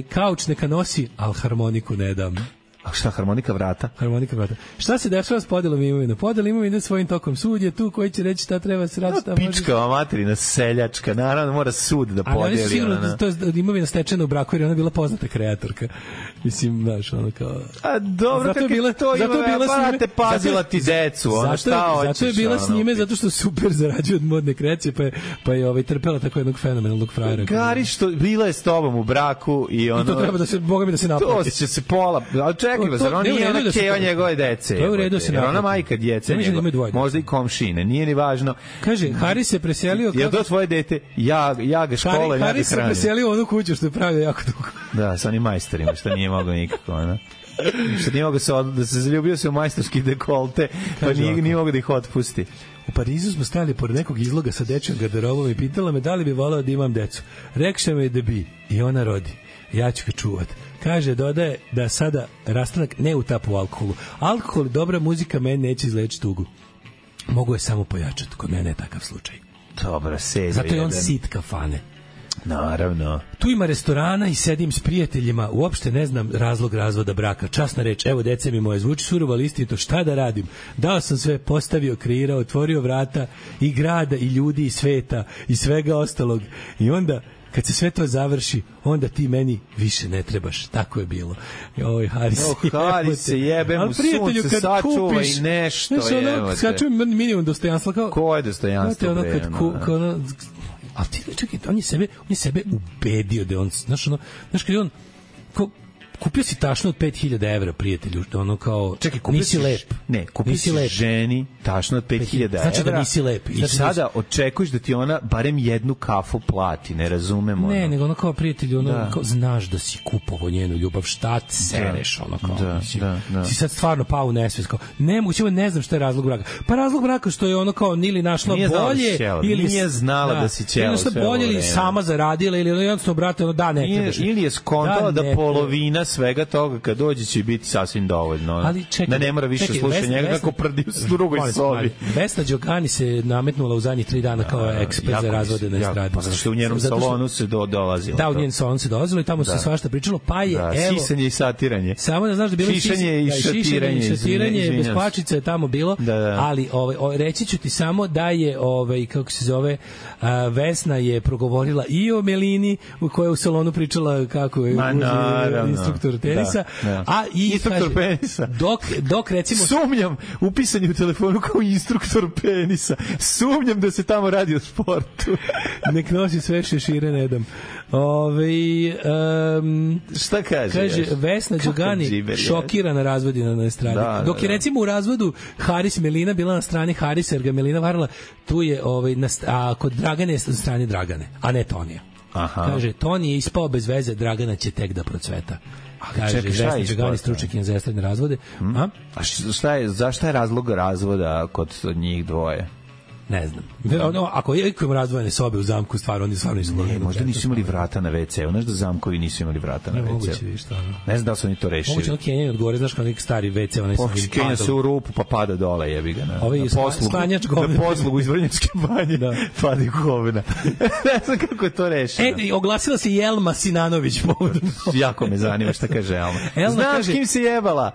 Kauč neka nosi, ali harmoniku ne dam. A šta, harmonika vrata? Harmonika vrata. Šta se dešava s podelom imovine? Podel imovine svojim tokom. Sud je tu koji će reći šta treba se raditi. Pičkava materina seljačka. Naravno, mora sud da podeli. Ali sigurno da to je imovina stečena u braku jer ona bila poznata kreatorka. Mislim, znaš, ono kao... A dobro, kako je to ima, te pazila ti decu, ono šta hoćeš. Zato je bila s njime, zato što super zarađuje od modne kreacije, pa je trpela tako jednog fenomenalnog frajera. Gari, što bila je s tobom u braku i ono... I to treba da se, Boga mi da se naplati. To će se pola... Ali čekaj, zar on nije ona keva njegove dece? To je u redu se naplati. Ona majka djece njegove, možda i komšine, nije ni važno. Kaže, Haris se preselio... Je to tvoje dete? Ja ga škola, ja ga hranim. Haris se preselio u onu kuću što je pravio jako dugo. Da, sa onim majstorima, što nije mogao nikako, ono. Što nije mogao da se zaljubio se u majstorski dekolte, pa nije mogao da ih otpusti. U Parizu smo stajali pored nekog izloga sa dečjom garderobom i pitala me da li bi voleo da imam decu. Rekše me da bi i ona rodi. Ja ću ga čuvat. Kaže, dodaje da sada rastanak ne utapa u alkoholu. Alkohol i dobra muzika meni neće izlečiti tugu. Mogu je samo pojačati. Kod mene je takav slučaj. Dobro, selja. Zato je on sit kafane. Naravno. Tu ima restorana i sedim s prijateljima, uopšte ne znam razlog razvoda braka. Časna reč, evo dece mi moje, zvuči surovo, ali istinito, šta da radim? Dao sam sve, postavio, kreirao, otvorio vrata i grada i ljudi i sveta i svega ostalog. I onda kad se sve to završi, onda ti meni više ne trebaš. Tako je bilo. Oj, Haris, se jebe mu sunce, sačuva i nešto. Sačuva minimum dostojanstva. Ko je dostojanstvo? Ali ti čekaj, on je sebe ubedio da on, znaš kad je on kupio si tašnu od 5.000 evra, prijatelju, ono kao, čekaj, nisi lep. Ne, kupio si ženi tašnu od 5.000 evra. Znači da nisi lep. I sada očekuješ da ti ona barem jednu kafu plati, ne razumemo. Ne, nego ono kao, prijatelju, ono kao, znaš da si kupovao njenu ljubav, šta ti sereš, ono kao. Da. Si sad stvarno pao u nesvest, kao, ne znam šta je razlog braka. Pa razlog braka što je ono kao, nili našla bolje, ili nije znala da si ćelo sve bolje, ili sama zaradila, ili jednostavno, brate, ono, da, ne trebaš. Ili je skontala da polovina svega toga kad dođe će biti sasvim dovoljno. Ali čekaj, da ne mora više slušati njega kako prdi u drugoj sobi. Vesna Đokani se nametnula u zadnjih 3 dana kao ekspert za razvode na estradi. Pa što u njenom salonu se dolazilo. Da, u njenom salonu se dolazilo i tamo se svašta pričalo, pa je evo sisanje i satiranje. Samo da znaš da bilo šišanje i šatiranje, bez kvačica je tamo bilo, ali reći ću ti samo da je kako se zove Vesna je progovorila i o Melini u kojoj u salonu pričala kako je instruktor tenisa, a i instruktor penisa. Dok recimo sumnjam upisan je u telefonu kao instruktor penisa. Sumnjam da se tamo radi o sportu. Nek nosi sve šešire, ne dam. Šta kaže? Kaže Vesna Đogani šokirana razvodina na estradi. Dok je recimo u razvodu Haris Melina bila na strani Harisa jer ga Melina varala, tu je kod Dragane je na strani Dragane, a ne Tonija. Kaže, Toni je ispao bez veze, Dragana će tek da procveta. Kaže, Vesna Đogani stručnjakinja za estradne razvode. A zašto je razlog razvoda kod njih dvoje? Ne znam. Ako imamo razdvojene sobe u zamku, oni stvarno nisu mogli. Možda nisu imali vrata na WC. Znaš da zamkovi nisu imali vrata na WC. Moguće vi šta. Ne znam da su oni to rešili. Moguće na Kenjaju odgovore, znaš kao neki stari WC. Kenja se u rupu pa pada dole, jebi ga. Na poslugu iz Vrnjačke banje padi govna. Ne znam kako je to rešeno. Oglasila se Jelma Sinanović. Jako me zanima šta kaže Elma. Znaš kim se jebala?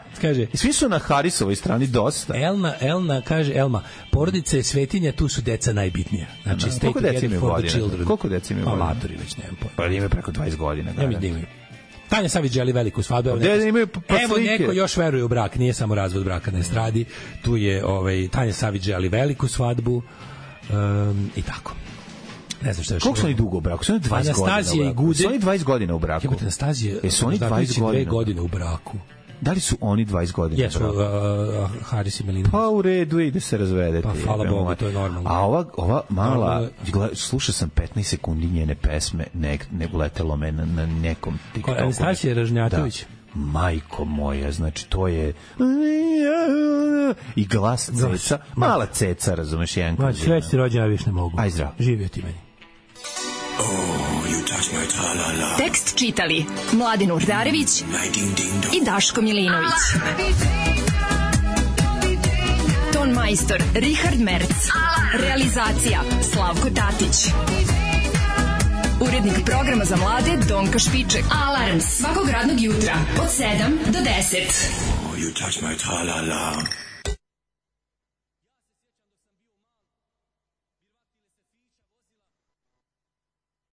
Svi su na Harisovoj strani dosta. Elna kaže, porodica je svetinja, tu su deca najbitnija. Znači, koliko deca imaju godina? Koliko deca imaju godina? Amatori već, nemam pojma. Pa imaju preko 20 godina. Ja mi imaju. Tanja Savić želi veliku svadbu. Evo neko još veruje u brak, nije samo razvod braka na estradi. Tu je Tanja Savić želi veliku svadbu i tako. Ne znam šta još. Koliko su oni dugo u braku? Su oni 20 godina u braku? Su oni 20 godina u braku? Su oni 20 godina u braku? Da li su oni 20 godina? Jesu, Haris i Melina. Pa u redu i da se razvedete. Pa hvala Bogu, to je normalno. A ova mala, slušao sam 15 sekundi njene pesme, ne uletelo me na nekom TikToku. Anastasija Ražnjatović. Majko moja, znači to je i glas ceca, mala ceca, razumeš, jedan kroz jedan. Sve ti rođena, više ne mogu. Aj zdrav. Živio ti meni. Tekst čitali Mladin Urdarević i Daško Milinović. Ton majstor Richard Merc. Realizacija Slavko Tatić. Urednik programa za mlade Donka Špiček. Alarms svakog radnog jutra od 7 do 10. You touch my tra-la-la.